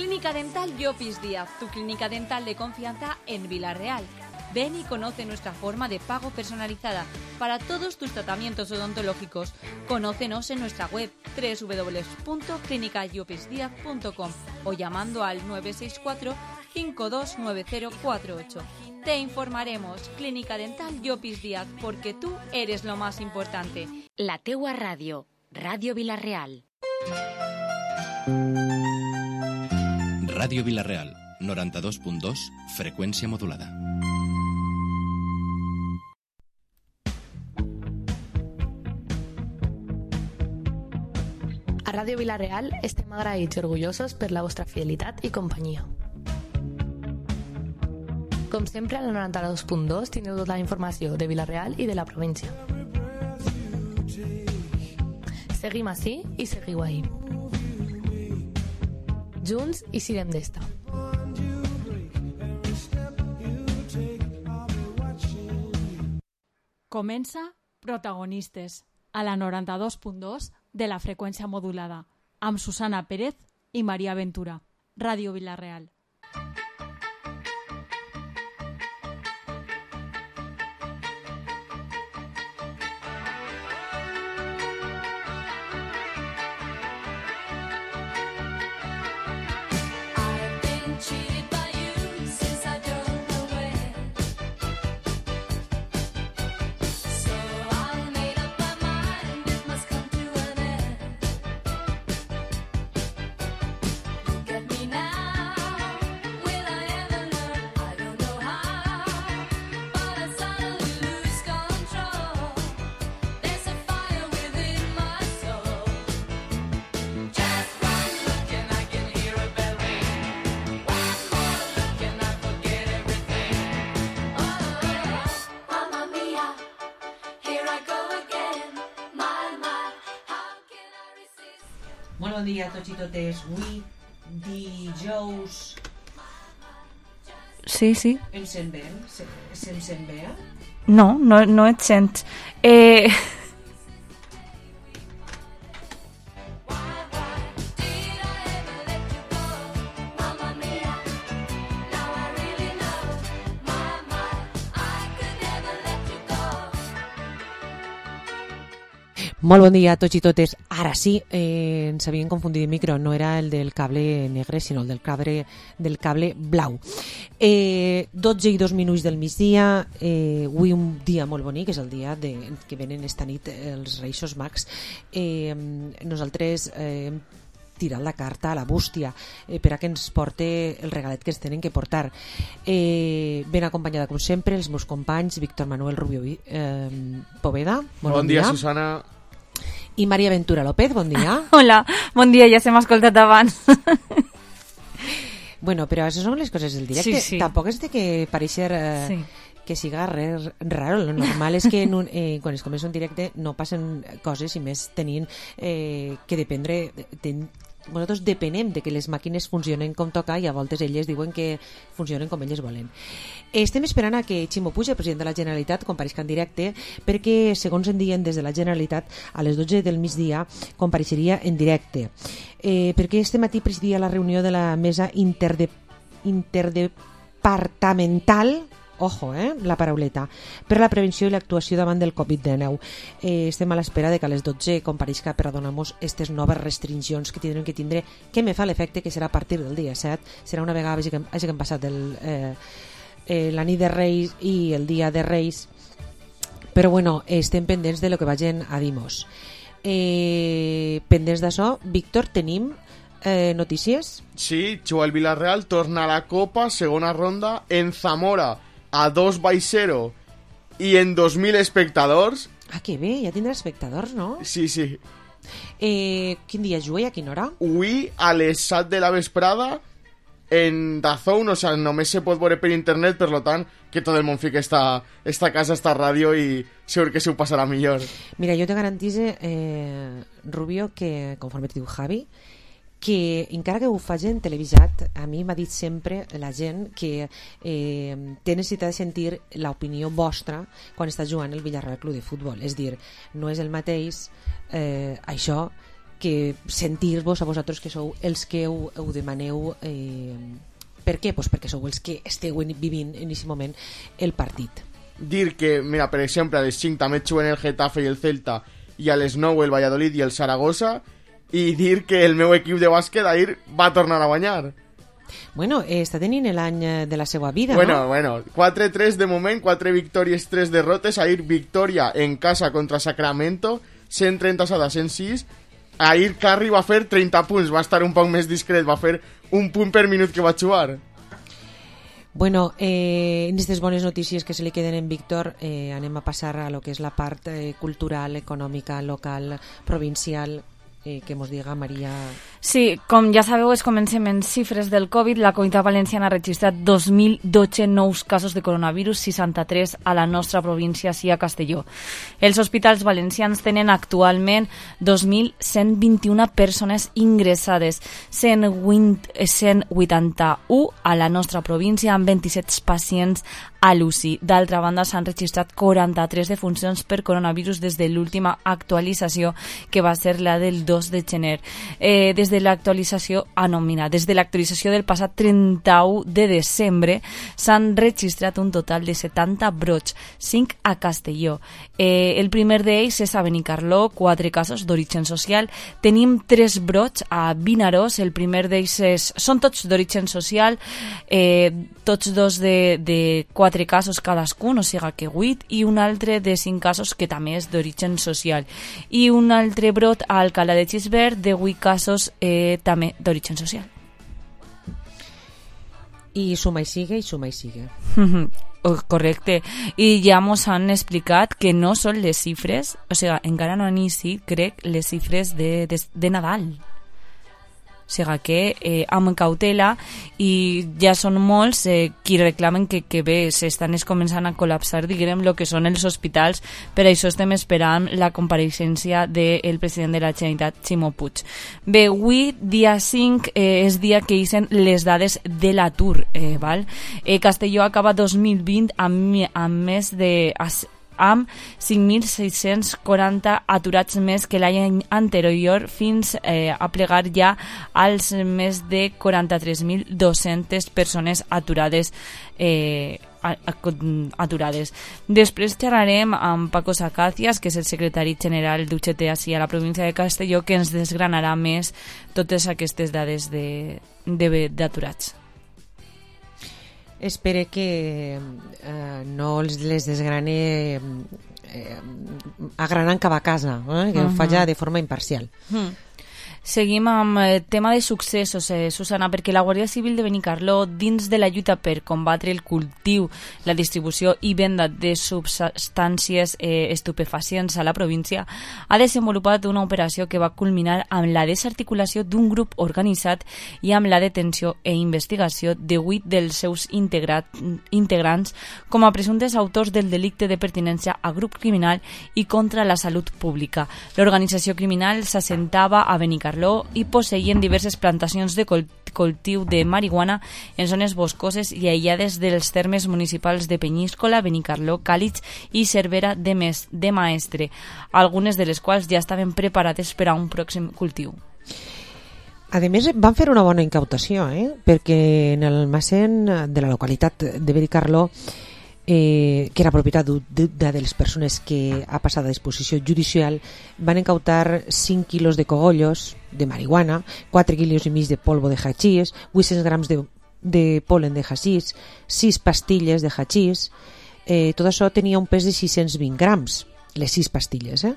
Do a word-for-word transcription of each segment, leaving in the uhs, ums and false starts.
Clínica Dental Llopis Díaz, tu clínica dental de confianza en Vila-real. Ven y conoce nuestra forma de pago personalizada para todos tus tratamientos odontológicos. Conócenos en nuestra web doble u doble u doble u punto clínica llopis díaz punto com o llamando al nueve seis cuatro, cinco dos nueve cero cuatro ocho. Te informaremos. Clínica Dental Llopis Díaz, porque tú eres lo más importante. La teua ràdio, Ràdio Vila-real. Ràdio Vila-real, noranta-dos punt dos, freqüència modulada. A Ràdio Vila-real estem agraïts i orgullosos per la vostra fidelitat i companyia. Com sempre, a la noranta-dos punt dos teniu tota la informació de Vila-real i de la província. Seguim ací i seguiu ahí. Junts i sirem d'esta. Comença Protagonistes, a la noranta-dos punt dos de la freqüència modulada, amb Susana Pérez i Maria Ventura. Ràdio Vila-real. Molt bon dia a tots i totes. Avui, dijous... Sí, sí. Em sent bé? Se, se em sent bé? No, no, no et sents. Eh... Molt bon dia a tots i totes. Ara sí, eh, ens havien confundit el micro, no era el del cable negre, sinó el del cable, del cable blau. Eh, dotze i dos minuts del migdia, eh, avui un dia molt bonic, és el dia de, que venen esta nit els Reis Mags. Eh, nosaltres eh, hem tirat la carta a la bústia eh, per a que ens porte el regalet que ens tenen que portar. Eh, ben acompanyada, com sempre, els meus companys, Víctor Manuel Rubio eh, Poveda. Bon, bon dia, dia, Susana. I Maria Ventura López, bon dia. Hola, bon dia, ja s'hem escoltat abans. Bueno, però això són les coses del directe. Sí, sí. Tampoc és de que pareixer eh, sí. que siga res raro. Lo normal és que en un, eh, quan es comença un directe no passen coses, i més tenint eh, que dependre... Ten, nosaltres depenem de que les màquines funcionen com toca, i a voltes elles diuen que funcionen com elles volen. Estem esperant a que Ximo Puig, el president de la Generalitat, compareixi en directe, perquè, segons en diuen des de la Generalitat, a les dotze del migdia compareixeria en directe. Eh, perquè este matí presidia la reunió de la mesa interde, interdepartamental, ojo, eh, la parauleta, per a la prevenció i l'actuació davant del covid dinou. Eh, estem a l'espera de que a les dotze compareixca per a donar-nos aquestes noves restriccions que tindrem que tindre, que me fa l'efecte que serà a partir del dia set, serà una vegada que hagi que passat el, eh, eh, la nit de Reis i el dia de Reis, però bueno, estem pendents de lo que vagin a dir-nos. Eh, pendents d'això, Víctor, tenim eh, notícies? Sí, juga el Vila-real, torna a la Copa, segona ronda, en Zamora, a dos baix zero i en dos mil espectadors. Ah, que bé, ja tindrà espectadors, no? Sí, sí. Eh, quin dia juga i a quina hora? Avui a les set de la vesprada en DAZN, o sea, només se pot veure per internet, per lo tant, que tot el món fica esta, esta casa, esta ràdio, i segur que se ho passarà millor. Mira, jo te garantise, eh, Rubio, que conforme et diu Javi, que encara que ho facin televisat, a mi m'ha dit sempre la gent que eh, té necessitat de sentir l'opinió vostra quan està jugant el Villarreal Club de Futbol. És dir, no és el mateix eh, això que sentir-vos a vosaltres que sou els que ho, ho demaneu. Eh, per què? Pues perquè sou els que esteu vivint en aquest moment el partit. Dir que, mira, per exemple, a les cinc també juguen el Getafe i el Celta, i a les nou el Valladolid i el Saragossa, i dir que el meu equip de bàsquet ahir va tornar a guanyar. Bueno, eh, està tenint l'any de la seva vida, bueno, no? Bueno, quatre tres de moment, quatre victòries, tres derrotes. Ahir victòria en casa contra Sacramento, cent trenta-set a cent sis. Ahir Curry va fer trenta punts, va estar un poc més discret, va fer un punt per minut que va jugar. Bueno, eh, en aquestes bones notícies que se li queden en Víctor, eh, anem a passar a lo que és la part eh, cultural, econòmica, local, provincial, eh, que mos diga Maria. Sí, com ja sabeu, es comencem en xifres del Covid. La Comunitat Valenciana ha registrat dos mil dotze nous casos de coronavirus, seixanta-tres a la nostra província, sí, a Castelló. Els hospitals valencians tenen actualment dos mil cent vint-i-una persones ingressades, cent vuitanta-u a la nostra província, amb vint-i-set pacients a l'U C I. D'altra banda, s'han registrat quaranta-tres defuncions per coronavirus des de l'última actualització, que va ser la del dos de gener. Eh, des de l'actualització, ah, no, mira, des de l'actualització del passat trenta-u de desembre s'han registrat un total de setanta brots, cinc a Castelló. Eh, el primer d'ells és a Benicarló, quatre casos d'origen social. Tenim tres brots a Vinaròs, el primer d'ells és, són tots d'origen social, eh, tots dos de, de quatre casos cadascun, o sigui que vuit, i un altre de cinc casos que també és d'origen social. I un altre brot a Alcalá de Xisbert de vuit casos eh, també d'origen social. I suma i sigue, i suma i sigue. Correcte. I ja mos han explicat que no són les xifres, o sigui, encara no han iniciat, crec, les xifres de, de, de Nadal. O sigui que eh, amb cautela, i ja són molts eh, qui reclamen que, que bé, s'estan començant a col·lapsar, diguem, el que són els hospitals. Per això estem esperant la compareixença del president de la Generalitat, Ximo Puig. Bé, avui, dia cinc, eh, és dia que hicen les dades de l'atur. Eh, val? Eh, Castelló acaba dos mil vint amb, amb més de... amb cinc mil sis-cents quaranta aturats més que l'any anterior, fins eh, a plegar ja als més de quaranta-tres mil dos-centes persones aturades eh, aturades. Després xerrarem amb Paco Sacacias, que és el secretari general d'U G T ací a la província de Castelló, que ens desgranarà més totes aquestes dades de, de, d'aturats. Espere que eh, no les desgrane eh, agranant cap a casa, eh? Que uh-huh. ho faci de forma imparcial. Uh-huh. Seguim amb el tema de successos, eh, Susana, perquè la Guàrdia Civil de Benicarló, dins de la lluita per combatre el cultiu, la distribució i venda de substàncies eh, estupefacients a la província, ha desenvolupat una operació que va culminar amb la desarticulació d'un grup organitzat i amb la detenció i investigació de vuit dels seus integrat, integrants com a presumptes autors del delicte de pertinença a grup criminal i contra la salut pública. L'organització criminal s'assentava a Benicarló i posseïen diverses plantacions de cultiu de marihuana en zones boscoses i aïllades dels termes municipals de Penyíscola, Benicarló, Càlig i Cervera de, Mes, de Maestre, algunes de les quals ja estaven preparades per a un pròxim cultiu. A més, van fer una bona incautació, eh? Perquè en el almacén de la localitat de Benicarló, Eh, que era propietat d'una de les persones que ha passat a disposició judicial, van incautar cinc quilos de cogollos de marihuana, quatre quilos i mig de polvo de hachís, vuit-cents grams de, de polen de hachís, sis pastilles de hachís. Eh, tot això tenia un pes de sis-cents vint grams, les sis pastilles, eh?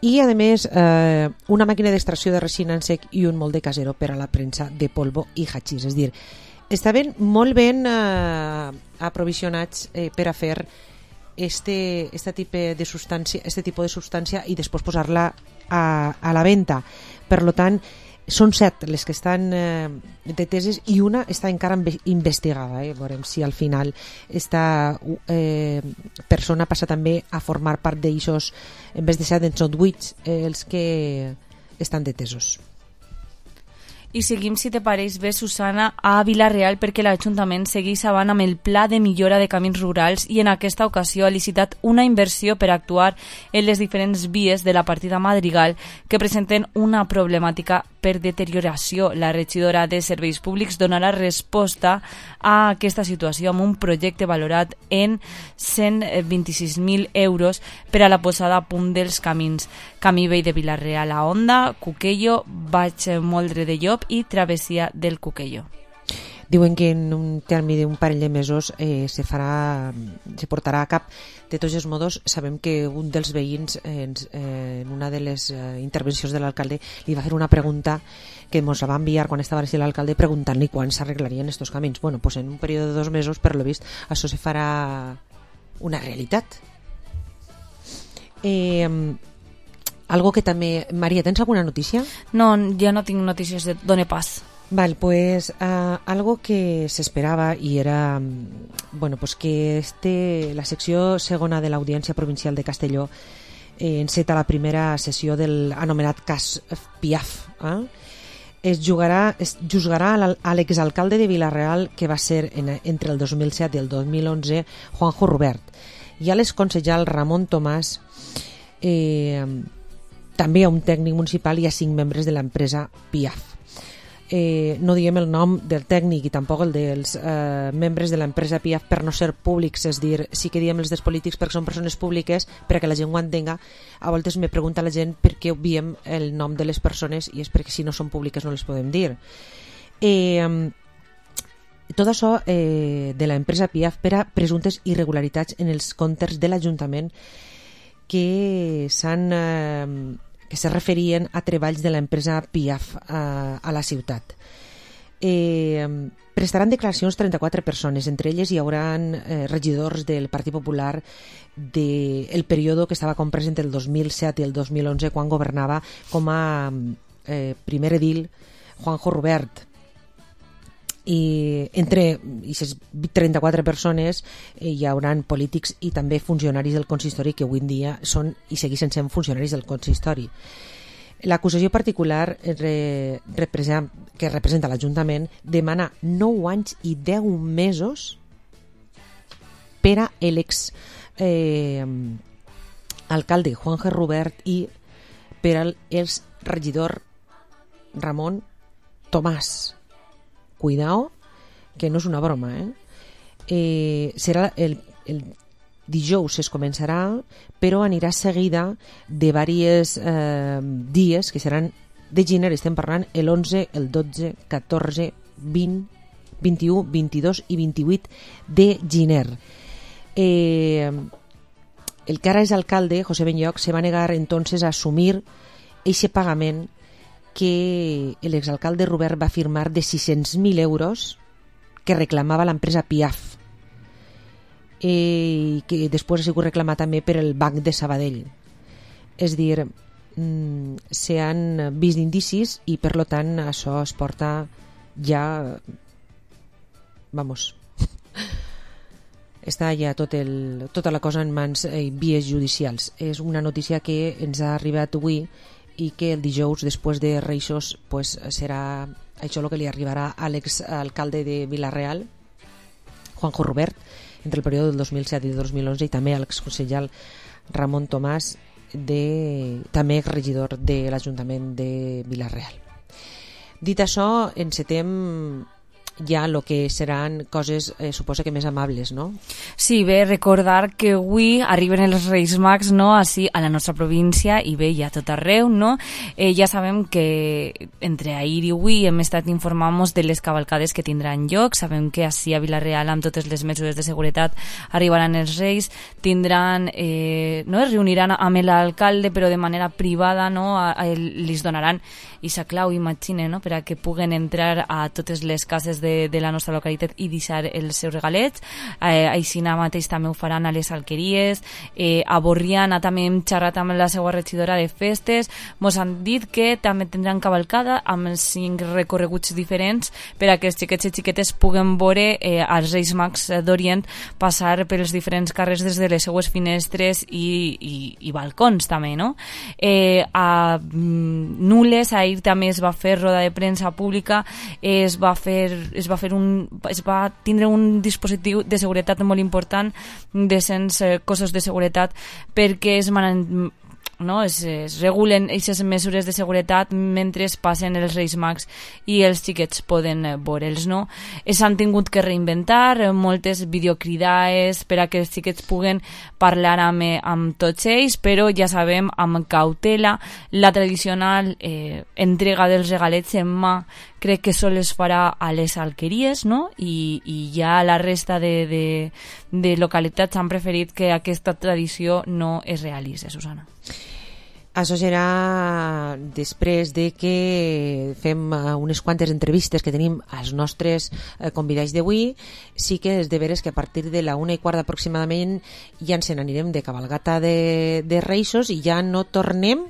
I a més eh, una màquina d'extracció de resina en sec i un molde casero per a la premsa de polvo i hachís. És a dir, estaven molt ben eh, aprovisionats eh, per a fer este, este, tipus de substància, este tipus de substància i després posar-la a, a la venda. Per tant, són set les que estan eh, deteses i una està encara investigada. Eh? Veurem si al final esta eh, persona passa també a formar part d'aixòs, en vez de ser d'en són vuit eh, els que estan detesos. I seguim, si te pareix bé, Susana, a Vila-real, perquè l'Ajuntament segueix avant amb el pla de millora de camins rurals i en aquesta ocasió ha licitat una inversió per actuar en les diferents vies de la partida Madrigal que presenten una problemàtica per deterioració. La regidora de Serveis Públics donarà resposta a aquesta situació amb un projecte valorat en cent vint-i-sis mil euros per a la posada a punt dels camins. Camí vell de Vila-real a Onda, Cuquello, Baix Moldre de Llop i travessia del Cuquello. Diuen que en un termini d'un parell de mesos eh, se farà, se portarà a cap. De tots els modos, sabem que un dels veïns eh, en una de les eh, intervencions de l'alcalde li va fer una pregunta que ens va enviar quan estava a l'alcalde preguntant-li quan s'arreglarien estos camins. Bueno, pues en un període de dos mesos, per lo vist, això se farà una realitat. Eh, algo que també... Maria, tens alguna notícia? No, ja no tinc notícies de Dona Pas. Vale, pues uh, algo que se esperaba y era bueno, pues que este, la secció segona de l'Audiència Provincial de Castelló eh, enceta la primera sessió del anomenat cas Piaf. Eh? Es, jugarà, es juzgarà a l'exalcalde de Vila-real que va ser en, entre el dos mil set i el dos mil onze Juanjo Rubert i a l'exconsellal Ramon Tomàs, eh, també a un tècnic municipal i a cinc membres de l'empresa Piaf. Eh, no diem el nom del tècnic i tampoc el dels eh, membres de l'empresa Piaf per no ser públics, és dir, sí que diem els dels polítics perquè són persones públiques, perquè la gent ho entenga. A voltes me pregunta la gent per què obviem el nom de les persones i és perquè si no són públiques no les podem dir. Eh, tot això eh, de l'empresa Piaf per a presumptes irregularitats en els comptes de l'Ajuntament que s'han... Eh, que se referien a treballs de l'empresa Piaf a, a la ciutat. Eh, prestaran declaracions trenta-quatre persones, entre elles hi haurà eh, regidors del Partit Popular del de període que estava comprès entre el dos mil set i el dos mil onze quan governava com a eh, primer edil Juanjo Rubert. I entre aquestes trenta-quatre persones eh, hi hauran polítics i també funcionaris del consistori que avui en dia són i segueixen sent funcionaris del consistori. L'acusació particular re, representa, que representa l'Ajuntament demana nou anys i deu mesos per a l'ex eh, alcalde Juanjo Rubert i per al ex regidor Ramon Tomàs. Cuidao, que no és una broma, eh? Eh, serà el, el dijous es començarà, però anirà seguida de diversos eh, dies que seran de gener, estem parlant l'onze, el dotze, catorze, vint, vint-i-u, vint-i-dos i vint-i-vuit de gener. Eh, el que ara és alcalde, José Benlloch, se va negar entonces a assumir eixe pagament que l'exalcalde Rubert va firmar de sis-cents mil euros que reclamava l'empresa Piaf eh, i que després ha sigut reclamat també per el Banc de Sabadell. És dir, mm, s'han vist indicis i per lo tant això es porta ja vamos està ja tot el, tota la cosa en mans i eh, vies judicials. És una notícia que ens ha arribat avui i que el dijous després de Reixos pues, serà això el que li arribarà a l'exalcalde de Vila-real Juanjo Rubert entre el període del dos mil set i el dos mil onze i també a l'exconsellal Ramon Tomàs de, també regidor de l'Ajuntament de Vila-real. Dit això, encetem ja el que seran coses, eh, suposa que més amables, no? Sí, bé, recordar que avui arriben els Reis Mags, no?, així a la nostra província i bé, ja tot arreu, no? Eh, ja sabem que entre ahir i avui hem estat informant-nos de les cavalcades que tindran lloc, sabem que així a Vila-real amb totes les mesures de seguretat arribaran els Reis, tindran, eh, no?, es reuniran amb l'alcalde però de manera privada, no?, a, a, els donaran aquesta clau, imagine, no?, per a que puguen entrar a totes les cases de, de la nostra localitat i deixar els seus regalets. Eh, així mateix també ho faran a les alqueries. Eh, a Borriana també hem xerrat amb la seva regidora de festes. Mos han dit que també tindran cavalcada amb cinc recorreguts diferents per a que els xiquets i xiquetes puguen veure eh, els Reis Mags d'Orient passar pels diferents carrers des de les seues finestres i, i, i balcons també, no? Eh, a mm, Nules, a ahir també es va fer roda de premsa pública, es va fer, es va fer un, es va tindre un dispositiu de seguretat molt important de cent cossos de seguretat perquè es man no? es, es regulen aquestes mesures de seguretat mentre es passen els Reis Mags i els xiquets poden veure'ls, no? S'han tingut que reinventar moltes videocridades per a que els xiquets puguen parlar amb, amb tots ells, però ja sabem, amb cautela, la tradicional eh, entrega dels regalets en mà crec que sols es farà a les alqueries, no? I, i ja la resta de, de, de localitats han preferit que aquesta tradició no es realitzi, Susana. Això serà després de que fem unes quantes entrevistes que tenim als nostres convidats d'avui. Sí que és de veres que a partir de la una i quart aproximadament ja ens n'anirem de cabalgata de, de Reixos i ja no tornem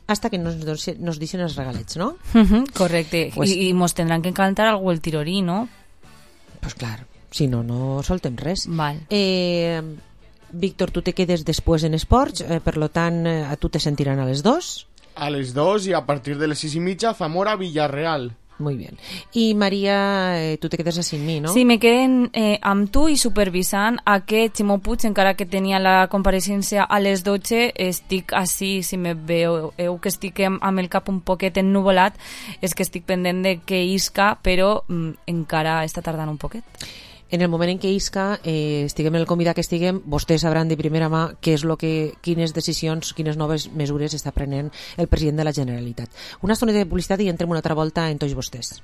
hasta que nos, nos deixen els regalets, no? Uh-huh, correcte. Pues, I, I mos tindran que cantar algú el tirorí, no? Pues clar, si no, no soltem res. Val. Eh... Víctor, tu te quedes després en esports, eh, per lo tant, eh, a tu te sentiran a les dos. A les dos i a partir de les sis i mitja, Zamora-Villarreal. Muy bien. I Maria, eh, tu te quedes així amb mi, no? Sí, me queden eh, amb tu i supervisant a que Ximo Puig, encara que tenia la compareixença a les dotze, estic així, si me veieu que estic amb el cap un poquet ennuvolat, és que estic pendent de que isca, però mm, encara està tardant un poquet. En el moment en què isca, eh, estiguem en el convidat que estiguem, vostès sabran de primera mà què és lo que, quines decisions, quines noves mesures està prenent el president de la Generalitat. Una estona de publicitat i entrem una altra volta en tots vostès.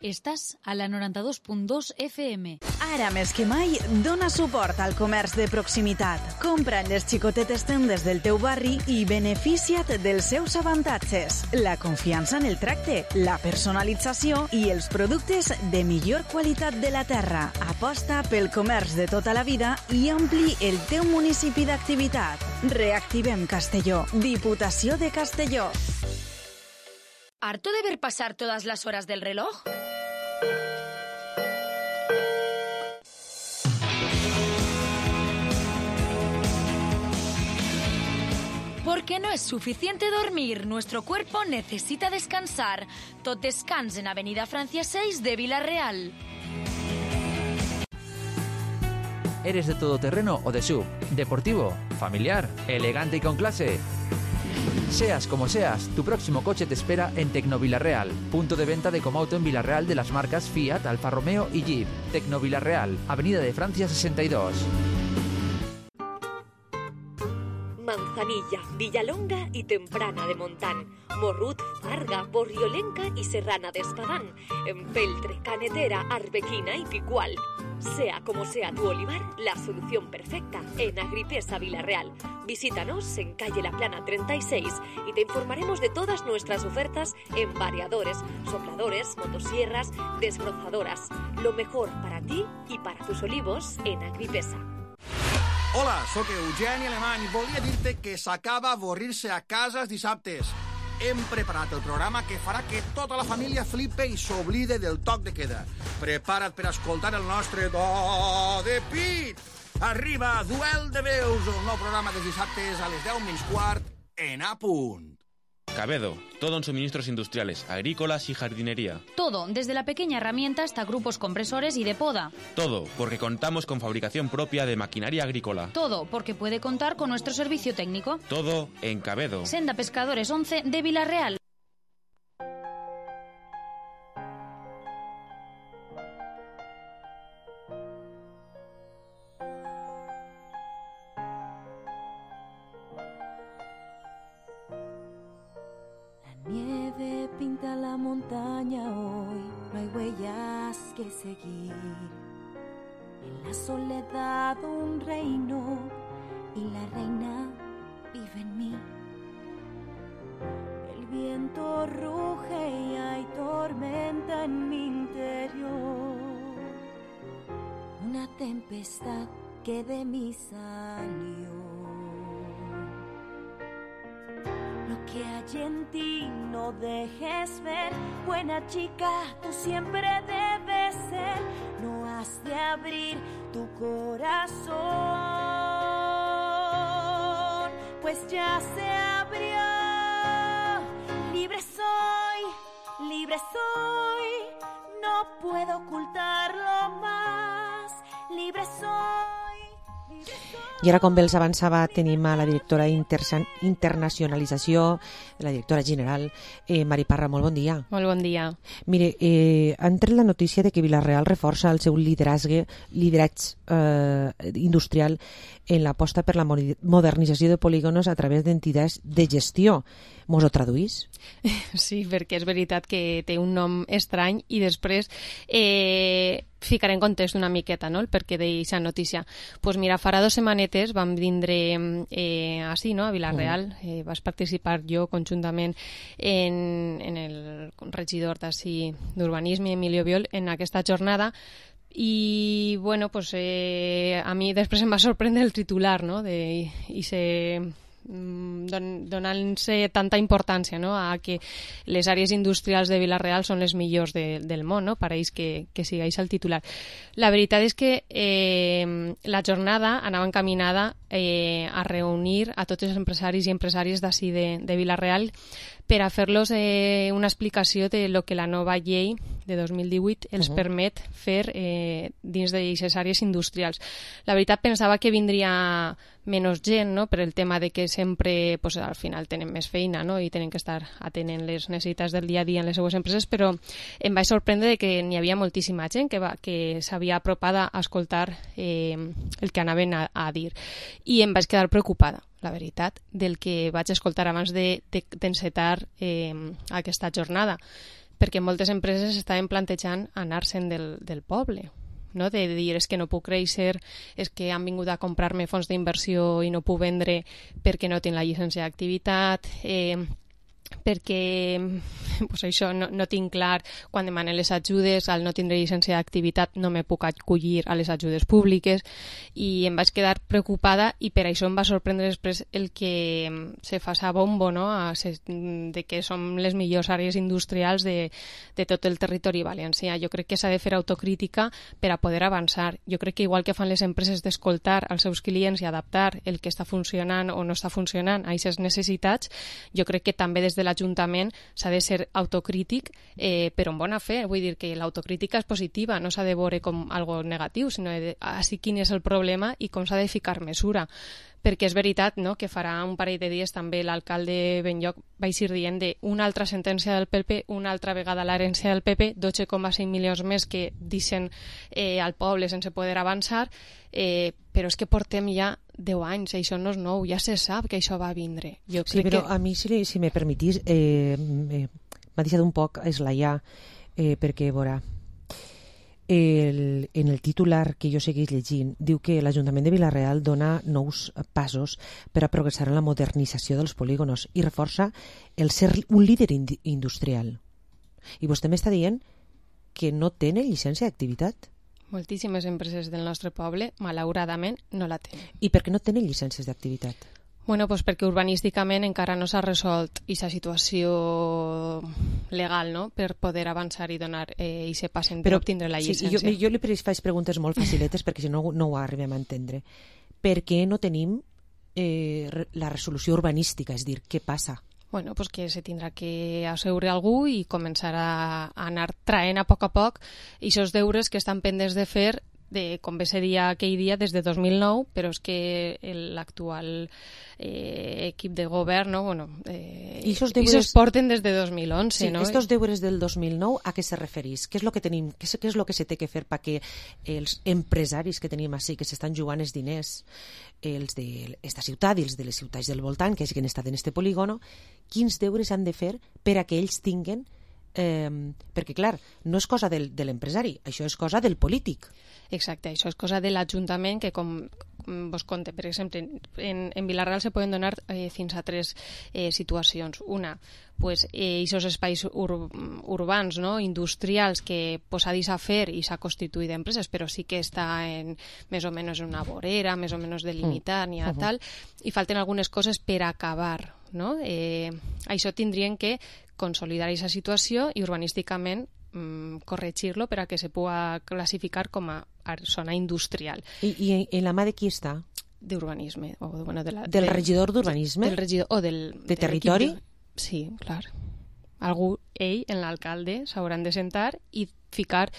Estàs a la noranta-dos punt dos F M. Ara més que mai, dona suport al comerç de proximitat. Compra en les xicotetes tendes del teu barri i beneficia't dels seus avantatges. La confiança en el tracte, la personalització i els productes de millor qualitat de la terra. Aposta pel comerç de tota la vida i ampli el teu municipi d'activitat. Reactivem Castelló. Diputació de Castelló. ¿Harto de ver pasar todas las horas del reloj? Porque no es suficiente dormir, nuestro cuerpo necesita descansar. Tot descans en Avenida Francia seis de Vila-real. ¿Eres de todoterreno o de sub? ¿Deportivo? ¿Familiar? ¿Elegante y con clase? Seas como seas, tu próximo coche te espera en Tecno Vila-real, punto de venta de Comauto en Vila-real de las marcas Fiat, Alfa Romeo y Jeep. Tecno Vila-real, Avenida de Francia sesenta y dos. Manzanilla, Villalonga y Temprana de Montán, Morrut, Farga, Borriolenca y Serrana de Espadán, Empeltre, Canetera, Arbequina y Picual. Sea como sea tu olivar, la solución perfecta en Agripesa Vila-real. Visítanos en calle La Plana treinta y seis y te informaremos de todas nuestras ofertas en variadores, sopladores, motosierras, desbrozadoras. Lo mejor para ti y para tus olivos en Agripesa. Hola, sóc Eugeni Alemany. Volia dir-te que s'acaba avorrir-se a casa els dissabtes. Hem preparat el programa que farà que tota la família flipe i s'oblide del toc de queda. Prepara't per escoltar el nostre Do de Pit. Arriba Duel de Veus, el nou programa dels dissabtes a les deu menys quart en A Punt. Cabedo, todo en suministros industriales, agrícolas y jardinería. Todo, desde la pequeña herramienta hasta grupos compresores y de poda. Todo, porque contamos con fabricación propia de maquinaria agrícola. Todo, porque puede contar con nuestro servicio técnico. Todo en Cabedo. Senda Pescadores once de Vila-real. Nieve pinta la montaña hoy, no hay huellas que seguir. En la soledad un reino y la reina vive en mí. El viento ruge y hay tormenta en mi interior. Una tempestad que de mí salió. Lo que hay en ti no dejes ver, buena chica, tú siempre debes ser. No has de abrir tu corazón, pues ya se abrió. Libre soy, libre soy, no puedo ocultarlo más. Libre soy, libre soy. I ara, com bé els avançava, tenim a la directora d'internacionalització, la directora general, eh, Mari Parra. Molt bon dia. Molt bon dia. Mire, eh, han tret la notícia de que Vila-real reforça el seu lideratge, lideratge eh, industrial en l'aposta per la modernització de polígonos a través d'entitats de gestió. Mos ho traduís? Sí, perquè és veritat que té un nom estrany i després eh, ficaré en context una miqueta, no?, el perquè d'aquesta notícia. Pues mira, farà dues setmanetes vam vindre eh, així, no?, a Vila-real. Mm. Eh, vas participar jo conjuntament en, en el regidor d'ací d'Urbanisme, Emilio Biol, en aquesta jornada. I, bueno, pues eh, a mi després em va sorprendre el titular, no?, de, i se... Don, donant-se tanta importància, no?, a que les àrees industrials de Vila-real són les millors de, del món, no?, pareix que, que sigueix el titular. La veritat és que eh, la jornada anava encaminada eh, a reunir a tots els empresaris i empresàries d'ací de, de Vila-real per a fer-los eh, una explicació de lo que la nova llei de dos mil divuit els uh-huh. permet fer eh, dins d'aquestes àrees industrials. La veritat pensava que vindria menys gent, no?, per el tema de que sempre pues, al final tenen més feina, no?, i tenen que estar atenent les necessitats del dia a dia en les seues empreses, però em vaig sorprendre que n'hi havia moltíssima gent que, va, que s'havia apropada a escoltar eh, el que anaven a, a dir. I em vaig quedar preocupada, la veritat, del que vaig escoltar abans de, de, d'encetar eh, aquesta jornada, perquè moltes empreses estaven plantejant anar-se'n del, del poble, no?, de dir és que no puc créixer, és que han vingut a comprar-me fons d'inversió i no puc vendre perquè no tinc la llicència d'activitat, eh, perquè pues això, no, no tinc clar quan demanen les ajudes, al no tindre llicència d'activitat no me puc acollir a les ajudes públiques, i em vaig quedar preocupada i per això em va sorprendre després el que se fa a bombo, no?, a, de que som les millors àrees industrials de, de tot el territori valencià. Jo crec que s'ha de fer autocrítica per a poder avançar. Jo crec que igual que fan les empreses d'escoltar als seus clients i adaptar el que està funcionant o no està funcionant a aquestes necessitats, jo crec que també des de l'Ajuntament s'ha de ser autocrític, eh, però en bona fe. Vull dir que l'autocrítica és positiva, no s'ha de veure com algo negatiu, sinó de així quin és el problema i com s'ha de ficar mesura. Perquè és veritat, no?, que farà un parell de dies també l'alcalde Benlloc va ir dient de una altra sentència del P P, una altra vegada l'herència del P P, dotze coma cinc milions més que deixen eh, al poble sense poder avançar, eh, però és que portem ja deu anys, això no és nou, ja se sap que això va vindre. Jo sí, però que... a mi, si, si me permetís, eh, eh, m'ha deixat un poc esglaiar, eh, perquè, veurà, El, en el titular que jo segueix llegint diu que l'Ajuntament de Vila-real dona nous passos per a progressar en la modernització dels polígonos i reforça el ser un líder ind- industrial. I vostè m'està dient que no tenen llicència d'activitat. Moltíssimes empreses del nostre poble, malauradament, no la tenen. I per què no tenen llicències d'activitat? Bueno, pues perquè urbanísticament encara no s'ha resolt aquesta situació legal, no?, per poder avançar i donar eh, i se passen per obtindre la llicència. Sí, jo, jo li faig preguntes molt faciletes perquè si no, no ho arribem a entendre. Per què no tenim eh, la resolució urbanística? És dir, què passa? Bueno, pues que se tindrà que asseure algú i començar a, a anar traient a poc a poc aquests deures que estan pendents de fer, de, com bé se dia aquell dia, des de dos mil nou, però és que l'actual eh, equip de govern, no? Bueno, eh, I esos deures porten des de dos mil onze, sí, no? Estos deures del dos mil nou, a què se referís? Què és el que tenim? Què és, què és el que se té que fer perquè els empresaris que tenim així, que s'estan jugant els diners, els d'esta ciutat i els de les ciutats del voltant, que és que han estat en este polígono, quins deures han de fer per a que ells tinguen Eh, perquè clar, no és cosa del, de l'empresari, això és cosa del polític. Exacte, això és cosa de l'Ajuntament, que com vos conte, per exemple, en, en Vila-real se poden donar eh, fins a tres eh, situacions. Una, pues, eh, esos espais ur, urbans, no?, industrials, que pues, s'ha deixat fer i s'ha constituït empreses, però sí que està en, més o menys en una vorera, més o menys delimitat, ni a tal, i falten algunes coses per acabar, no? Eh, això tindrien que consolidar aquesta situació i urbanísticament mm, corregir-lo per a que se pugui classificar com a zona industrial. I, i en la mà de qui està? D'urbanisme. O, bueno, de la, del de, regidor d'urbanisme? Del regidor, o del... De territori? De, sí, clar. Algú, ell, en l'alcalde, s'hauran de sentar i ficar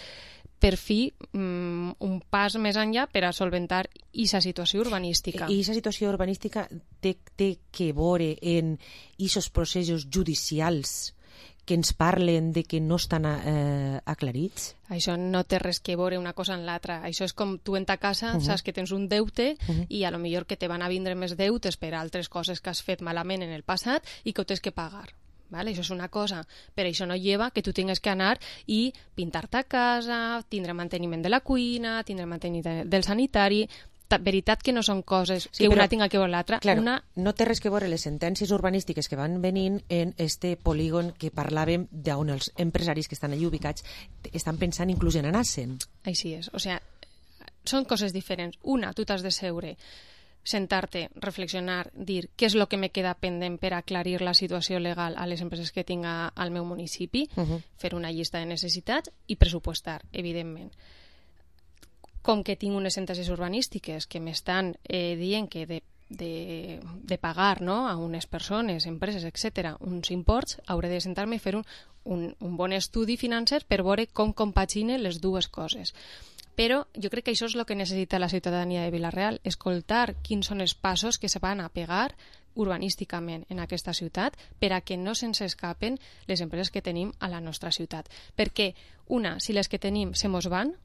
per fi um, un pas més enllà per a solventar aquesta situació urbanística. I aquesta situació urbanística té, té que veure en aquests processos judicials que ens parlen de que no estan eh, aclarits? Això no té res que veure una cosa en l'altra. Això és com tu en ta casa, uh -huh. saps que tens un deute uh -huh. i a lo millor que te van a vindre més deutes per altres coses que has fet malament en el passat i que ho tens que pagar. Vale? Això és una cosa, però això no lleva que tu tingues que anar i pintar-te a casa, tindre manteniment de la cuina, tindre manteniment del sanitari... veritat que no són coses que sí, una tinga que veure l'altra. Claro, una... no té res que veure les sentències urbanístiques que van venint en este polígon que parlàvem d'on els empresaris que estan allí ubicats estan pensant inclús en anar-se'n. Així és, o sigui, són coses diferents. Una, tu t'has de seure, sentar-te, reflexionar, dir què és el que me queda pendent per aclarir la situació legal a les empreses que tinga al meu municipi, uh -huh. fer una llista de necessitats i pressupostar, evidentment. Com que tinc unes sentències urbanístiques que m'estan eh, dient que de, de, de pagar, no?, a unes persones, empreses, etcètera, uns imports, hauré de sentar-me i fer un, un, un bon estudi financer per veure com compaginen les dues coses. Però jo crec que això és el que necessita la ciutadania de Vila-real, escoltar quins són els passos que se van a pegar urbanísticament en aquesta ciutat per a que no se'ns escapen les empreses que tenim a la nostra ciutat. Perquè, una, si les que tenim se mos van,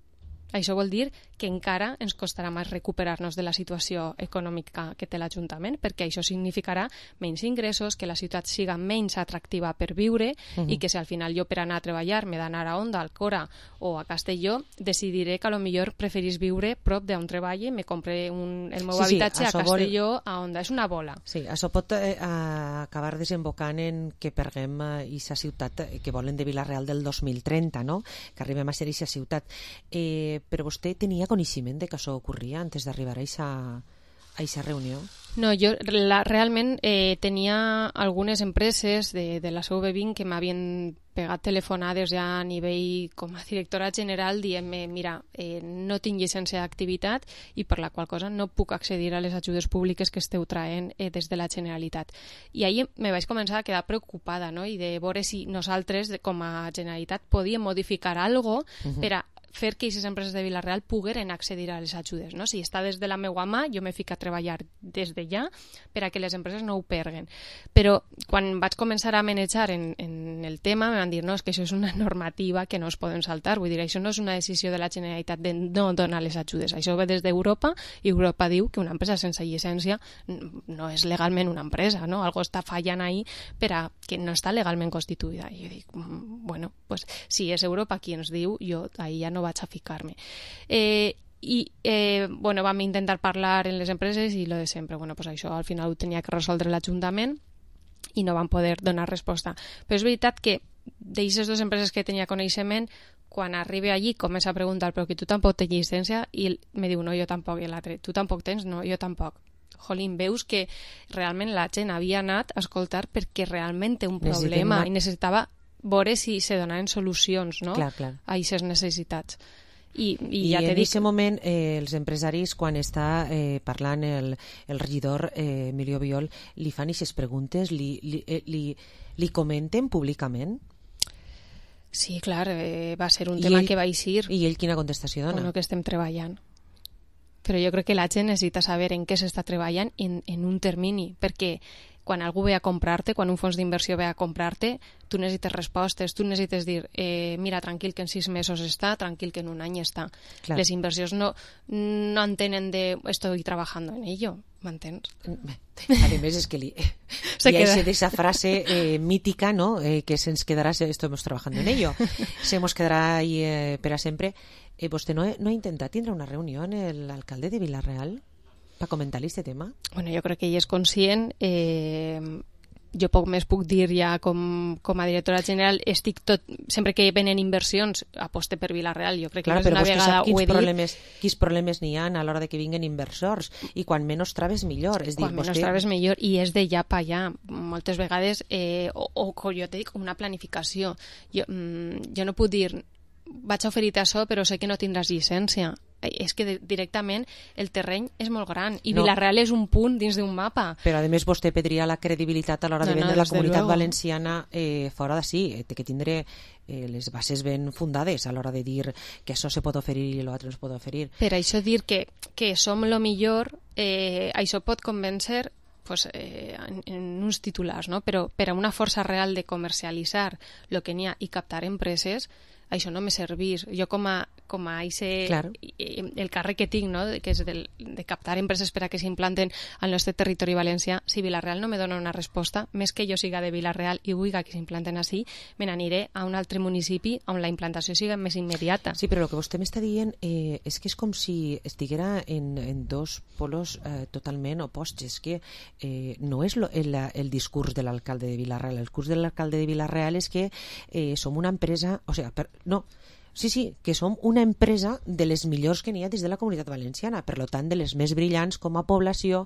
això vol dir que encara ens costarà més recuperar-nos de la situació econòmica que té l'Ajuntament, perquè això significarà menys ingressos, que la ciutat siga menys atractiva per viure uh -huh. i que si al final jo per anar a treballar m'he d'anar a Onda, a Alcora o a Castelló, decidiré que a lo millor preferís viure prop d'on treballe, me compre un, el meu sí, habitatge sí, a Castelló, vol... a Onda. És una bola. Sí, això pot eh, acabar desembocant en que perguem aquesta eh, ciutat que volen de Vila-real del dos mil trenta, no?, que arribem a ser aquesta ciutat. Eh, però vostè tenia coneixement de que això ocorria antes d'arribar a aquesta reunió? No, jo la, realment eh, tenia algunes empreses de, de la C V vint que m'havien pegat telefonades ja a nivell com a directora general dient-me, mira, eh, no tinc llicència d'activitat i per la qual cosa no puc accedir a les ajudes públiques que esteu traient eh, des de la Generalitat. I ahir me vaig començar a quedar preocupada, no?, i de veure si nosaltres com a Generalitat podíem modificar alguna cosa uh-huh. per a fer que aquestes empreses de Vila-real pogueren accedir a les ajudes, no? Si està des de la meva mà, jo me fico a treballar des de ja per a que les empreses no ho perguen. Però quan vaig començar a manejar en, en el tema, me van dir, no, és que això és una normativa que no es poden saltar, vull dir, això no és una decisió de la Generalitat de no donar les ajudes, això ve des d'Europa i Europa diu que una empresa sense llicència no és legalment una empresa, no? Algo està fallant ahí per a que no està legalment constituïda. I jo dic, bueno, pues si és Europa qui ens diu, jo ahí ja no vaig a ficar-me. Eh, i eh, bueno, vam intentar parlar en les empreses i lo de sempre, bueno, pues això al final ho tenia que resoldre l'Ajuntament i no van poder donar resposta. Però és veritat que d'aquestes dues empreses que tenia coneixement, quan arribe allí comença a preguntar però que tu tampoc tens llicència i me diu no, jo tampoc, i l'altre, tu tampoc tens? No, jo tampoc. Jolín, veus que realment la gent havia anat a escoltar perquè realment té un problema una... i necessitava veure si se donaven solucions, no?, clar, clar. a aquestes necessitats. I, i, I ja en aquest moment eh, els empresaris, quan està eh, parlant el, el regidor eh, Emilio Biol, li fan aquestes preguntes, li, li, eh, li, li comenten públicament? Sí, clar, eh, va ser un I tema ell, que va eixir. I ell quina contestació dona? Bueno, que estem treballant. Però jo crec que la gent necessita saber en què s'està treballant en, en un termini, perquè quan algú ve a comprar-te, quan un fons d'inversió ve a comprar-te, tu necessites respostes, tu necessites dir, eh, mira, tranquil que en sis mesos està, tranquil que en un any està. Clar. Les inversions no, no entenen de estoy trabajando en ello, m'entens? A més, és que li, hi ha esa frase eh, mítica, ¿no?, eh, que se'ns quedarà, estamos trabajando en ello, se nos quedarà ahí eh, per a sempre. Eh, vostè no, no ha intentat tindre una reunió amb l'alcalde de Vila-real per comentar-li aquest tema? Bueno, jo crec que ell és conscient. Eh, jo poc més puc dir ja com, com a directora general. Estic tot, sempre que venen inversions aposte per Vila-real. Jo crec que Clar, més d'una vegada ho he dit. Problemes, quins problemes n'hi ha a l'hora de que vinguen inversors, i quan menys traves millor. És quan dir, menys vostè... traves millor, i és de ja pa allà. Moltes vegades, eh, o, o com jo te dic, una planificació. Jo, mm, jo no puc dir vaig a oferir-te això però sé que no tindràs llicència. És que de, directament el terreny és molt gran i no. Vila-real és un punt dins d'un mapa. Però a més vostè perdria la credibilitat a l'hora no, de vendre no, la comunitat luego. valenciana eh, fora d'ací. Té que tindre eh, les bases ben fundades a l'hora de dir que això se pot oferir i l'altre no es pot oferir. Per això dir que, que som lo millor, eh, això pot convèncer pues, eh, en, en uns titulars, no? Però per a una força real de comercialitzar el que n'hi ha i captar empreses, això no me servís. Jo com a, com a ese, claro. el càrrec que tinc, no? que és del, de captar empreses per a que s'implanten al nostre territori valencià, si Vila-real no me dona una resposta, més que jo siga de Vila-real i vull que s'implanten així, me n'aniré a un altre municipi on la implantació siga més immediata. Sí, però el que vostè m'està dient eh, és que és com si estiguera en, en dos polos eh, totalment opostos. És que eh, no és lo, el, el discurs de l'alcalde de Vila-real. El discurs de l'alcalde de Vila-real és que eh, som una empresa... O sigui, per, no... Sí, sí, que som una empresa de les millors que n'hi ha dins de la comunitat valenciana, per tant, de les més brillants com a població,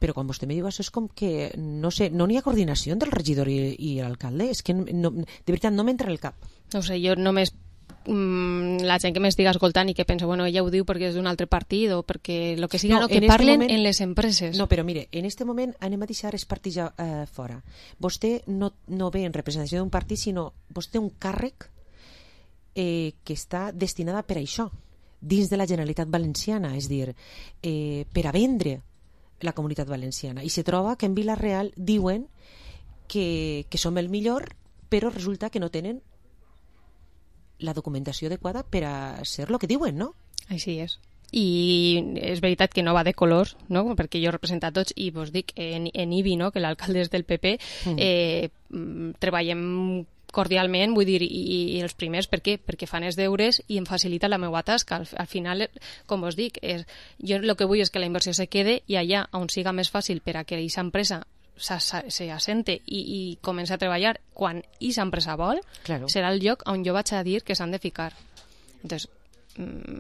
però quan vostè me diu això és com que, no sé, no n'hi ha coordinació entre el regidor i, i l'alcalde, és que no, de veritat no m'entra en el cap. No sé, jo només mm, la gent que m'estiga escoltant i que pensa, bueno, ella ho diu perquè és d'un altre partit o perquè el que siga, no, no que en parlen moment, en les empreses. No, però mire, en este moment anem a deixar els partits eh, fora. Vostè no, no ve en representació d'un partit, sinó vostè té un càrrec Eh, que està destinada per a això dins de la Generalitat Valenciana, és dir, eh, per a vendre la comunitat valenciana, i se troba que en Vila-real diuen que, que som el millor, però resulta que no tenen la documentació adequada per a ser el que diuen, no? Així és. I és veritat que no va de colors, no? Perquè jo represento a tots i vos dic, en, en Ibi, no? Que l'alcalde és del P P, mm. eh, treballem cordialment, vull dir, i, i els primers, per què? Perquè fan els deures i em facilita la meva tasca. Al, al final, com us dic, és, jo el que vull és que la inversió se quede i allà on siga més fàcil per a que aquesta empresa s'assente i, i comença a treballar quan aquesta empresa vol, claro. serà el lloc on jo vaig a dir que s'han de ficar. Entonces,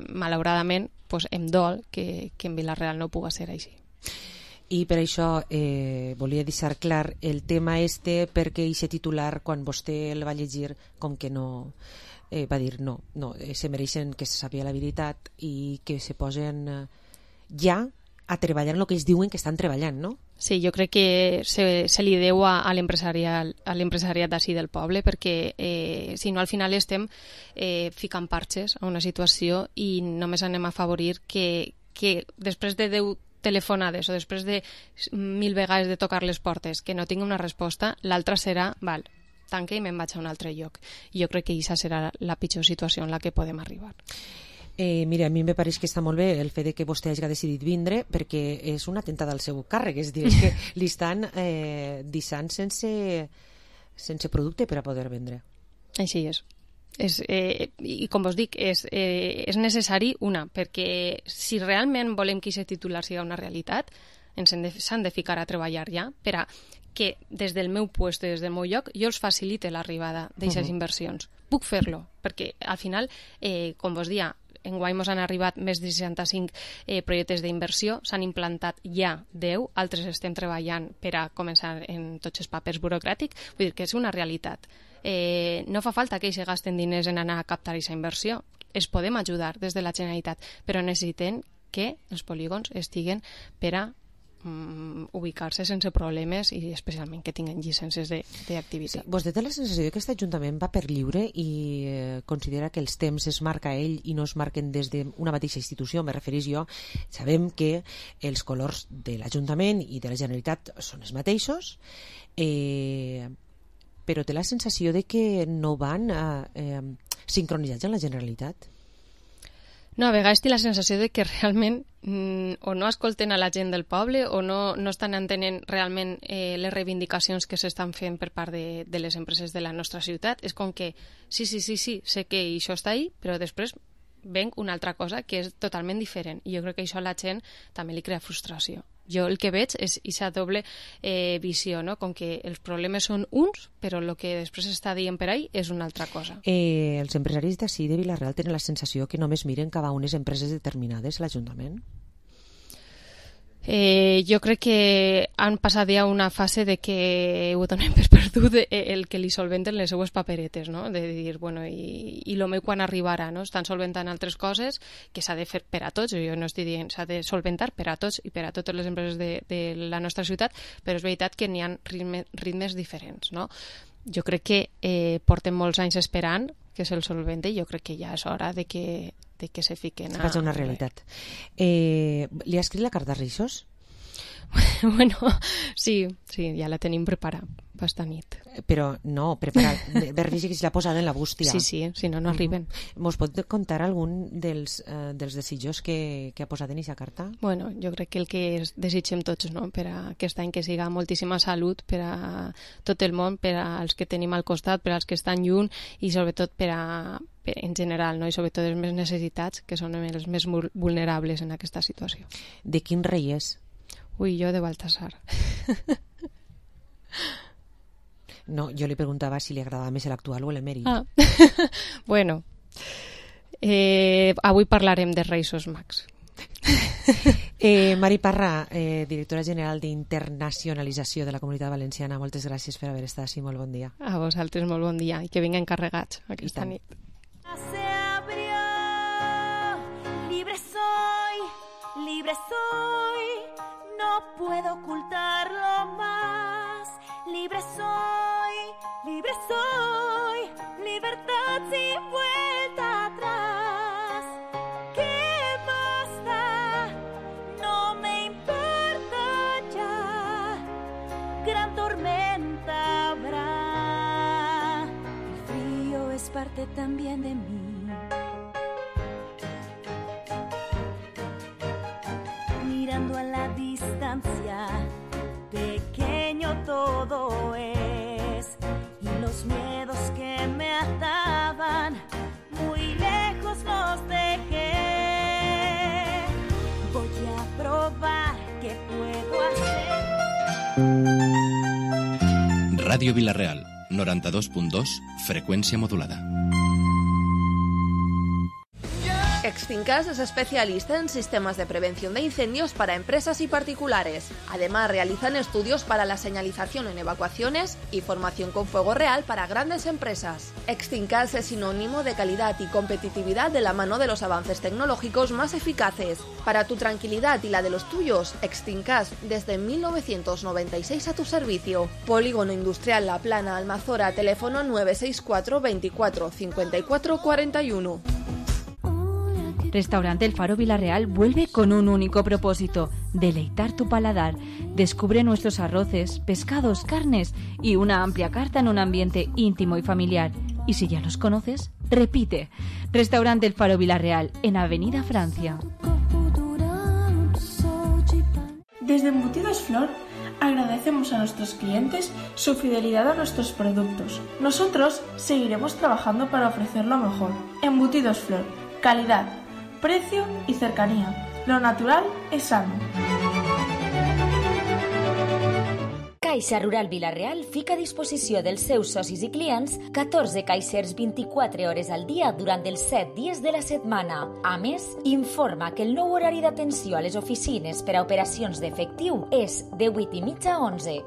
malauradament, pues, em dol que, que en Vila-real no puga ser així. I per això eh, volia deixar clar el tema este, perquè aquest titular, quan vostè el va llegir, com que no eh, va dir no, no eh, se mereixen que se sàpiga la veritat i que se posen eh, ja a treballar en el que ells diuen que estan treballant, no? Sí, jo crec que se, se li deu a, a l'empresariat d'ací del poble, perquè eh, si no al final estem eh, ficant parxes a una situació i només anem a afavorir que, que després de deu telefonades o després de mil vegades de tocar les portes que no tingui una resposta, l'altra serà, val, tanque i me'n vaig a un altre lloc. I jo crec que aquesta serà la pitjor situació en la que podem arribar. Eh, mira, a mi me pareix que està molt bé el fet de que vostè hagi decidit vindre, perquè és una atemptada al seu càrrec, és dir, que li estan eh, deixant sense, sense producte per a poder vendre. Així és. És, eh, i com us dic, és, eh, és necessari una, perquè si realment volem que aquest titular siga una realitat, ens s'han de, de ficar a treballar ja per a que des del meu lloc, des del meu lloc, jo els facilite l'arribada d'aquestes uh-huh. inversions. Puc fer-lo, perquè al final, eh, com vos dia, enguany ens han arribat més de seixanta-cinc eh, projectes d'inversió, s'han implantat ja deu, altres estem treballant per a començar en tots els papers burocràtics, vull dir que és una realitat. Eh, no fa falta que ells se gasten diners en anar a captar aquesta inversió. Es podem ajudar des de la Generalitat, però necessitem que els polígons estiguen per a mm, ubicar-se sense problemes i especialment que tinguin llicències d'activitat. Sí, vostè té la sensació que aquest Ajuntament va per lliure i eh, considera que els temps es marca ell i no es marquen des d'una mateixa institució, me referís jo. Sabem que els colors de l'Ajuntament i de la Generalitat són els mateixos, eh, però té la sensació de que no van eh, eh, sincronitzats amb la Generalitat? No, a vegades té la sensació de que realment mm, o no escolten a la gent del poble o no, no estan entenent realment eh, les reivindicacions que s'estan fent per part de, de les empreses de la nostra ciutat. És com que sí, sí, sí, sí, sé que això està ahí, però després venc una altra cosa que és totalment diferent. I jo crec que això a la gent també li crea frustració. Jo el que veig és aquesta doble eh, visió, no? Com que els problemes són uns, però el que després està dient per ahí és una altra cosa. Eh, els empresaris d'ací de Vila-real tenen la sensació que només miren cap a unes empreses determinades a l'Ajuntament? Eh, jo crec que han passat ja una fase de que ho donem per perdut el que li solventen les seues paperetes, no? De dir, bueno, i, i el meu quan arribarà, no? Estan solventant altres coses que s'ha de fer per a tots, jo no estic dient, s'ha de solventar per a tots i per a totes les empreses de, de la nostra ciutat, però és veritat que n'hi ha ritme, ritmes diferents, no? Jo crec que eh, porten molts anys esperant que se'l solvente i jo crec que ja és hora de que, de que se fiquen a... Se faci una realitat. Eh, li ha escrit la carta de Reixos? Bueno, sí, sí, ja la tenim preparada esta nit. Però no, preparar, Berrici que se l'ha posada en la bústia. Sí, sí, si no, no arriben. Mos pot contar algun dels, eh, dels desitjos que, que ha posat en aquesta carta? Bueno, jo crec que el que desitgem tots, no? Per a aquest any que siga moltíssima salut per a tot el món, per als que tenim al costat, per als que estan lluny i sobretot per a per, en general, no? I sobretot els més necessitats, que són els més vulnerables en aquesta situació. De quin rei és? Ui, jo de Baltasar. No, jo li preguntava si li agradava més l'actual o l'emèrit. Ah. Bueno, eh, avui parlarem de Reis Mags. eh, Mari Parra, eh, directora general d'Internacionalització de la Comunitat Valenciana, moltes gràcies per haver estat així, molt bon dia. A vosaltres molt bon dia i que vinguen carregats aquesta nit. Se abrió, libre soy, libre soy, no puedo ocultarlo más. Libre soy, libre soy, libertad sin vuelta atrás. ¿Qué más da? No me importa ya. Gran tormenta habrá. El frío es parte también de mí. Mirando a la distancia, pequeño todo es, y los miedos que me ataban muy lejos los dejé. Voy a probar qué puedo hacer. Ràdio Vila-real, noranta-dos punt dos, frecuencia modulada. Extincas es especialista en sistemas de prevención de incendios para empresas y particulares. Además, realizan estudios para la señalización en evacuaciones y formación con fuego real para grandes empresas. Extincas es sinónimo de calidad y competitividad de la mano de los avances tecnológicos más eficaces. Para tu tranquilidad y la de los tuyos, Extincas desde mil novecientos noventa y seis a tu servicio. Polígono Industrial La Plana, Almazora, teléfono nueve seis cuatro veinticuatro cincuenta y cuatro cuarenta y uno. Restaurante El Faro Vila-real vuelve con un único propósito: deleitar tu paladar. Descubre nuestros arroces, pescados, carnes y una amplia carta en un ambiente íntimo y familiar. Y si ya los conoces, repite. Restaurante El Faro Vila-real, en Avenida Francia. Desde Embutidos Flor agradecemos a nuestros clientes su fidelidad a nuestros productos. Nosotros seguiremos trabajando para ofrecer lo mejor. Embutidos Flor, calidad, precio y cercanía. Lo natural es sano. Caixa Rural Vila-real fica a disposició dels seus socis i clients catorze caixers vint-i-quatre hores al dia durant els set dies de la setmana. A més, informa que el nou horari d'atenció a les oficines per a operacions d'efectiu és de vuit i mitja a onze.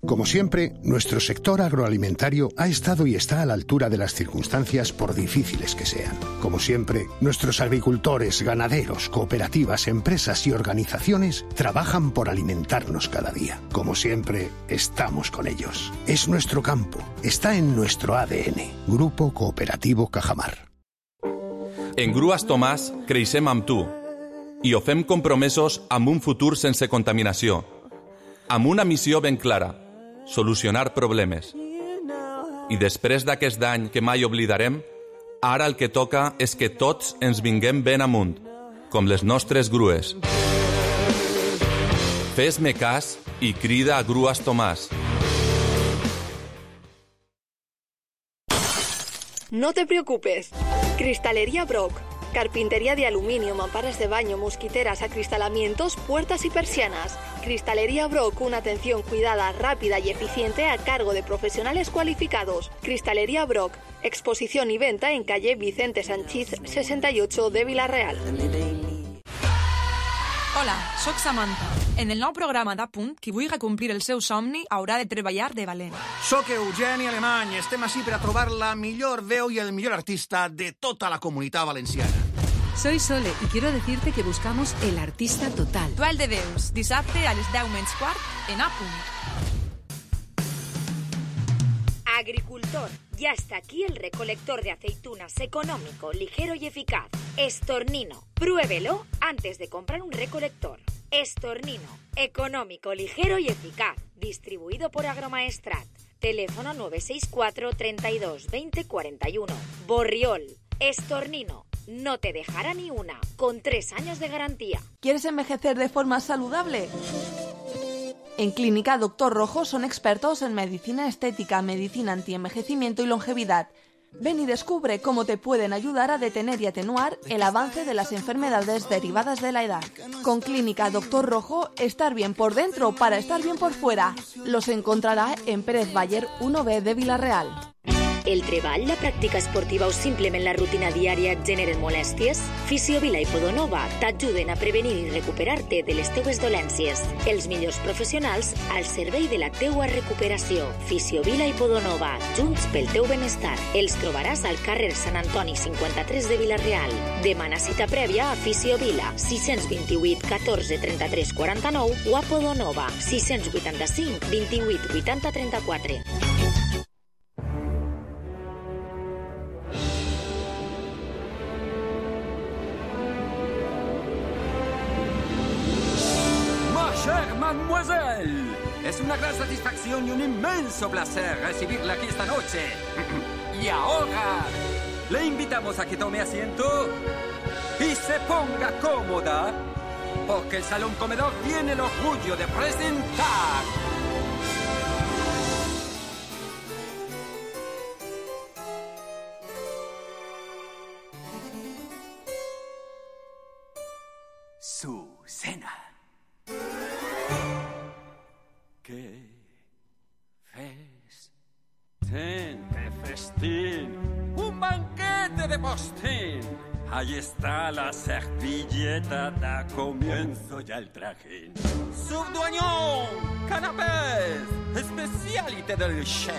Como siempre, nuestro sector agroalimentario ha estado y está a la altura de las circunstancias por difíciles que sean. Como siempre, nuestros agricultores, ganaderos, cooperativas, empresas y organizaciones trabajan por alimentarnos cada día. Como siempre, estamos con ellos. Es nuestro campo, está en nuestro A D N. Grupo Cooperativo Cajamar. En Grues Tomàs creixem amb tu i ho fem compromesos amb un futur sense contaminació, amb una missió ben clara: solucionar problemes. I després d'aquest dany que mai oblidarem, ara el que toca és que tots ens vinguem ben amunt, com les nostres grues. Fes-me cas i crida a Grues Tomàs. No te preocupes. Cristalería Brock. Carpintería de aluminio, mamparas de baño, mosquiteras, acristalamientos, puertas y persianas. Cristalería Brock, una atención cuidada, rápida y eficiente a cargo de profesionales cualificados. Cristalería Brock, exposición y venta en calle Vicente Sanchís sesenta y ocho de Vila-real. Hola, sóc Samantha. En el nou programa d'Apunt, qui vulgui complir el seu somni haurà de treballar de valent. Soc Eugeni Alemany. Estem ací per a trobar la millor veu i el millor artista de tota la comunitat valenciana. Soy Sole y quiero decirte que buscamos el artista total. Duel de Deus, dissabte a les deu menys quart en Apunt. Agricultor, ya está aquí el recolector de aceitunas económico, ligero y eficaz. Estornino. Pruébelo antes de comprar un recolector. Estornino. Económico, ligero y eficaz. Distribuido por Agromaestrat. Teléfono nueve seis cuatro, treinta y dos, veinte, cuarenta y uno. Borriol. Estornino. No te dejará ni una. Con tres años de garantía. ¿Quieres envejecer de forma saludable? En Clínica Doctor Rojo son expertos en medicina estética, medicina antienvejecimiento y longevidad. Ven y descubre cómo te pueden ayudar a detener y atenuar el avance de las enfermedades derivadas de la edad. Con Clínica Doctor Rojo, estar bien por dentro para estar bien por fuera. Los encontrará en Pérez Bayer uno B de Vila-real. El treball, la pràctica esportiva o simplement la rutina diària et generen molèsties? Fisiovila i Podonova t'ajuden a prevenir i recuperar-te de les teues dolències. Els millors professionals al servei de la teua recuperació. Fisiovila i Podonova, junts pel teu benestar. Els trobaràs al carrer Sant Antoni cinquanta-tres de Vila-real. Demana cita prèvia a Fisiovila, sis dos vuit, catorze, trenta-tres, quaranta-nou o a Podonova, sis vuitanta-cinc, vint-i-vuit, vuitanta, trenta-quatre. Mademoiselle, es una gran satisfacción y un inmenso placer recibirla aquí esta noche. Y ahora le invitamos a que tome asiento y se ponga cómoda, porque el Salón Comedor tiene el orgullo de presentar su cena. ¡Qué festín! ¡Qué festín! ¡Un banquete de postín! Ahí está la servilleta, da comienzo ya el trajín. ¡Subduañón! ¡Canapés! ¡Especialité del chef!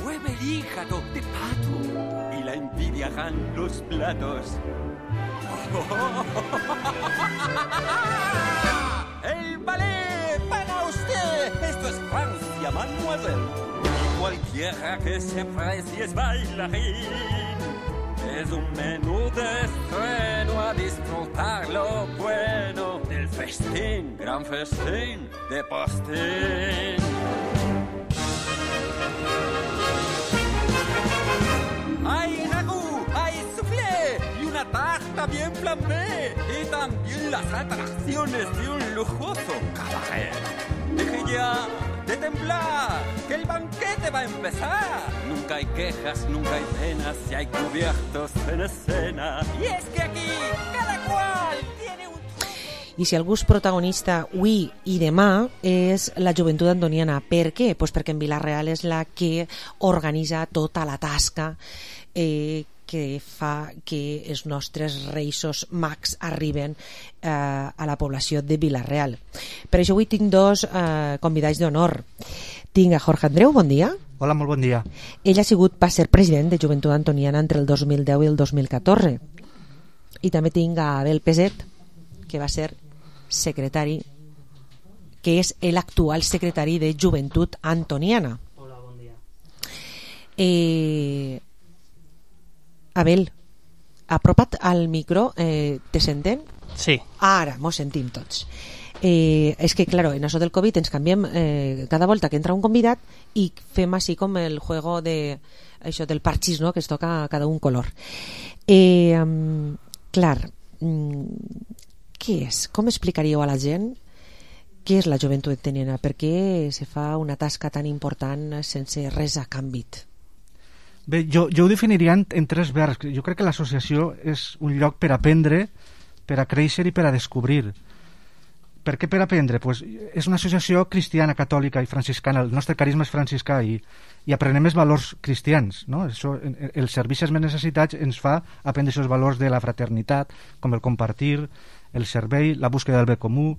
¡Mueve el hígado de pato! Y la envidiarán los platos. ¡El ballet para usted! ¡Esto es Francia, mademoiselle! Y cualquiera que se precie es bailarín. Es un menú de estreno a disfrutar lo bueno del festín, gran festín de postín. ¡Hay ragú! ¡Hay soufflé! ¡Y una tarta bien flambé! ¡Y también las atracciones de un lujoso cabaret! ¡Deje ya de temblar! ¡Que el banquete va a empezar! Nunca hay quejas, nunca hay penas, si hay cubiertos en escena. Y es que aquí cada cual tiene un... I si algú és protagonista avui i demà és la joventut antoniana. Per què? Pues perquè en Vila-real és la que organitza tota la tasca eh, que fa que els nostres reisos mags arriben eh, a la població de Vila-real. Per això avui tinc dos eh, convidats d'honor. Tinc a Jorge Andreu, bon dia. Hola, molt bon dia. Ell ha sigut, va ser president de Joventut Antoniana entre el dos mil deu i el dos mil catorze. I també tinc a Abel Peset, que va ser secretari, que és l'actual secretari de Joventut Antoniana. Hola, bon dia. Eh, Abel, apropa't al micro, eh, te senten? Sí. Ara, mos sentim tots. Eh, és que, claro, en això del Covid ens canviem eh, cada volta que entra un convidat i fem així com el juego de, això del parxís, no?, que es toca a cada un color. Eh, um, clar, um, què és? Com explicaríeu a la gent què és la joventut antoniana? Per què se fa una tasca tan important sense res a canvi? Bé, jo, jo ho definiria en, en tres verbs. Jo crec que l'associació és un lloc per aprendre, per a créixer i per a descobrir. Per què per aprendre? Pues és una associació cristiana, catòlica i franciscana. El nostre carisma és franciscà i, i aprenem els valors cristians, no? Això, els servicis més necessitats ens fa aprendre aquests valors de la fraternitat, com el compartir, el servei, la búsqueda del bé comú,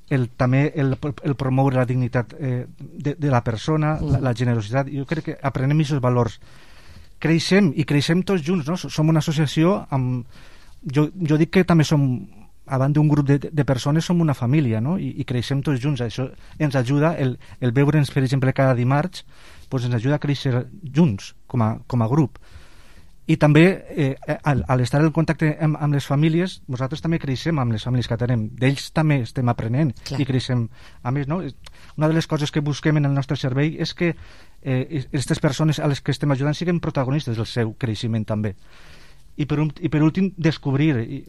el, també el, el promoure la dignitat eh, de, de la persona, la, la generositat. Jo crec que aprenem aquests valors. Creixem, i creixem tots junts, no? Som una associació amb... Jo, jo dic que també som, abans d'un grup de, de persones, som una família, no? I, i creixem tots junts. Això ens ajuda, el, el veure'ns, per exemple, cada dimarts, pues ens ajuda a créixer junts, com a, com a grup. I també, eh, al, al estar en contacte amb, amb les famílies, nosaltres també creixem amb les famílies que tenim. D'ells també estem aprenent. Clar. I creixem. A més, no? Una de les coses que busquem en el nostre servei és que aquestes eh, persones a les que estem ajudant siguin protagonistes del seu creixement també. I per, un, i per últim, descobrir. I,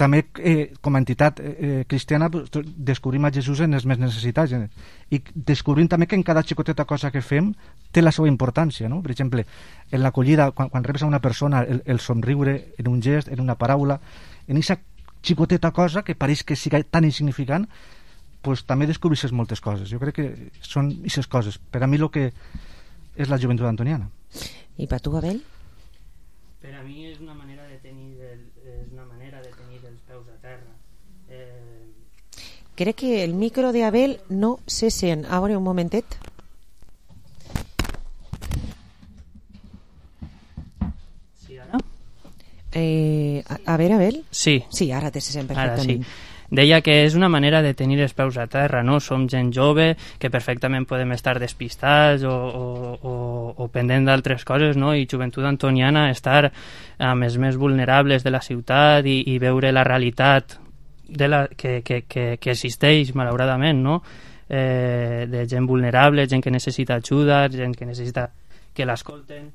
també, eh, com a entitat eh, cristiana, descobrim a Jesús en els més necessitats. Eh? I descobrim també que en cada xicoteta cosa que fem té la seva importància, no? Per exemple, en l'acollida, quan, quan rebes a una persona, el, el somriure en un gest, en una paraula, en aquesta xicoteta cosa que pareix que sigui tan insignificant, pues, també descobreixes moltes coses. Jo crec que són aquestes coses. Per a mi el que és la joventut antoniana. I per tu, Abel? Per a mi és una manera de tenir el, és una manera de tenir els peus a terra. Eh... Crec que el micro de Abel no se sent. A veure, un momentet. Sí, ara? Eh, a, a veure, Abel? Sí. Sí, ara te se sent perfectament. Ara sí. Deia que és una manera de tenir els peus a terra, no? Som gent jove, que perfectament podem estar despistats o, o, o, o pendent d'altres coses, no? I joventut antoniana, estar amb els més vulnerables de la ciutat i, i veure la realitat de la, que, que, que, que existeix, malauradament, no? Eh, de gent vulnerable, gent que necessita ajuda, gent que necessita que l'escolten.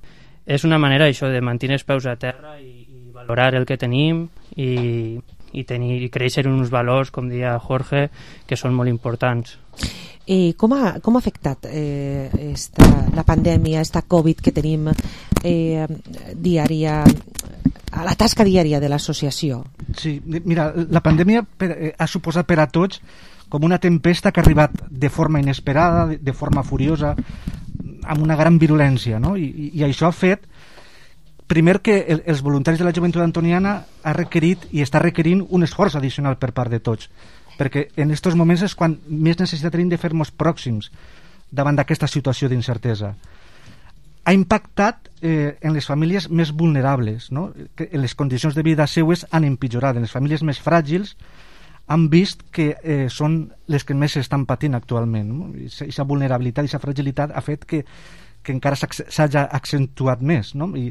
És una manera, això, de mantenir els peus a terra i, i valorar el que tenim i... i tenir i créixer uns valors, com deia Jorge, que són molt importants. I com ha, com ha afectat eh, esta, la pandèmia, esta Covid que tenim eh, diària, a la tasca diària de l'associació? Sí, mira, la pandèmia per, eh, ha suposat per a tots com una tempesta que ha arribat de forma inesperada, de, de forma furiosa, amb una gran virulència, no? I, i, i això ha fet primer que el, els voluntaris de la joventut antoniana ha requerit i està requerint un esforç addicional per part de tots, perquè en aquests moments és quan més necessitat tenim de fer-nos pròxims davant d'aquesta situació d'incertesa. Ha impactat eh, en les famílies més vulnerables, no? Que les condicions de vida seues han empitjorat. En les famílies més fràgils han vist que eh, són les que més estan patint actualment, no? Aquesta vulnerabilitat i aquesta fragilitat ha fet que, que encara s'hagi accentuat més, no? I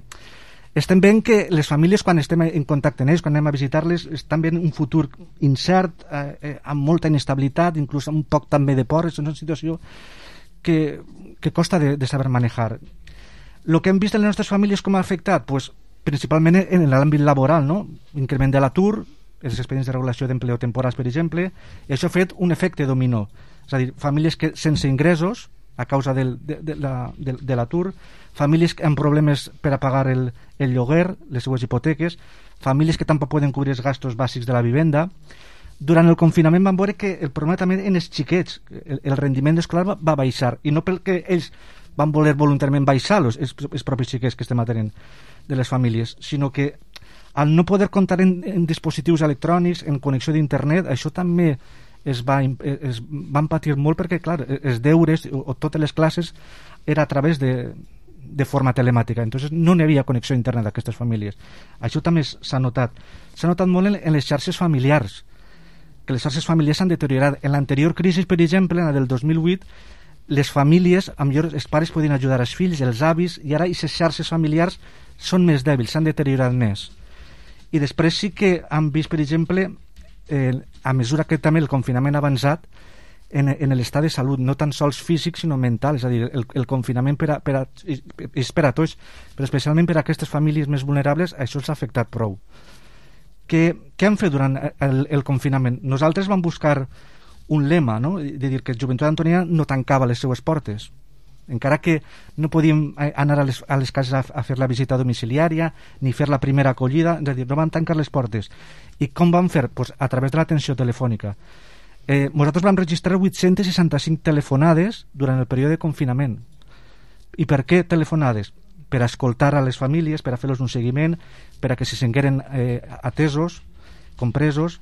estem veient que les famílies, quan estem en contacte amb ells, quan anem a visitar-les, estan veient un futur incert, eh, eh, amb molta inestabilitat, inclús amb un poc també de por. És una situació que, que costa de, de saber manejar. El que hem vist en les nostres famílies com ha afectat? Pues, principalment en l'àmbit laboral, no? Increment de l'atur, els expedients de regulació d'empleo temporals, per exemple, i això ha fet un efecte dominó. És a dir, famílies que sense ingressos, a causa del, de, de, la, de, de l'atur, famílies amb problemes per a pagar el, el lloguer, les seues hipoteques, famílies que tampoc poden cobrir els gastos bàsics de la vivenda. Durant el confinament vam veure que el problema també en els xiquets, el, el rendiment escolar va, va baixar, i no perquè ells van voler voluntàriament baixar-los, els, els propis xiquets que estem atenent de les famílies, sinó que al no poder comptar en, en dispositius electrònics, en connexió d'internet, això també es, va, es van patir molt perquè, clar, els deures o, o totes les classes era a través de, de forma telemàtica, entonces no n'hi havia connexió a internet d'aquestes famílies. Això també s'ha notat. S'ha notat molt en, en les xarxes familiars, que les xarxes familiars s'han deteriorat. En l'anterior crisi, per exemple, en la del dos mil vuit, les famílies, amb millor, els pares podien ajudar els fills, els avis, i ara aquestes xarxes familiars són més dèbils, s'han deteriorat més. I després sí que han vist, per exemple, eh, a mesura que també el confinament ha avançat, en, en l'estat de salut, no tan sols físic sinó mental, és a dir, el, el confinament per a, per a, és per a tots, però especialment per a aquestes famílies més vulnerables, això els ha afectat prou. Què, què han fet durant el, el confinament? Nosaltres vam buscar un lema, no? De dir que Joventut Antoniana no tancava les seues portes, encara que no podíem anar a les, a les cases a, a fer la visita domiciliària ni fer la primera acollida, és a dir, no vam tancar les portes. I com vam fer? Pues a través de l'atenció telefònica. Eh, nosaltres vam registrar vuit-cents seixanta-cinc telefonades durant el període de confinament. I per què telefonades? Per a escoltar a les famílies, per a fer-los un seguiment, per a que se sengueren eh, atesos, compresos.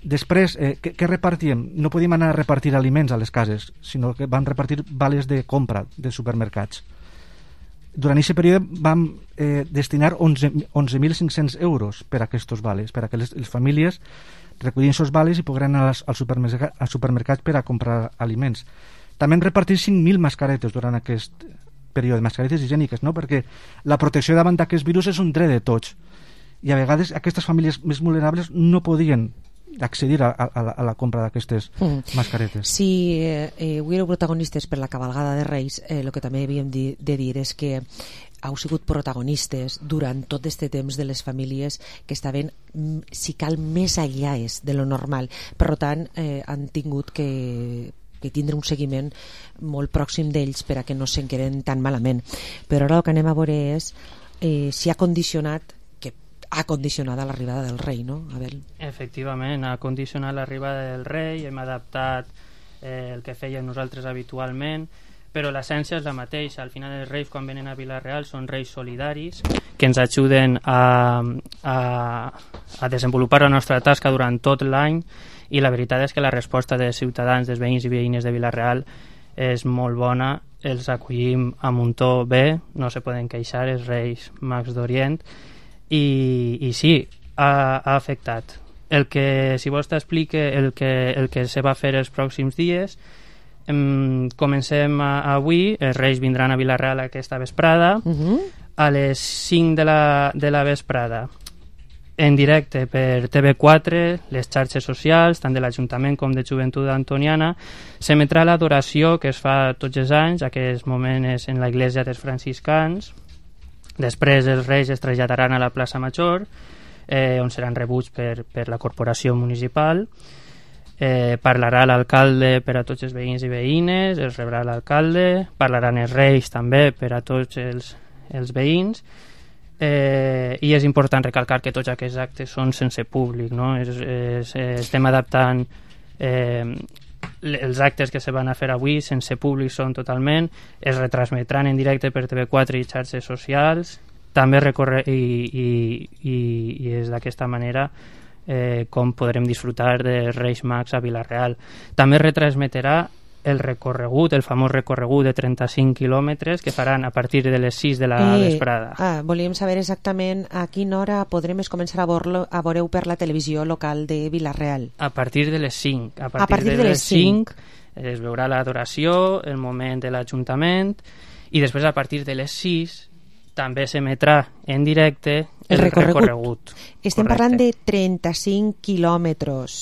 Després, eh, què, què repartíem? No podíem anar a repartir aliments a les cases, sinó que vam repartir vales de compra de supermercats. Durant aquest període vam eh, destinar onze mil cinc-cents euros per a aquests vales, per a que les, les famílies recollien aquests vales i pogueren anar als, als, supermercats, als supermercats per a comprar aliments. També hem repartit cinc mil mascaretes durant aquest període, mascaretes higièniques, no? Perquè la protecció davant d'aquest virus és un dret de tots. I a vegades aquestes famílies més vulnerables no podien accedir a, a, a la compra d'aquestes mm. mascaretes. Si eh, eh, avui éreu protagonistes per la cabalgada de Reis, eh, el que també havíem de, de dir és que heu sigut protagonistes durant tot este temps de les famílies que estaven, si cal, més allàes de lo normal. Per tant, eh, han tingut que que tindre un seguiment molt pròxim d'ells per a que no s'enqueren tan malament. Però ara el que anem a veure és eh, si ha condicionat, que ha condicionat l'arribada del rei, no, Abel? Efectivament, ha condicionat l'arribada del rei, hem adaptat eh, el que fèiem nosaltres habitualment, però l'essència és la mateixa. Al final els reis, quan venen a Vila-real, són reis solidaris que ens ajuden a, a, a desenvolupar la nostra tasca durant tot l'any, i la veritat és que la resposta dels ciutadans, dels veïns i veïnes de Vila-real és molt bona. Els acollim amb un to bé, no se poden queixar, els reis mags d'Orient, i, i sí, ha, ha afectat. El que, si vols t'explique el que, el que se va fer els pròxims dies, em, comencem a, avui, els reis vindran a Vila-real aquesta vesprada, uh-huh. a les cinc de la, de la vesprada, en directe per T V quatre, les xarxes socials, tant de l'Ajuntament com de Joventut Antoniana, s'emetrà l'adoració que es fa tots els anys, aquest moment és en la Iglesia dels Franciscans. Després els reis es traslladaran a la plaça Major, eh, on seran rebuts per, per la corporació municipal. Eh, parlarà l'alcalde per a tots els veïns i veïnes, els rebrà l'alcalde, parlaran els reis també per a tots els, els veïns. Eh, i és important recalcar que tots aquests actes són sense públic, no? Es, es, estem adaptant eh, els actes que se van a fer avui sense públic, són totalment, es retransmetran en directe per T V quatre i xarxes socials, també recorre i, i, i, i és d'aquesta manera eh, com podrem disfrutar de Reis Mags a Vila-real. També retransmetrà el recorregut, el famós recorregut de trenta-cinc quilòmetres que faran a partir de les sis de la eh, vesprada. Ah, volíem saber exactament a quina hora podrem començar a veure-ho per la televisió local de Vila-real. A partir de les cinc. A partir, a partir de, de les cinc es veurà l'adoració, el moment de l'Ajuntament, i després a partir de les sis també s'emetrà en directe el, el recorregut. recorregut. Estem Correcte. parlant de trenta-cinc quilòmetres.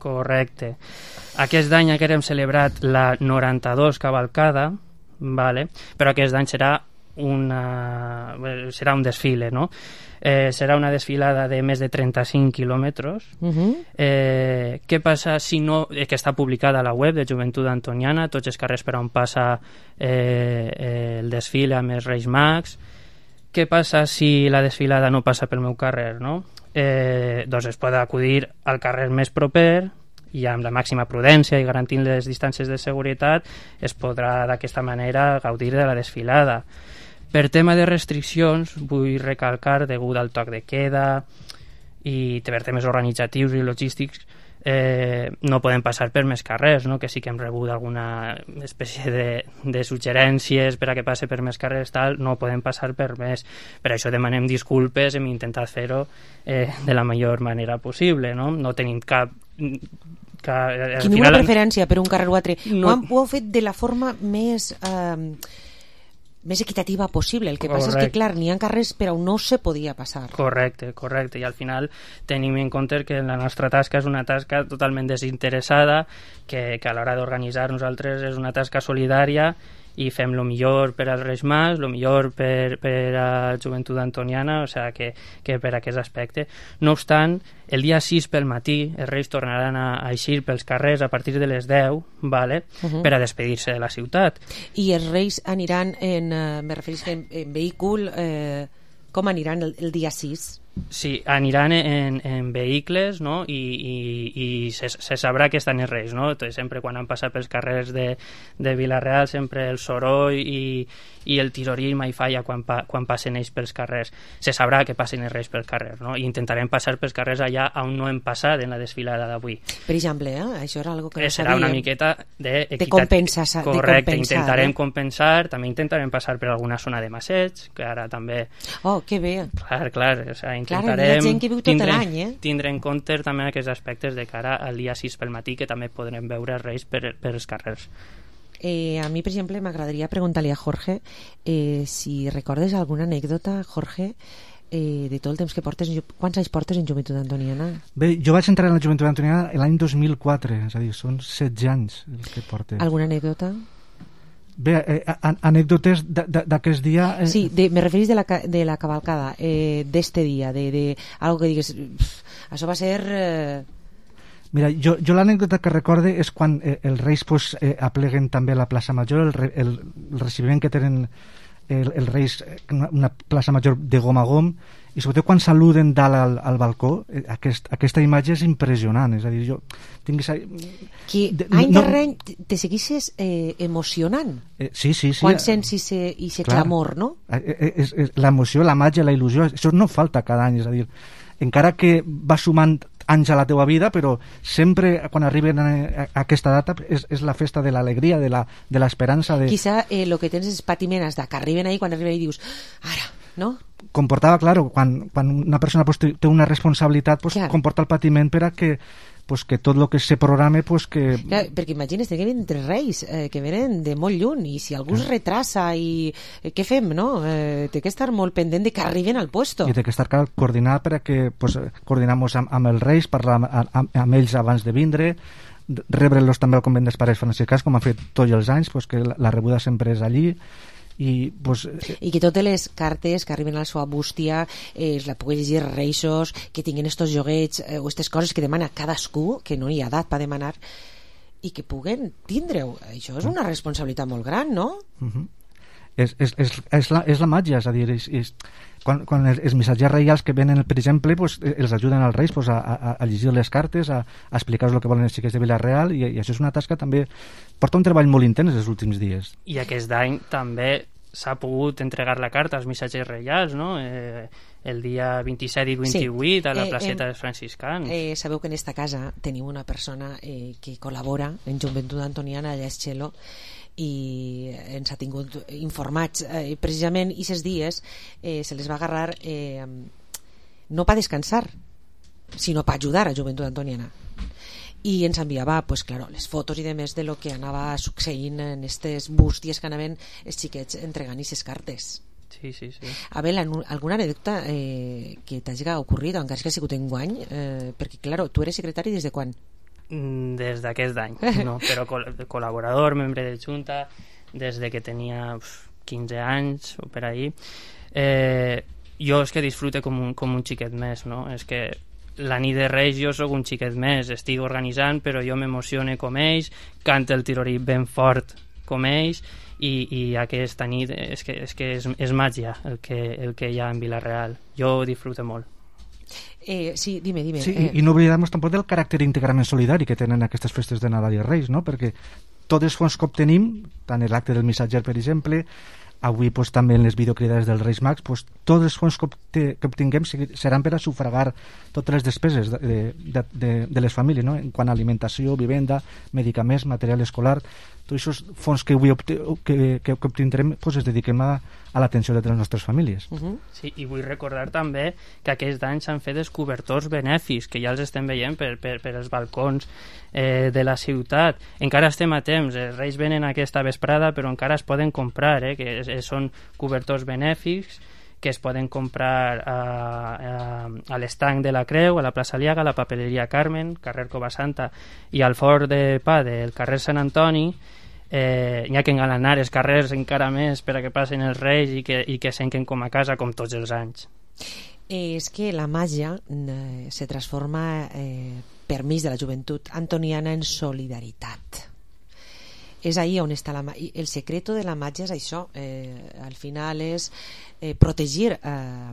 Correcte. Aquest any haguérem celebrat la noranta-dos cavalcada, vale? Però aquest any serà, una, serà un desfile, no? Eh, serà una desfilada de més de trenta-cinc quilòmetres. Uh-huh. Eh, què passa si no... Eh, que està publicada a la web de Joventut Antoniana, tots els carrers per on passa eh, eh, el desfile amb els Reis Mags. Què passa si la desfilada no passa pel meu carrer, no? Eh, doncs es pot acudir al carrer més proper i amb la màxima prudència i garantint les distàncies de seguretat es podrà d'aquesta manera gaudir de la desfilada. Per tema de restriccions, vull recalcar, degut al toc de queda i per temes organitzatius i logístics, eh, no podem passar per més carrers, no? Que sí que hem rebut alguna espècie de, de suggerències per a que passe per més carrers, tal, no podem passar per més. Per això demanem disculpes, hem intentat fer-ho eh, de la millor manera possible, no? No tenim cap... Que, Quina final... preferència per un carrer o altre. No... Ho, han, ho heu fet de la forma més... Eh... més equitativa possible. El que correcte. Passa és que, clar, n'hi ha carrers per on no se podia passar. Correcte, correcte. I al final tenim en compte que la nostra tasca és una tasca totalment desinteressada, que, que a l'hora d'organitzar nosaltres és una tasca solidària i fem lo millor per als Reis Mags, lo millor per, per a Joventut Antoniana, o sigui que, que per aquest aspecte. No obstant, el dia sis pel matí els Reis tornaran a, a eixir pels carrers a partir de les deu, vale? Uh-huh. Per a despedir-se de la ciutat. I els Reis aniran en, eh, me referís en, en vehícul, eh, com aniran el, el dia sis? Sí, aniran en, en vehicles, no? I, i, i se, se sabrà que estan els Reis, no? Sempre quan han passat pels carrers de, de Vila-real, sempre el soroll i, i el tirorí mai falla quan, pa, quan passen ells pels carrers. Se sabrà que passen els Reis pels carrers, no? I intentarem passar pels carrers allà on no hem passat en la desfilada d'avui. Per exemple, eh? Això era algo que no serà sabíem. una miqueta de, de compensar. Correcte, de compensar, intentarem eh? compensar, també intentarem passar per alguna zona de Masseig, que ara també... Oh, que bé. Clar, clar, o sigui, intentarem... Clar, hi ha gent que viu tot tindre, l'any, eh? Tindre en compte també aquests aspectes de cara al dia sis pel matí, que també podrem veure els Reis per, per els carrers. Eh, a mi, per exemple, m'agradaria preguntar-li a Jorge eh, si recordes alguna anècdota, Jorge, eh, de tot el temps que portes... Quants anys portes en Joventut Antoniana? Bé, jo vaig entrar en la Joventut Antoniana l'any dos mil quatre, és a dir, són setze anys el que portes. Alguna anècdota? Bé, eh, anècdotes d'aquest dia... Eh... Sí, de, me referís de la, de la cavalcada, eh, d'este dia, de, de algo que digues, pff, això va ser... Eh... Mira, jo, jo l'anècdota que recorde és quan eh, els Reis pues, eh, apleguen també la plaça Major, el, el, el recibiment que tenen el, els Reis, una, una plaça Major de gom a gom, i sobretot quan saluden dalt al, al balcó, eh, aquest, aquesta imatge és impressionant, és a dir, jo tinguis... Que de, any no, darrere any te seguissis eh, emocionant. Eh, sí, sí, sí. Quan sents i se, i se clamor, no? Eh, eh, l'emoció, la màgia, la il·lusió, això no falta cada any, és a dir, encara que va sumant anys a la teua vida, però sempre quan arriben a, a, a aquesta data és, és la festa de l'alegria, de l'esperança. De... Quizà el eh, que tens és patimenes de que arriben ahí, quan arriben ahí dius, ara, no? Comportava, claro, quan, quan una persona pues, té una responsabilitat, pues, comporta el patiment per a que pues que tot el que se programa pues que... Clar, perquè imagines, que venen tres reis eh, que venen de molt lluny i si algú es retrasa i eh, què fem, no? Eh, té que estar molt pendent de que arriben al puesto. I té que estar coordinat per a que pues, coordinamos amb, amb els reis, parlar amb, amb, amb ells abans de vindre, rebre'ls també al convent dels pares franciscans, com han fet tots els anys, pues, que la, la rebuda sempre és allí. I, pues, i que totes les cartes que arriben a la seva bústia eh, la pugui llegir reixos, que tinguin estos joguets eh, o aquestes coses que demana cadascú, que no hi ha edat per demanar, i que puguen tindre-ho. Això és una responsabilitat molt gran, no? Uh-huh. és, és, és, és, la, és la màgia, és a dir, és, és, quan, quan els, els missatgers reials que venen, per exemple, pues, els ajuden als reis pues, a, a, a llegir les cartes, a, a explicar-los el que volen els xiquets de Vila-real, i, i això és una tasca també, porta un treball molt intens els últims dies. I aquest any també s'ha pogut entregar la carta als missatgers reials, no? Eh, el dia vint-i-set i vint-i-vuit sí. a la placeta eh, eh, dels franciscans. Eh, sabeu que en esta casa tenim una persona eh, que col·labora en Joventut Antoniana, allà és Txelo, i ens ha tingut informats eh, precisament aquests dies eh, se les va agarrar eh, no per descansar sinó per ajudar a Joventut Antoniana, i ens enviava pues, claro, les fotos i demés de lo que anava succeint en aquestes bústies que anaven els xiquets entregant aquestes cartes. Sí, sí, sí. A veure, alguna anècdota eh, que t'hagi ocorrit, encara que ha sigut enguany, eh, perquè, claro, tu eres secretari des de quan? Des d'aquest any, no, però col col·laborador, membre de Junta, des de que tenia quinze anys o per ahí. Eh, jo és que disfrute com un, com un xiquet més, no? És que la nit de Reis jo sóc un xiquet més, estic organitzant, però jo m'emocione com ells, canta el tirorí ben fort com ells, i, i aquesta nit és que és, que és, és màgia el que, el que hi ha en Vila-real. Jo disfruto molt. Eh, sí, dime, dime. Sí, eh. i, i no oblidem tampoc del caràcter íntegrament solidari que tenen aquestes festes de Nadal i Reis, no? Perquè tots els fons que obtenim, tant l'acte del missatger, per exemple, avui pues, també en les videocridades dels Reis Mags, pues, tots els fons que, obte, que obtinguem seran per a sufragar totes les despeses de, de, de, de les famílies, no? En quant a alimentació, vivenda, medicaments, material escolar, tots aquests fons que avui obte, que, que, que obtindrem pues, es dediquem a, a l'atenció de les nostres famílies. Uh -huh. Sí, i vull recordar també que aquest any s'han fet els cobertors benèfics, que ja els estem veient per, per, per els balcons eh, de la ciutat. Encara estem a temps, els Reis venen aquesta vesprada, però encara es poden comprar, eh, que és, és, són cobertors benèfics que es poden comprar a, a, a l'estanc de la Creu, a la plaça Aliaga, a la papeleria Carmen, carrer Covasanta, i al forn de pa del carrer Sant Antoni. eh, hi ha que engalanar els carrers encara més per a que passen els reis i que, i que senquen com a casa com tots els anys. Eh, és que la màgia eh, se transforma eh, per mig de la joventut antoniana en solidaritat. És ahí on està la màgia. El secreto de la màgia és això, eh, al final és eh, protegir eh,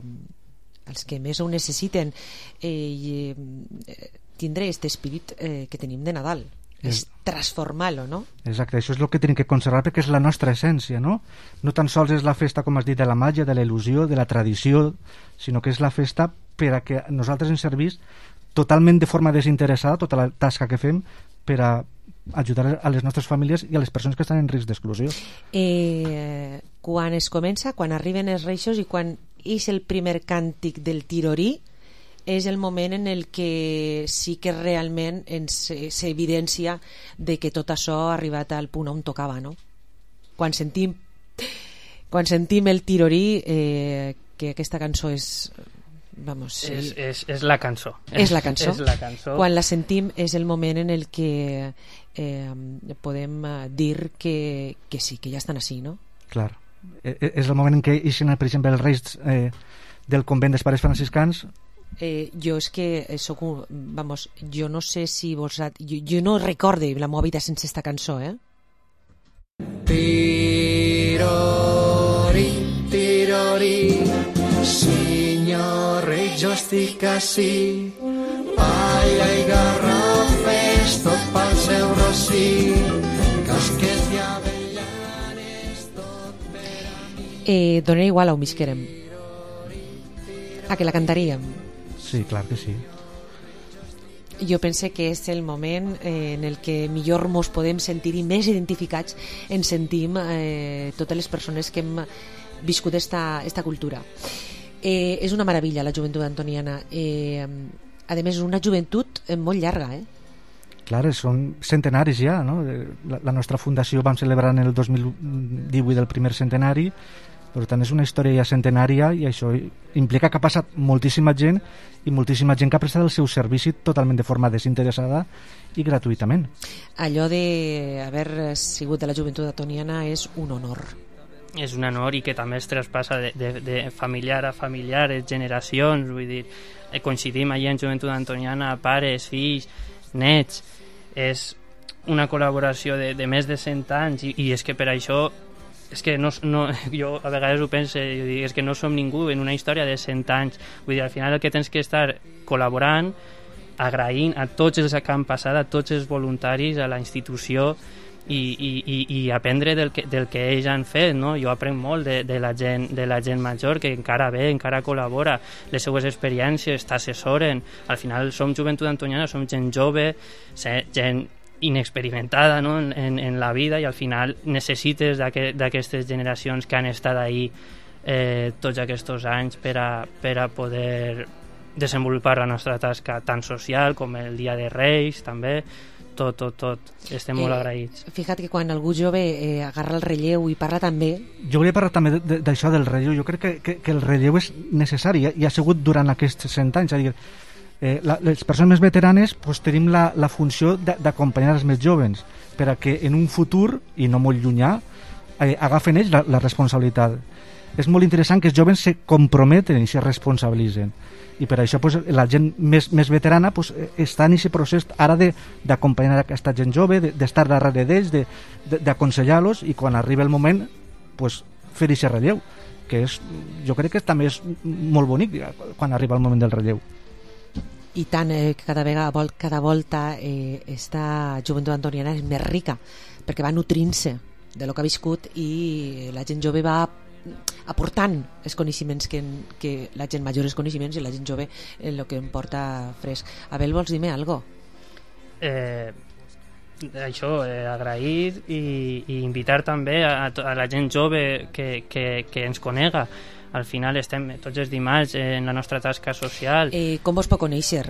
els que més ho necessiten eh, i eh, tindre aquest espírit eh, que tenim de Nadal. És transformar-lo, no? Exacte, això és el que tenim que conservar perquè és la nostra essència, no? No tan sols és la festa, com has dit, de la màgia, de la il·lusió, de la tradició, sinó que és la festa per a que nosaltres ens servís totalment de forma desinteressada tota la tasca que fem per a ajudar a les nostres famílies i a les persones que estan en risc d'exclusió. Eh, quan es comença, quan arriben els reixos i quan és el primer càntic del tirorí, és el moment en el que sí que realment s'evidència de que tot això ha arribat al punt on tocava, no? Quan sentim quan sentim el tirorí, eh, que aquesta cançó és vamos, és, és, és la cançó és la cançó. és la cançó quan la sentim és el moment en el que eh, podem dir que, que sí, que ja estan així, no? Clar, és el moment en què ixen, per exemple, els reis eh, del convent dels pares franciscans. Eh, jo és que soc un, vamos, jo no sé si vos jo, jo no recorde la meva vida sense esta cançó, eh? Tirori, tirori, signor rei, jo estic ací, palla i garrofes, tot pel seu rossí, casquets i avellanes, tot per a mi. Eh, donaria igual on visquérem, a que la cantaríem. Sí, clar que sí. Jo pense que és el moment eh, en el que millor mos podem sentir i més identificats ens sentim eh, totes les persones que hem viscut esta, esta cultura. Eh, és una meravella la joventut antoniana. Eh, a més, és una joventut molt llarga, eh? Clar, són centenaris ja, no? La, la nostra fundació vam celebrar en el dos mil divuit el primer centenari. Per tant, és una història ja centenària i això implica que ha passat moltíssima gent i moltíssima gent que ha prestat el seu servici totalment de forma desinteressada i gratuïtament. Allò d'haver sigut de la joventut antoniana és un honor. És un honor i que també es traspassa de, de, de familiar a familiar, generacions, vull dir, coincidim allà en joventut antoniana, pares, fills, nets, és una col·laboració de, de més de cent anys i, i és que per això és que no, no, jo a vegades ho penso, jo dic, és que no som ningú en una història de cent anys, vull dir, al final el que tens que estar col·laborant, agraint a tots els que han passat, a tots els voluntaris, a la institució i, i, i, i aprendre del que, del que ells han fet, no? Jo aprenc molt de, de, la gent, de la gent major que encara ve, encara col·labora, les seues experiències, t'assessoren, al final som joventut antoniana, som gent jove, gent inexperimentada, no? en, en, en la vida i al final necessites d'aquestes generacions que han estat ahí eh, tots aquests anys per a, per a poder desenvolupar la nostra tasca tant social com el Dia de Reis també, tot, tot, tot estem molt eh, agraïts. Fíjate que quan algú jove eh, agarra el relleu i parla també. Jo volia parlar també d'això del relleu, jo crec que, que, que el relleu és necessari i ha sigut durant aquests cent anys, és a dir, Eh, la, les persones més veteranes pues, tenim la, la funció d'acompanyar els més joves per a que en un futur, i no molt llunyà, eh, agafen ells la, la responsabilitat. És molt interessant que els joves se comprometen i se responsabilitzen i per això pues, la gent més, més veterana pues, està en aquest procés ara d'acompanyar aquesta gent jove, d'estar darrere d'ells, d'aconsellar-los i quan arriba el moment pues, fer aquest relleu, que és, jo crec que també és molt bonic quan arriba el moment del relleu. I tant, eh, cada vegada, cada volta eh, esta joventut antoniana és més rica perquè va nutrint-se de lo que ha viscut i la gent jove va aportant els coneixements que, que la gent major els coneixements i la gent jove el que em porta fresc. Abel, vols dir-me alguna cosa? Eh, això, eh, agrair i, i invitar també a, a la gent jove que, que, que ens conega. Al final estem tots els dimarts en la nostra tasca social. Eh, com vos pot conèixer?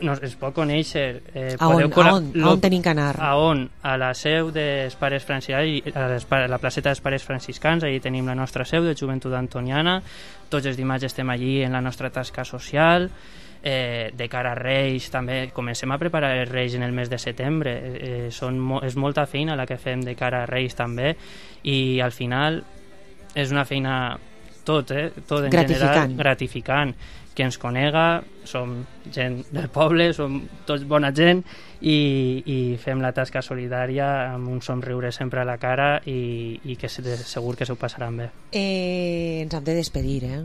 No, es pot conèixer. Eh, a, on, a, on, a on tenim que anar? A on? A la seu dels pares franciscans, a, les, a la placeta dels pares franciscans, allà tenim la nostra seu de joventut antoniana. Tots els dimarts estem allí en la nostra tasca social. eh, de cara a Reis també comencem a preparar els Reis en el mes de setembre, eh, són mo és molta feina la que fem de cara a Reis també, i al final és una feina tot, eh? tot en gratificant. general gratificant, que ens conega, som gent del poble, som tots bona gent i, i fem la tasca solidària amb un somriure sempre a la cara i, i que segur que s'ho passaran bé. Eh, ens hem de despedir, eh?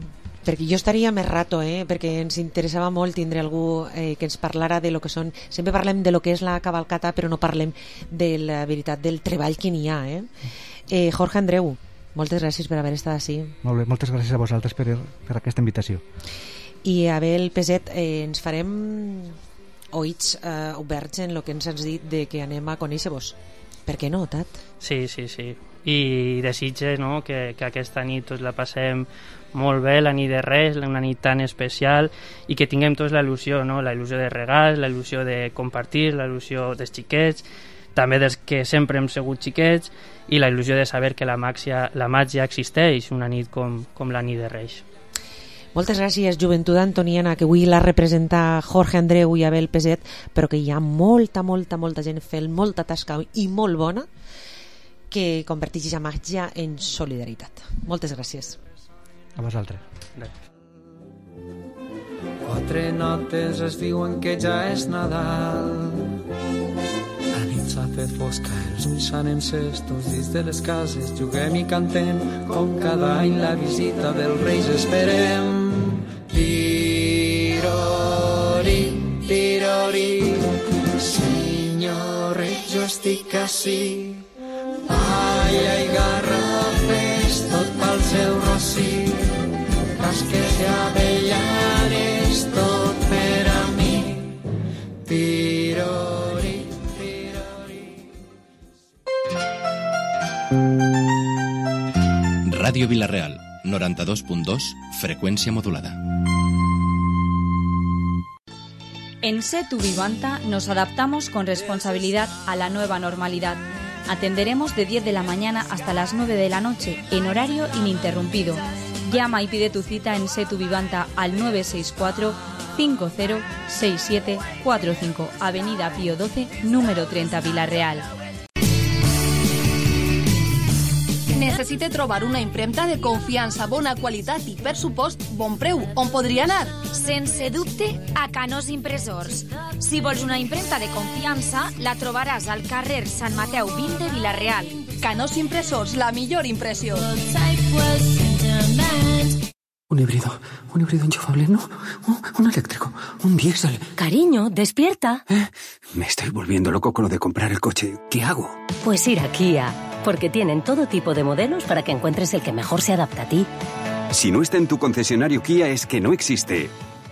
Perquè jo estaria més rato, eh? Perquè ens interessava molt tindre algú eh, que ens parlara de lo que són... Sempre parlem de lo que és la cavalcata, però no parlem de la veritat del treball que n'hi ha, eh? eh Jorge Andreu, moltes gràcies per haver estat així. Molt bé, moltes gràcies a vosaltres per, per aquesta invitació. I Abel Peset, eh, ens farem oïts eh, oberts en el que ens has dit de que anem a conèixer-vos. Per què no, Tat? Sí, sí, sí. I desitge, no?, que, que aquesta nit tots la passem molt bé, la nit de Reis, una nit tan especial, i que tinguem tots la il·lusió, no?, la il·lusió de regals, la il·lusió de compartir, la il·lusió dels xiquets, també dels que sempre hem sigut xiquets, i la il·lusió de saber que la màgia, la màgia existeix una nit com, com la nit de Reis. Moltes gràcies, Joventut Antoniana, que avui la representa Jorge Andreu i Abel Peset, però que hi ha molta, molta, molta gent fent molta tasca i molt bona que converteix la màgia en solidaritat. Moltes gràcies. A vosaltres. Gràcies. Quatre notes es diuen que ja és Nadal. La nit s'ha fet fosca, els ulls s'han encès, tots dins de les cases juguem i cantem, com cada any la visita dels Reis esperem. Tirori, tirori, senyor rei, jo estic ací. Palla i garrofes, tot pel seu rossí, casques i avellanes, tot per a mi. Tirori, Radio Vila-real, noranta-dos punt dos, frecuencia modulada. En Setu Vivanta nos adaptamos con responsabilidad a la nueva normalidad. Atenderemos de diez de la mañana hasta las nueve de la noche, en horario ininterrumpido. Llama y pide tu cita en Setu Vivanta al nueve seis cuatro, cinco cero seis siete cuatro cinco, Avenida Pío doce, número trenta, Vila-real. Necessite trobar una impremta de confiança, bona qualitat i, per supost, bon preu. On podria anar? Sense dubte, a Canós Impressors. Si vols una impremta de confiança, la trobaràs al carrer Sant Mateu vint de Vila-real. Canós Impressors, la millor impressió. Un híbrido, un híbrido enchufable, no, un, un eléctrico, un diésel. Cariño, despierta. ¿Eh? Me estoy volviendo loco con lo de comprar el coche. ¿Qué hago? Pues ir a Kia, porque tienen todo tipo de modelos para que encuentres el que mejor se adapta a ti. Si no está en tu concesionario Kia es que no existe.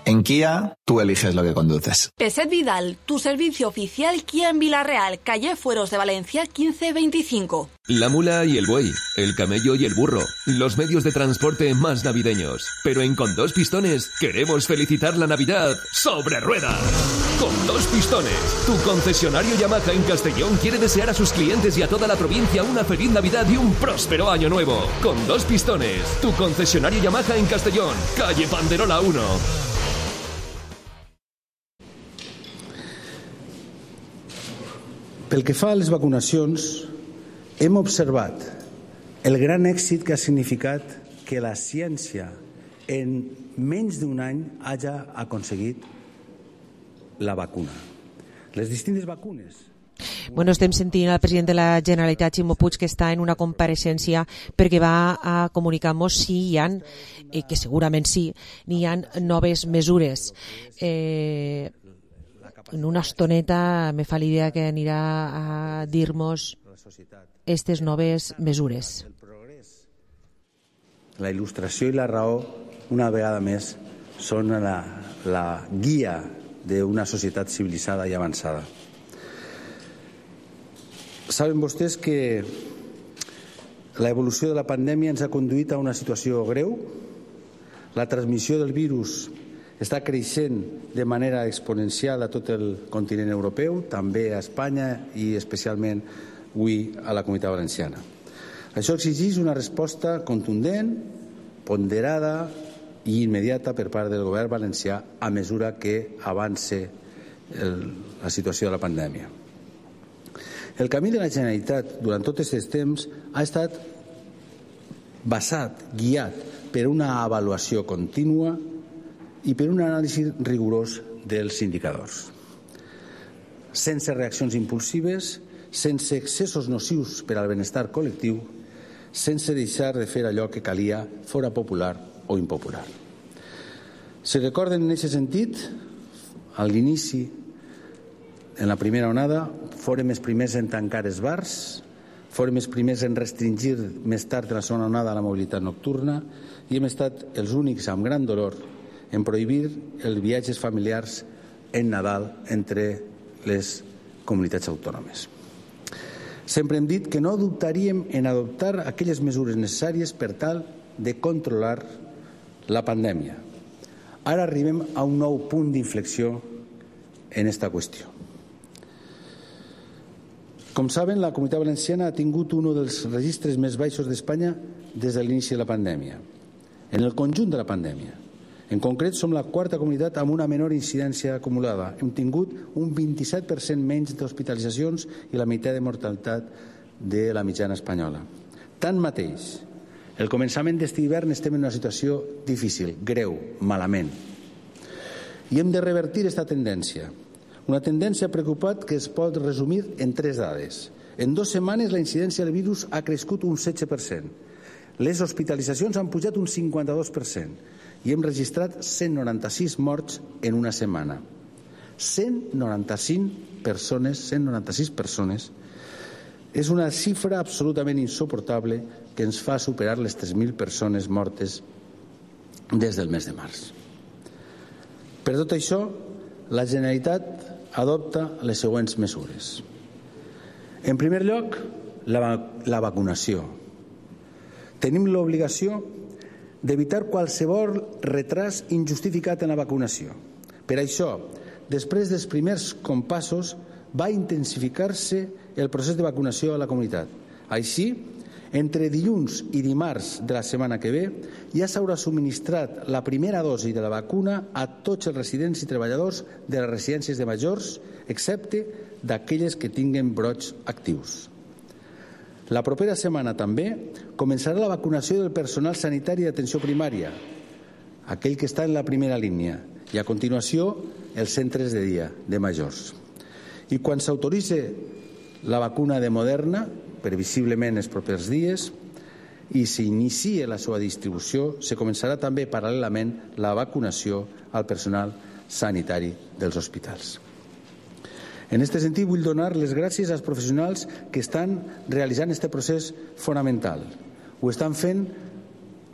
En Kia, tú eliges lo que conduces. Peset Vidal, tu servicio oficial Kia en Vila-real, calle Fueros de Valencia quince veinticinco. La mula y el buey, el camello y el burro, los medios de transporte más navideños. Pero en Con Dos Pistones queremos felicitar la Navidad sobre ruedas. Con Dos Pistones, tu concesionario Yamaha en Castellón quiere desear a sus clientes y a toda la provincia una feliz Navidad y un próspero año nuevo. Con Dos Pistones, tu concesionario Yamaha en Castellón, calle Panderola uno. Pel que fa a les vacunacions, hem observat el gran èxit que ha significat que la ciència en menys d'un any hagi aconseguit la vacuna. Les distintes vacunes. Bueno, estem sentint al president de la Generalitat, Ximo Puig, que està en una compareixença perquè va a comunicar-nos si hi ha, eh, que segurament sí, n'hi ha noves mesures. Eh, en una estoneta me fa l'idea que anirà a dir-nos aquestes noves mesures. La il·lustració i la raó, una vegada més, són la, la guia d'una societat civilitzada i avançada. Saben vostès que la evolució de la pandèmia ens ha conduït a una situació greu. La transmissió del virus està creixent de manera exponencial a tot el continent europeu, també a Espanya i especialment avui a la Comunitat Valenciana. Això exigeix una resposta contundent, ponderada i immediata per part del govern valencià a mesura que avança el, la situació de la pandèmia. El camí de la Generalitat durant tot aquest temps ha estat basat, guiat per una avaluació contínua i per un anàlisi rigorós dels indicadors. Sense reaccions impulsives, sense excessos nocius per al benestar col·lectiu, sense deixar de fer allò que calia, fora popular o impopular. Si recorden en aquest sentit, a l'inici, en la primera onada, fórem els primers en tancar els bars, fórem els primers en restringir més tard en la segona onada la mobilitat nocturna i hem estat els únics amb gran dolor en prohibir els viatges familiars en Nadal entre les comunitats autònomes. Sempre hem dit que no dubtaríem en adoptar aquelles mesures necessàries per tal de controlar la pandèmia. Ara arribem a un nou punt d'inflexió en aquesta qüestió. Com saben, la Comunitat Valenciana ha tingut un dels registres més baixos d'Espanya des de l'inici de la pandèmia, en el conjunt de la pandèmia. En concret, som la quarta comunitat amb una menor incidència acumulada. Hem tingut un vint-i-set per cent menys d'hospitalitzacions i la meitat de mortalitat de la mitjana espanyola. Tanmateix, el començament d'este hivern estem en una situació difícil, greu, malament. I hem de revertir aquesta tendència. Una tendència preocupat que es pot resumir en tres dades. En dues setmanes la incidència del virus ha crescut un setze per cent. Les hospitalitzacions han pujat un cinquanta-dos per cent i hem registrat cent noranta-sis morts en una setmana. cent noranta-cinc persones, cent noranta-sis persones, és una xifra absolutament insuportable que ens fa superar les tres mil persones mortes des del mes de març. Per tot això, la Generalitat adopta les següents mesures. En primer lloc, la, la vacunació. Tenim l'obligació d'evitar qualsevol retras injustificat en la vacunació. Per això, després dels primers compassos, va intensificar-se el procés de vacunació a la comunitat. Així, entre dilluns i dimarts de la setmana que ve, ja s'haurà subministrat la primera dosi de la vacuna a tots els residents i treballadors de les residències de majors, excepte d'aquelles que tinguen brots actius. La propera setmana també començarà la vacunació del personal sanitari d'atenció primària, aquell que està en la primera línia, i a continuació els centres de dia de majors. I quan s'autoritzi la vacuna de Moderna, previsiblement els propers dies, i s'inicie la seva distribució, se començarà també paral·lelament la vacunació al personal sanitari dels hospitals. En aquest sentit, vull donar les gràcies als professionals que estan realitzant aquest procés fonamental. Ho estan fent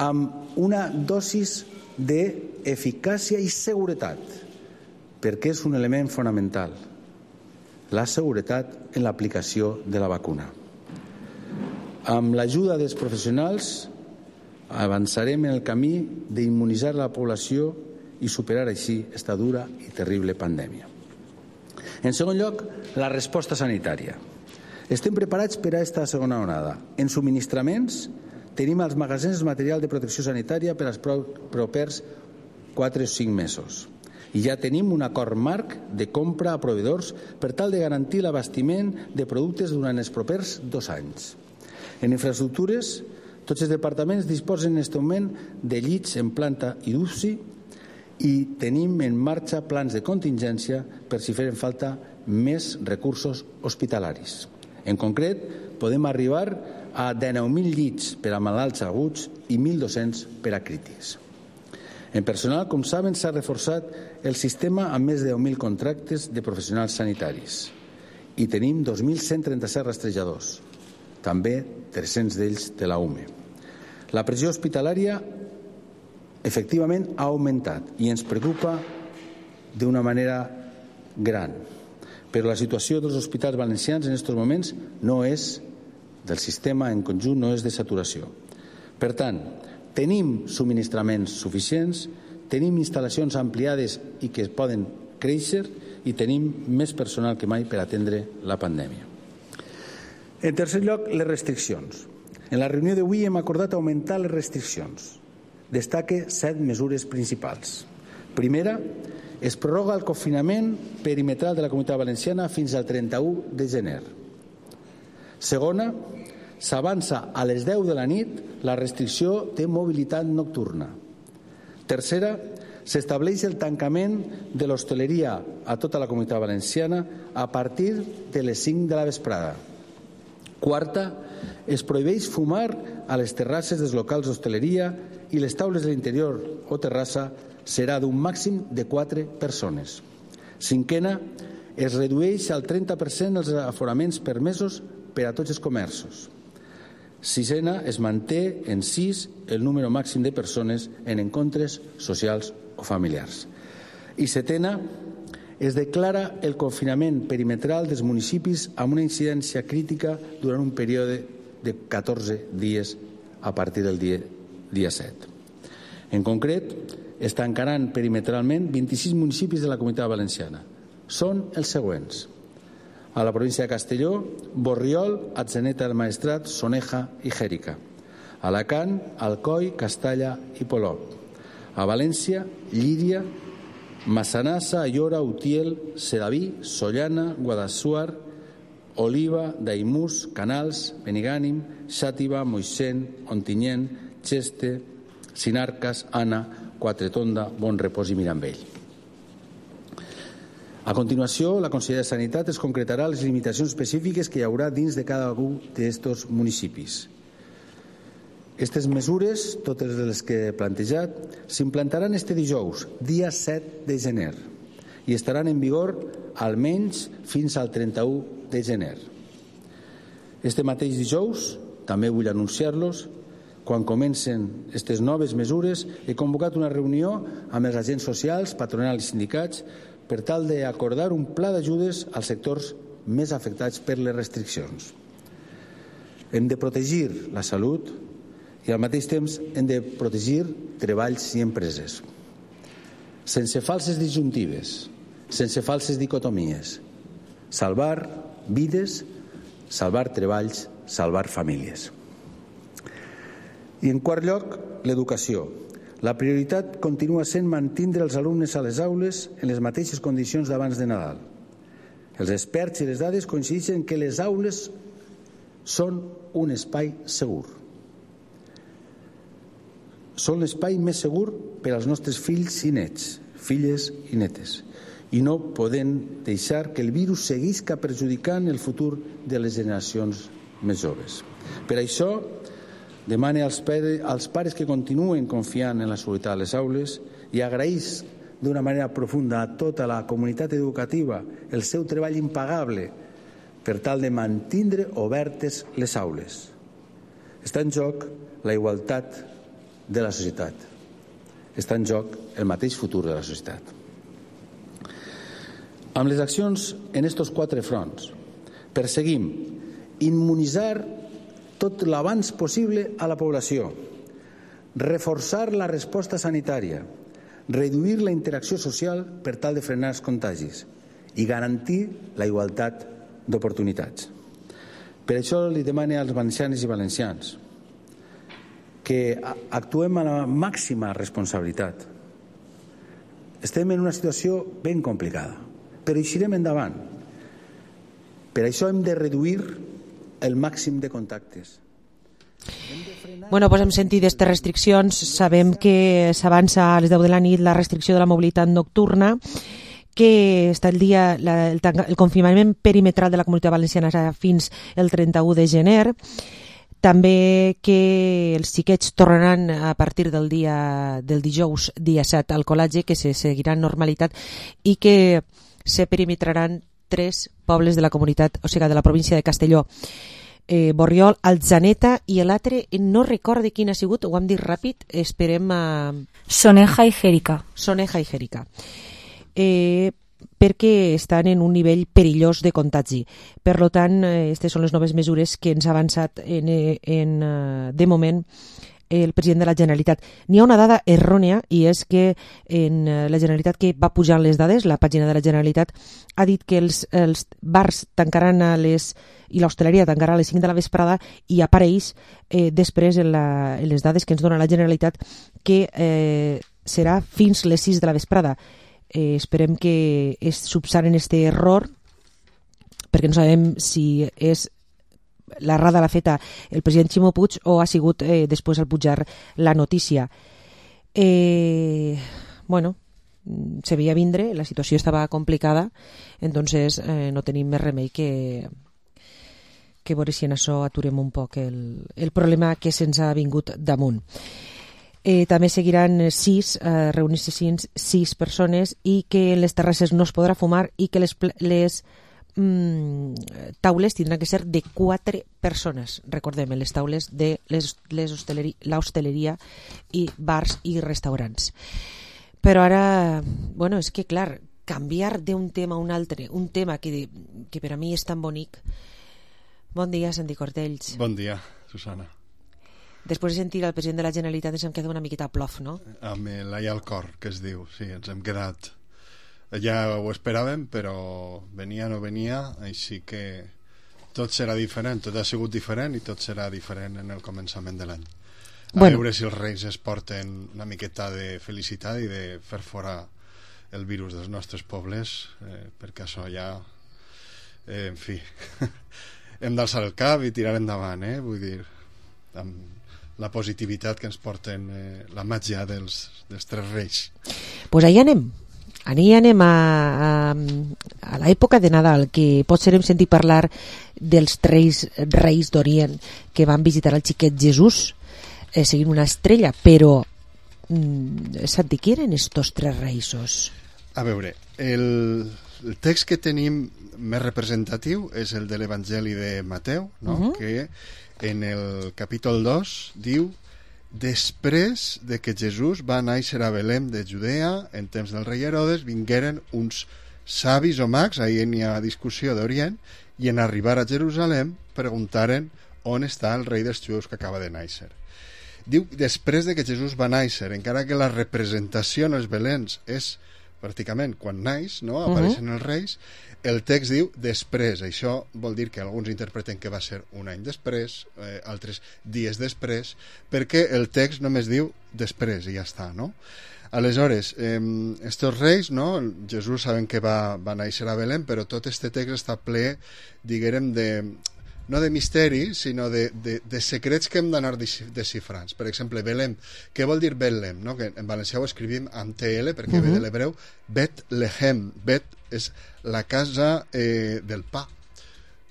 amb una dosis d'eficàcia i seguretat, perquè és un element fonamental, la seguretat en l'aplicació de la vacuna. Amb l'ajuda dels professionals avançarem en el camí d'immunitzar la població i superar així aquesta dura i terrible pandèmia. En segon lloc, la resposta sanitària. Estem preparats per a aquesta segona onada. En subministraments tenim als magatzems material de protecció sanitària per als propers quatre o cinc mesos. I ja tenim un acord marc de compra a proveïdors per tal de garantir l'abastiment de productes durant els propers dos anys. En infraestructures, tots els departaments disposen en aquest moment de llits en planta i d'U C I i tenim en marxa plans de contingència per si feren falta més recursos hospitalaris. En concret, podem arribar a dinou mil llits per a malalts aguts i mil dos-cents per a crítics. En personal, com saben, s'ha reforçat el sistema amb més de deu mil contractes de professionals sanitaris i tenim dos mil cent trenta-set rastrejadors, també tres-cents d'ells de la U M E. La pressió hospitalària efectivament ha augmentat i ens preocupa d'una manera gran. Però la situació dels hospitals valencians en aquests moments no és del sistema en conjunt, no és de saturació. Per tant, tenim subministraments suficients, tenim instal·lacions ampliades i que poden créixer i tenim més personal que mai per atendre la pandèmia. En tercer lloc, les restriccions. En la reunió d'avui hem acordat augmentar les restriccions. destaque set mesures principals. Primera, es prorroga el confinament perimetral de la Comunitat Valenciana fins al trenta-u de gener. Segona, s'avança a les deu de la nit la restricció de mobilitat nocturna. Tercera, s'estableix el tancament de l'hostaleria a tota la Comunitat Valenciana a partir de les cinc de la vesprada. Quarta, es prohibeix fumar a les terrasses dels locals d'hostaleria i les taules de l'interior o terrassa serà d'un màxim de quatre persones. Cinquena, es redueix al trenta per cent els aforaments permesos per a tots els comerços. Sisena, es manté en sis el número màxim de persones en encontres socials o familiars. I setena, es declara el confinament perimetral dels municipis amb una incidència crítica durant un període de catorze dies a partir del dia, dia set. En concret, es tancaran perimetralment vint-i-sis municipis de la Comunitat Valenciana. Són els següents: a la província de Castelló, Borriol, Atzeneta del Maestrat, Soneja i Xèrica; a Alacant, Alcoi, Castalla i Polop; a València, Llíria, Massanassa, Aiora, Utiel, Sedaví, Sollana, Guadassuar, Oliva, Daimús, Canals, Benigànim, Xàtiva, Moixent, Ontinyent, Xeste, Sinarcas, Anna, Quatretonda, Bon Repòs i Mirambell. A continuació, la Conselleria de Sanitat es concretarà les limitacions específiques que hi haurà dins de cada un d'aquests municipis. Aquestes mesures, totes les que he plantejat, s'implantaran este dijous, dia set de gener, i estaran en vigor almenys fins al trenta-u de gener. Este mateix dijous, també vull anunciar-los, quan comencen aquestes noves mesures, he convocat una reunió amb els agents socials, patronals i sindicats per tal d'acordar un pla d'ajudes als sectors més afectats per les restriccions. Hem de protegir la salut i al mateix temps hem de protegir treballs i empreses. Sense falses disjuntives, sense falses dicotomies. Salvar vides, salvar treballs, salvar famílies. I en quart lloc, l'educació. La prioritat continua sent mantindre els alumnes a les aules en les mateixes condicions d'abans de Nadal. Els experts i les dades coincideixen que les aules són un espai segur. Són l'espai més segur per als nostres fills i nets, filles i netes, i no podem deixar que el virus seguisca perjudicant el futur de les generacions més joves. Per això, demane als pares, als pares que continuen confiant en la seguretat a les aules i agraeix d'una manera profunda a tota la comunitat educativa el seu treball impagable per tal de mantindre obertes les aules. Està en joc la igualtat de la societat. Està en joc el mateix futur de la societat. Amb les accions en estos quatre fronts, perseguim immunitzar tot l'abans possible a la població, reforçar la resposta sanitària, reduir la interacció social per tal de frenar els contagis i garantir la igualtat d'oportunitats. Per això li demane als valencianes i valencians que actuem amb la màxima responsabilitat. Estem en una situació ben complicada, però eixirem endavant. Per això hem de reduir el màxim de contactes. Bueno, pues hem sentit aquestes restriccions. Sabem que s'avança a les deu de la nit la restricció de la mobilitat nocturna, que està el dia, la, el, el confinament perimetral de la Comunitat Valenciana serà fins el trenta-u de gener. També que els xiquets tornaran a partir del dia del dijous, dia set, al col·legi, que se seguirà en normalitat i que se perimetraran tres pobles de la comunitat, o sigui, de la província de Castelló. Eh, Borriol, Atzeneta i l'altre, no recordo quin ha sigut, ho hem dit ràpid, esperem a... Soneja i Xèrica. Soneja i Xèrica. Eh, perquè estan en un nivell perillós de contagi. Per tant, aquestes són les noves mesures que ens ha avançat en, en, de moment el president de la Generalitat. N'hi ha una dada errònia i és que en la Generalitat que va pujant les dades, la pàgina de la Generalitat ha dit que els, els bars tancaran a les i l'hostaleria tancarà a les cinc de la vesprada i apareix eh, després en, la, en les dades que ens dona la Generalitat que eh, serà fins les sis de la vesprada. Eh, esperem que es subsanen este error perquè no sabem si és l'errada l'ha feta el president Ximo Puig o ha sigut eh, després al pujar la notícia. Eh, bueno, se veia vindre, la situació estava complicada, entonces eh, no tenim més remei que que veure si en això aturem un poc el, el problema que se'ns ha vingut damunt. Eh, també seguiran sis, eh, reunir-se sis, sis persones i que en les terrasses no es podrà fumar i que les, les mm, taules tindran que ser de quatre persones. Recordem, les taules de les, les hosteleri, l'hostaleria i bars i restaurants. Però ara, bueno, és que clar, canviar d'un tema a un altre, un tema que, que per a mi és tan bonic. Bon dia, Santi Cortells. Bon dia, Susana. Després de sentir el president de la Generalitat ens hem quedat una miqueta a plof, no? Amb l'ai al cor, que es diu, sí, ens hem quedat. Ja ho esperàvem, però venia o no venia, així que tot serà diferent, tot ha sigut diferent i tot serà diferent en el començament de l'any. A bueno. veure si els reis es porten una miqueta de felicitat i de fer fora el virus dels nostres pobles, eh, perquè això ja, eh, en fi... hem d'alçar el cap i tirar endavant, eh? Vull dir, amb la positivitat que ens porten eh, la màgia dels, dels tres reis. Doncs pues ahí anem. Ahí anem a, a, a l'època de Nadal, que potser hem sentit parlar dels tres reis d'Orient que van visitar el xiquet Jesús eh, seguint una estrella, però mm, Santi, qui eren estos tres reisos? A veure, el... el text que tenim més representatiu és el de l'Evangeli de Mateu, no? Uh-huh. Que en el capítol dos diu: després de que Jesús va néixer a Belém de Judea en temps del rei Herodes, vingueren uns savis o mags, ahí n'hi ha discussió d'Orient, i en arribar a Jerusalem preguntaren on està el rei dels jueus que acaba de néixer. Diu després de que Jesús va néixer, encara que la representació en els Beléns és pràcticament quan naix, no? Apareixen uh-huh. els reis, el text diu després. Això vol dir que alguns interpreten que va ser un any després, eh, altres dies després, perquè el text només diu després i ja està, no? Aleshores, eh, estos reis, no? Jesús sabem que va, va néixer a Belém, però tot este text està ple, diguem, de... no de misteri, sinó de, de, de secrets que hem d'anar desxifrant. Per exemple, Belém. Què vol dir Belém? No? Que en valencià ho escrivim amb T L, perquè uh-huh. ve de l'hebreu Bet-Lehem. Bet és la casa eh, del pa.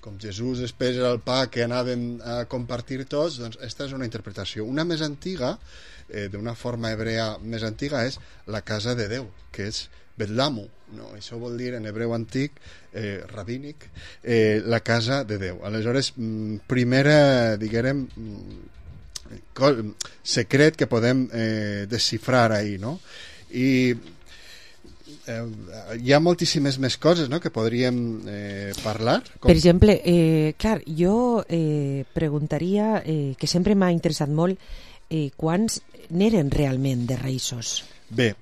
Com Jesús després era el pa que anàvem a compartir tots, doncs aquesta és una interpretació. Una més antiga, eh, d'una forma hebrea més antiga, és la casa de Déu, que és Bet-Lamu. No, això vol dir en hebreu antic, eh, rabínic, eh, la casa de Déu. Aleshores, primera, diguem, secret que podem eh, desxifrar ahir, no? I eh, hi ha moltíssimes més coses, no?, que podríem eh, parlar. Com... Per exemple, eh, clar, jo eh, preguntaria, eh, que sempre m'ha interessat molt, eh, quants n'eren realment de reisos? Bé,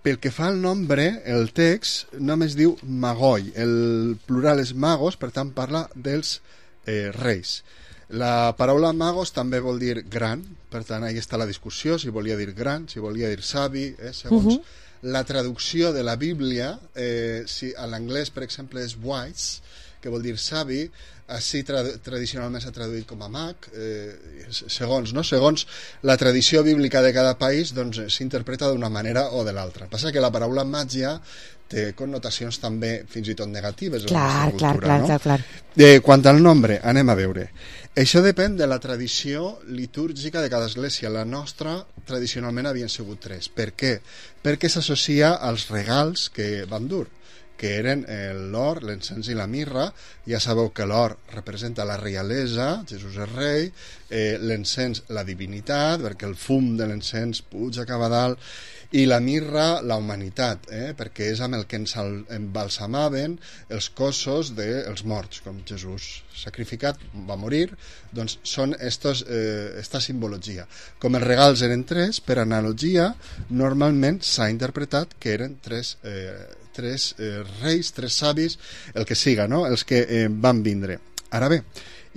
pel que fa al nombre, el text només diu magoi. El plural és magos, per tant parla dels eh, reis. La paraula magos també vol dir gran, per tant ahí està la discussió, si volia dir gran, si volia dir savi, eh, segons uh-huh. la traducció de la Bíblia, eh, si a l'anglès, per exemple, és wise, que vol dir savi, així tra- tradicionalment s'ha traduït com a mag, eh, segons, no? segons la tradició bíblica de cada país, doncs s'interpreta d'una manera o de l'altra. Passa que la paraula màgia té connotacions també fins i tot negatives en clar, la nostra cultura, clar, no? clar, clar. Eh, quant al nombre, anem a veure. Això depèn de la tradició litúrgica de cada església. La nostra tradicionalment havien sigut tres. Per què? Perquè s'associa als regals que van dur, que eren l'or, l'encens i la mirra. Ja sabeu que l'or representa la reialesa, Jesús és rei, eh, l'encens la divinitat, perquè el fum de l'encens puja cap a dalt, i la mirra la humanitat, eh? perquè és amb el que ens embalsamaven els cossos dels morts, com Jesús sacrificat, va morir, doncs són estos, eh, esta simbologia. Com els regals eren tres, per analogia, normalment s'ha interpretat que eren tres, eh, tres eh, reis, tres savis, el que siga, no? Els que eh, van vindre. Ara bé,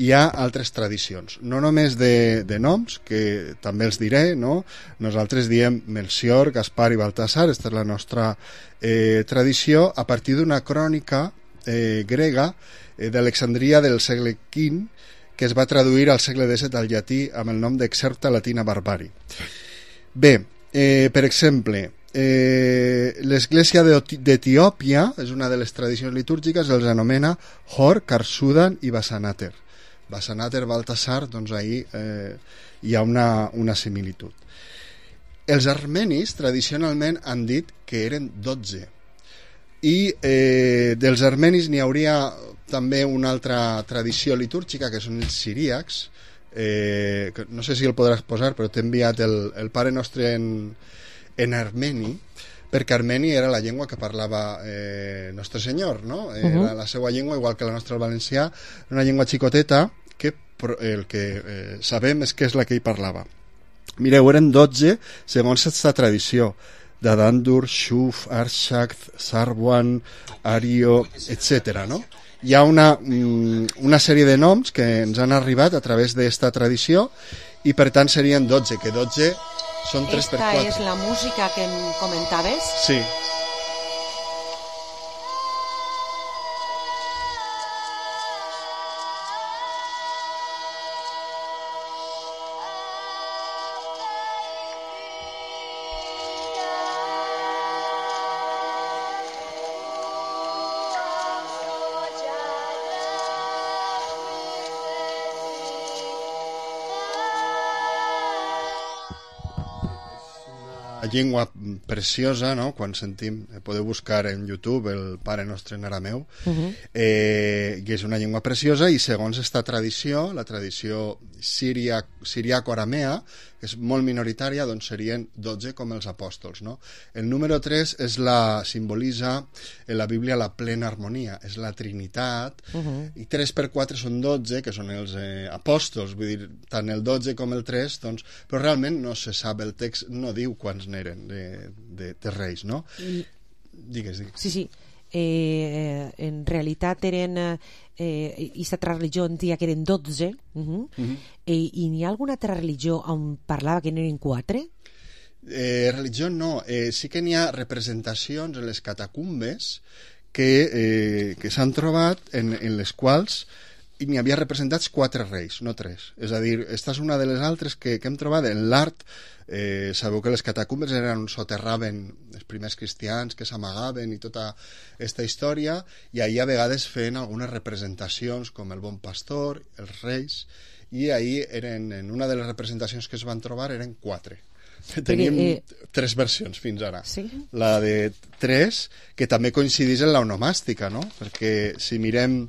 hi ha altres tradicions, no només de, de noms, que també els diré, no? Nosaltres diem Melcior, Gaspar i Baltasar, aquesta és la nostra eh, tradició, a partir d'una crònica eh, grega eh, d'Alexandria del segle quinze, que es va traduir al segle disset al llatí amb el nom d'Excerpta Latina Barbari. Bé, eh, per exemple, eh, l'església d'Etiòpia és una de les tradicions litúrgiques, els anomena Hor, Karsudan i Basanater. Basanater, Baltasar, doncs ahir eh, hi ha una, una similitud. Els armenis tradicionalment han dit que eren dotze, i eh, dels armenis n'hi hauria també una altra tradició litúrgica, que són els siríacs, eh, que no sé si el podràs posar, però t'he enviat el, el Pare Nostre en, en armeni, perquè armeni era la llengua que parlava eh, Nostre Senyor, no? Eh, uh-huh. Era la seva llengua, igual que la nostra el valencià, una llengua xicoteta, que el que eh, sabem és que és la que hi parlava. Mireu, eren dotze segons aquesta tradició, Dadandur, Shuf, Arshakt, Sarwan, Ario, etcètera, no? Hi ha una, una sèrie de noms que ens han arribat a través d'esta tradició, i per tant serien dotze, que dotze són tres per quatre. Esta és la música que em comentaves? Sí. Llengua preciosa, no? Quan sentim, podeu buscar en YouTube el Pare Nostre en arameu, uh-huh. eh, i és una llengua preciosa, i segons esta tradició, la tradició siria, siriaco-aramea, que és molt minoritària, doncs serien dotze com els apòstols, no? El número tres és la, simbolitza en la Bíblia la plena harmonia, és la Trinitat, uh-huh. i tres per quatre són dotze, que són els eh, apòstols, vull dir, tant el dotze com el tres, doncs, però realment no se sap, el text no diu quants n'eren de, de, de reis, no? I... Digues, digues. Sí, sí. Eh, en realitat eren eh, i altra religió en dia que eren dotze, uh-huh. uh-huh. eh, i n'hi ha alguna altra religió on parlava que n'eren quatre? Eh, religió no, eh, sí que n'hi ha representacions en les catacumbes que, eh, que s'han trobat en, en les quals n'hi havia representats quatre reis, no tres. És a dir, esta és una de les altres que, que hem trobat en l'art. Eh, sabeu que les catacumbes eren on soterraven els primers cristians, que s'amagaven i tota aquesta història, i ahir a vegades feien algunes representacions com el bon pastor, els reis, i ahir eren, en una de les representacions que es van trobar eren quatre. Teníem eh, tres versions fins ara. ¿Sí? La de tres, que també coincidís en l'onomàstica, no? Perquè si mirem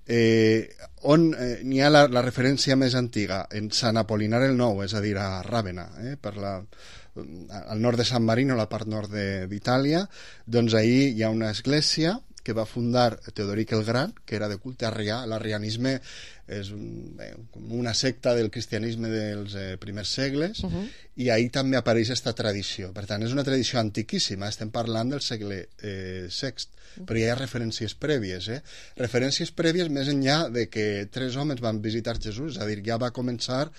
eh, on eh, n'hi ha la, la referència més antiga, en Sant Apolinar el Nou, és a dir, a Ràvena, eh, per la, al nord de San Marino, la part nord d'Itàlia, doncs ahir hi ha una església que va fundar Teodoric el Gran, que era de culte arrià. L'arrianisme és un, bé, una secta del cristianisme dels eh, primers segles, uh-huh. i ahir també apareix aquesta tradició. Per tant, és una tradició antiquíssima, estem parlant del segle eh, sext, uh-huh. però hi ha referències prèvies, eh? referències prèvies més enllà de que tres homes van visitar Jesús, és a dir, ja va començar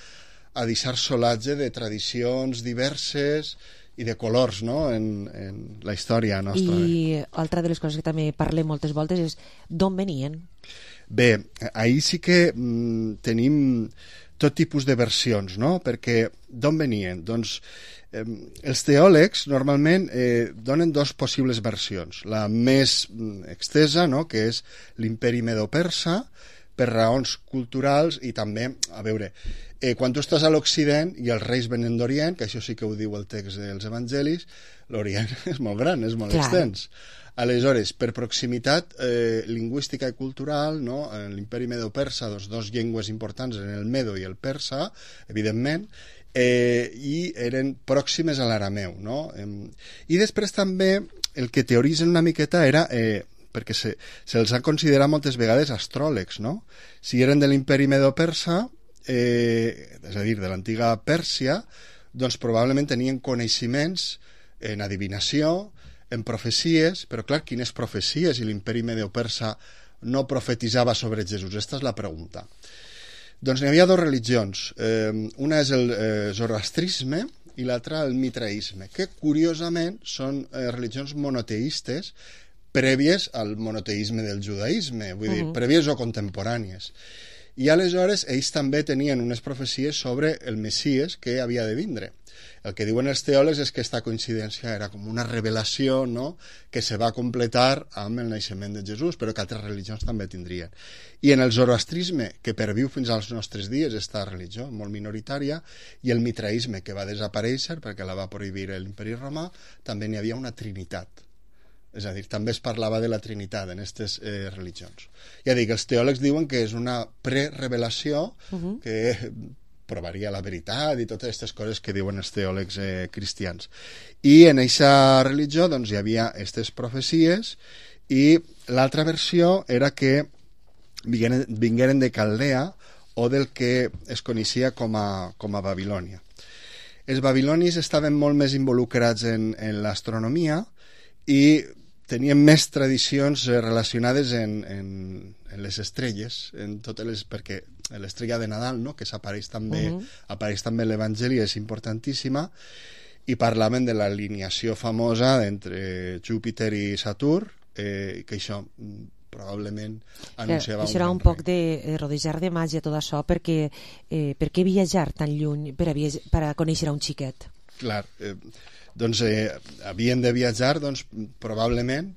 a deixar solatge de tradicions diverses i de colors, no?, en, en la història nostra. I altra de les coses que també parlem moltes voltes és d'on venien? Bé, ahir sí que mm, tenim tot tipus de versions, no?, perquè d'on venien? Doncs eh, els teòlegs normalment eh, donen dos possibles versions. La més mm, extesa, no?, que és l'imperi medo-persa, per raons culturals i també, a veure, Eh, quan tu estàs a l'Occident i els reis venen d'Orient, que això sí que ho diu el text dels evangelis, l'Orient és molt gran, és molt Clar. extens. Aleshores, per proximitat eh, lingüística i cultural, no? En l'imperi medo-persa, doncs, dos llengües importants en el medo i el persa, evidentment, eh, i eren pròximes a l'arameu, no? Eh, I després també el que teoritzen una miqueta era... Eh, perquè se'ls se, se ha considerat moltes vegades astròlegs, no? Si eren de l'imperi medo-persa, eh, és a dir, de l'antiga Pèrsia, doncs probablement tenien coneixements en adivinació, en profecies, però clar, quines profecies? I l'imperi medo-persa no profetitzava sobre Jesús? Aquesta és la pregunta. Doncs n'hi havia dues religions. Eh, una és el eh, zoroastrisme i l'altra el mitraisme, que curiosament són eh, religions monoteistes prèvies al monoteisme del judaïsme, vull dir, uh -huh. prèvies o contemporànies. I aleshores ells també tenien unes profecies sobre el Messies que havia de vindre. El que diuen els teòlegs és que aquesta coincidència era com una revelació, no?, que se va completar amb el naixement de Jesús, però que altres religions també tindrien. I en el zoroastrisme, que perviu fins als nostres dies, esta religió molt minoritària, i el mitraisme, que va desaparèixer perquè la va prohibir l'imperi romà, també n'hi havia una trinitat. És a dir, també es parlava de la Trinitat en aquestes eh, religions. Ja dic, els teòlegs diuen que és una prerevelació uh-huh. que provaria la veritat i totes aquestes coses que diuen els teòlegs eh, cristians. I en aquesta religió doncs, hi havia aquestes profecies i l'altra versió era que vingueren, vingueren de Caldea o del que es coneixia com a, com a Babilònia. Els babilonis estaven molt més involucrats en, en l'astronomia i tenien més tradicions relacionades en, en, en les estrelles, en totes les, perquè l'estrella de Nadal, no?, que s'apareix també, uh-huh. apareix també a l'Evangeli, és importantíssima, i parlaven de l'alineació famosa entre Júpiter i Saturn, eh, que això probablement anunciava eh, això era un, un poc de eh, rodejar de màgia tot això, perquè eh, per què viatjar tan lluny per a, per a conèixer a un xiquet? Clar, eh, doncs eh, havien de viatjar doncs, probablement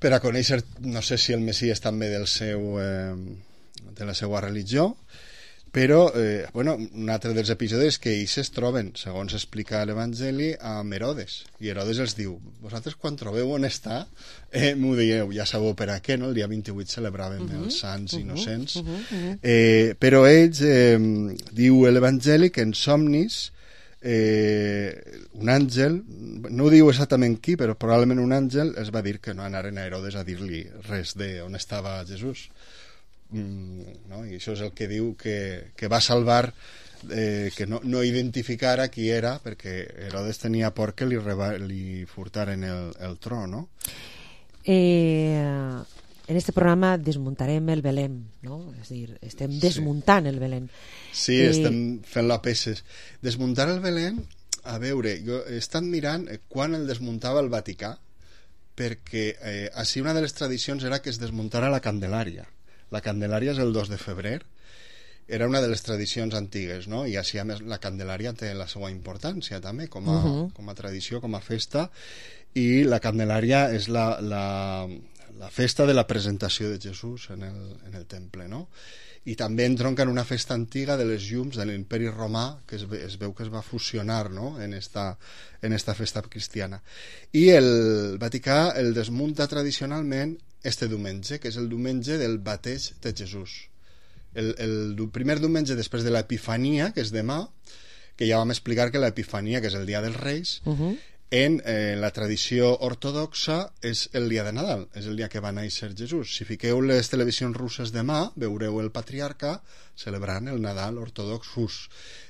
per a conèixer, no sé si el Messies també del seu, eh, de la seva religió, però eh, bueno, un altre dels episodis que ells es troben, segons explica l'Evangeli, amb Herodes, i Herodes els diu, vosaltres quan trobeu on està eh, m'ho dieu, ja sabeu per a què, no? El dia vint-i-vuit celebraven uh-huh, els sants uh-huh, innocents uh-huh, uh-huh. Eh, però ells eh, diu l'Evangeli que en somnis Eh, un àngel, no ho diu exactament qui, però probablement un àngel es va dir que no anaren a Herodes a dir-li res de on estava Jesús, mm, no? I això és el que diu que, que va salvar eh, que no, no identificara qui era, perquè Herodes tenia por que li, reba, li furtaren el, el tro, no? Eh... En este programa desmuntarem el Belén, no? És a dir, estem desmuntant sí. el Belén. Sí, eh... estem fent-lo a peces. Desmuntar el Belén, a veure, jo he estat mirant quan el desmuntava el Vaticà, perquè eh, així una de les tradicions era que es desmuntara la Candelària. La Candelària és el dos de febrer, era una de les tradicions antigues, no? I així a més la Candelària té la seva importància també, com a, uh-huh. com a tradició, com a festa, i la Candelària és la... la la festa de la presentació de Jesús en el, en el temple, no? I també entronca en una festa antiga de les llums de l'imperi romà, que es, es veu que es va fusionar, no?, en esta, en esta festa cristiana. I el Vaticà el desmunta tradicionalment este diumenge, que és el diumenge del bateig de Jesús. El, el primer diumenge després de l'Epifania, que és demà, que ja vam explicar que l'Epifania, que és el dia dels Reis, uh-huh. en eh, la tradició ortodoxa és el dia de Nadal, és el dia que va néixer Jesús. Si fiqueu les televisions russes demà, veureu el patriarca celebrant el Nadal ortodox rus.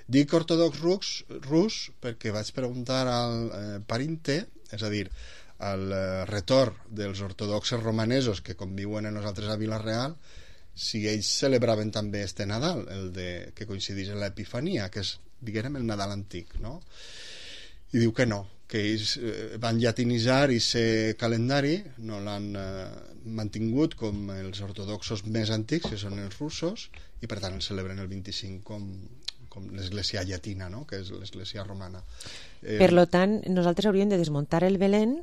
Dic ortodox rus, rus perquè vaig preguntar al eh, Parinte, és a dir, al eh, retorn dels ortodoxes romanesos que conviuen amb nosaltres a Vila-real, si ells celebraven també este Nadal, el de, que coincideix amb l'Epifania, que és, diguem, el Nadal antic, no? I diu que no, que ells van llatinitzar i ser calendari, no l'han eh, mantingut com els ortodoxos més antics, que són els russos, i per tant el celebren el vint-i-cinc com, com l'església llatina, no?, que és l'església romana. Eh... Per lo tant, nosaltres hauríem de desmuntar el Belén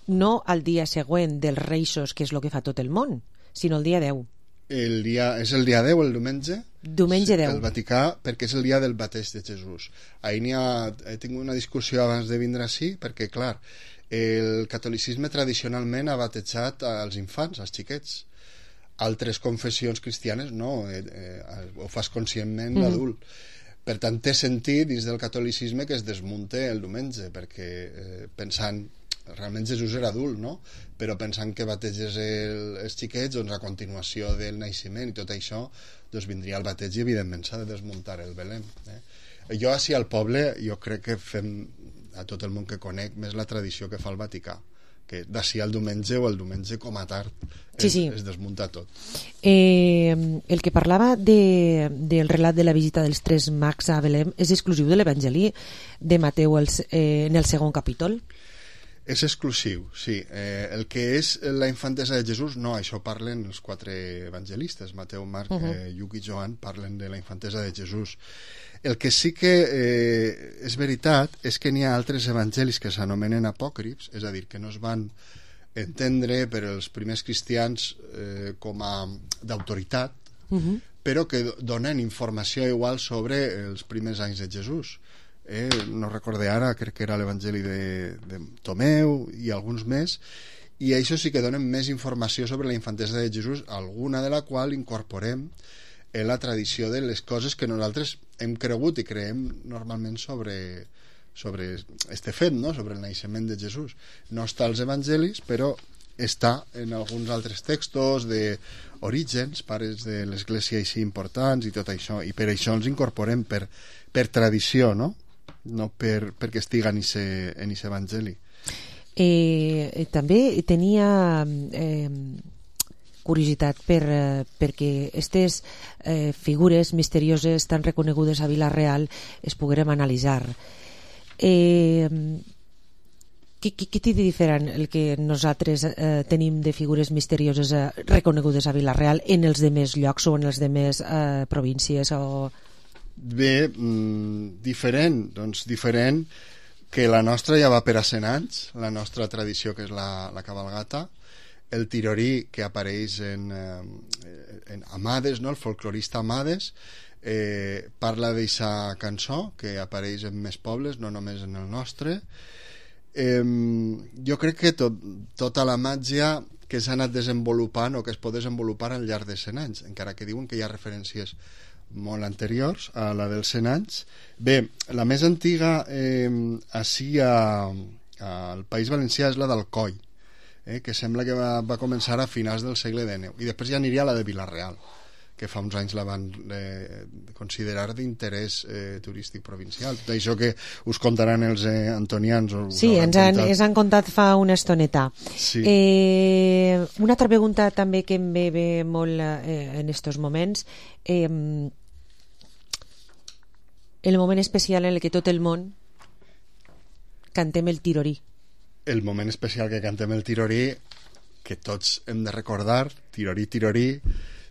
no al dia següent dels Reixos, que és el que fa tot el món, sinó el dia deu. El dia, és el dia deu, el diumenge? Diumenge deu. El Vaticà, perquè és el dia del bateig de Jesús. Ahir n'hi ha, he tingut una discussió abans de vindre així, perquè, clar, el catolicisme tradicionalment ha batejat als infants, als xiquets. Altres confessions cristianes no, eh, eh, ho fas conscientment mm. l'adult. Per tant, té sentit dins del catolicisme que es desmunte el diumenge, perquè eh, pensant, realment Jesús era adult, no? Però pensant que bateges el, els xiquets, doncs a continuació del naixement i tot això, doncs vindria el bateig i evidentment s'ha de desmuntar el Belém. Eh? Jo, així al poble, jo crec que fem a tot el món que conec més la tradició que fa el Vaticà, que d'ací al diumenge o el diumenge com a tard es, sí, sí. es desmunta tot. Eh, el que parlava de, del relat de la visita dels tres mags a Belém és exclusiu de l'Evangeli de Mateu els, eh, en el segon capítol? És exclusiu, sí. Eh, el que és la infantesa de Jesús, no, això parlen els quatre evangelistes, Mateu, Marc, uh -huh. eh, Lluc i Joan, parlen de la infantesa de Jesús. El que sí que eh, és veritat és que n'hi ha altres evangelis que s'anomenen apòcrifs, és a dir, que no es van entendre per els primers cristians eh, com a d'autoritat, uh -huh. però que donen informació igual sobre els primers anys de Jesús. Eh, no recordé ara, crec que era l'Evangeli de, de Tomeu i alguns més, i això sí que donen més informació sobre la infantesa de Jesús, alguna de la qual incorporem en la tradició de les coses que nosaltres hem cregut i creem normalment sobre, sobre este fet, no? Sobre el naixement de Jesús. No està als evangelis, però està en alguns altres textos d'orígens, pares de l'església així importants i tot això, i per això els incorporem per, per tradició, no? No per, perquè estiga en aquest evangeli. Eh, també tenia eh, curiositat per, eh, perquè aquestes eh, figures misterioses tan reconegudes a Vila-real es poguérem analitzar. Eh, què, què, què té de diferent el que nosaltres eh, tenim de figures misterioses eh, reconegudes a Vila-real en els demés llocs o en els demés eh, províncies o... Bé, mmm, diferent, doncs diferent que la nostra ja va per a cent anys, la nostra tradició que és la, la cabalgata, el tirorí que apareix en, eh, en Amades, no? El folclorista Amades eh, parla d'eixa cançó que apareix en més pobles, no només en el nostre. Eh, jo crec que tot, tota la màgia que s'ha anat desenvolupant o que es pot desenvolupar al llarg de cent anys, encara que diuen que hi ha referències molt anteriors a la dels cent anys. Bé, la més antiga eh, així a, al País Valencià és la d'Alcoi, eh, que sembla que va, va començar a finals del segle dinou, i després ja aniria a la de Vila-real, que fa uns anys la van eh, considerar d'interès eh, turístic provincial. D'això que us contaran els eh, antonians. O sí, ens han, ens han contat fa una estoneta. Sí. Eh, una altra pregunta també que em ve, ve molt eh, en estos moments. Eh, el moment especial en el que tot el món cantem el tirorí. El moment especial que cantem el tirorí, que tots hem de recordar, tirorí, tirorí,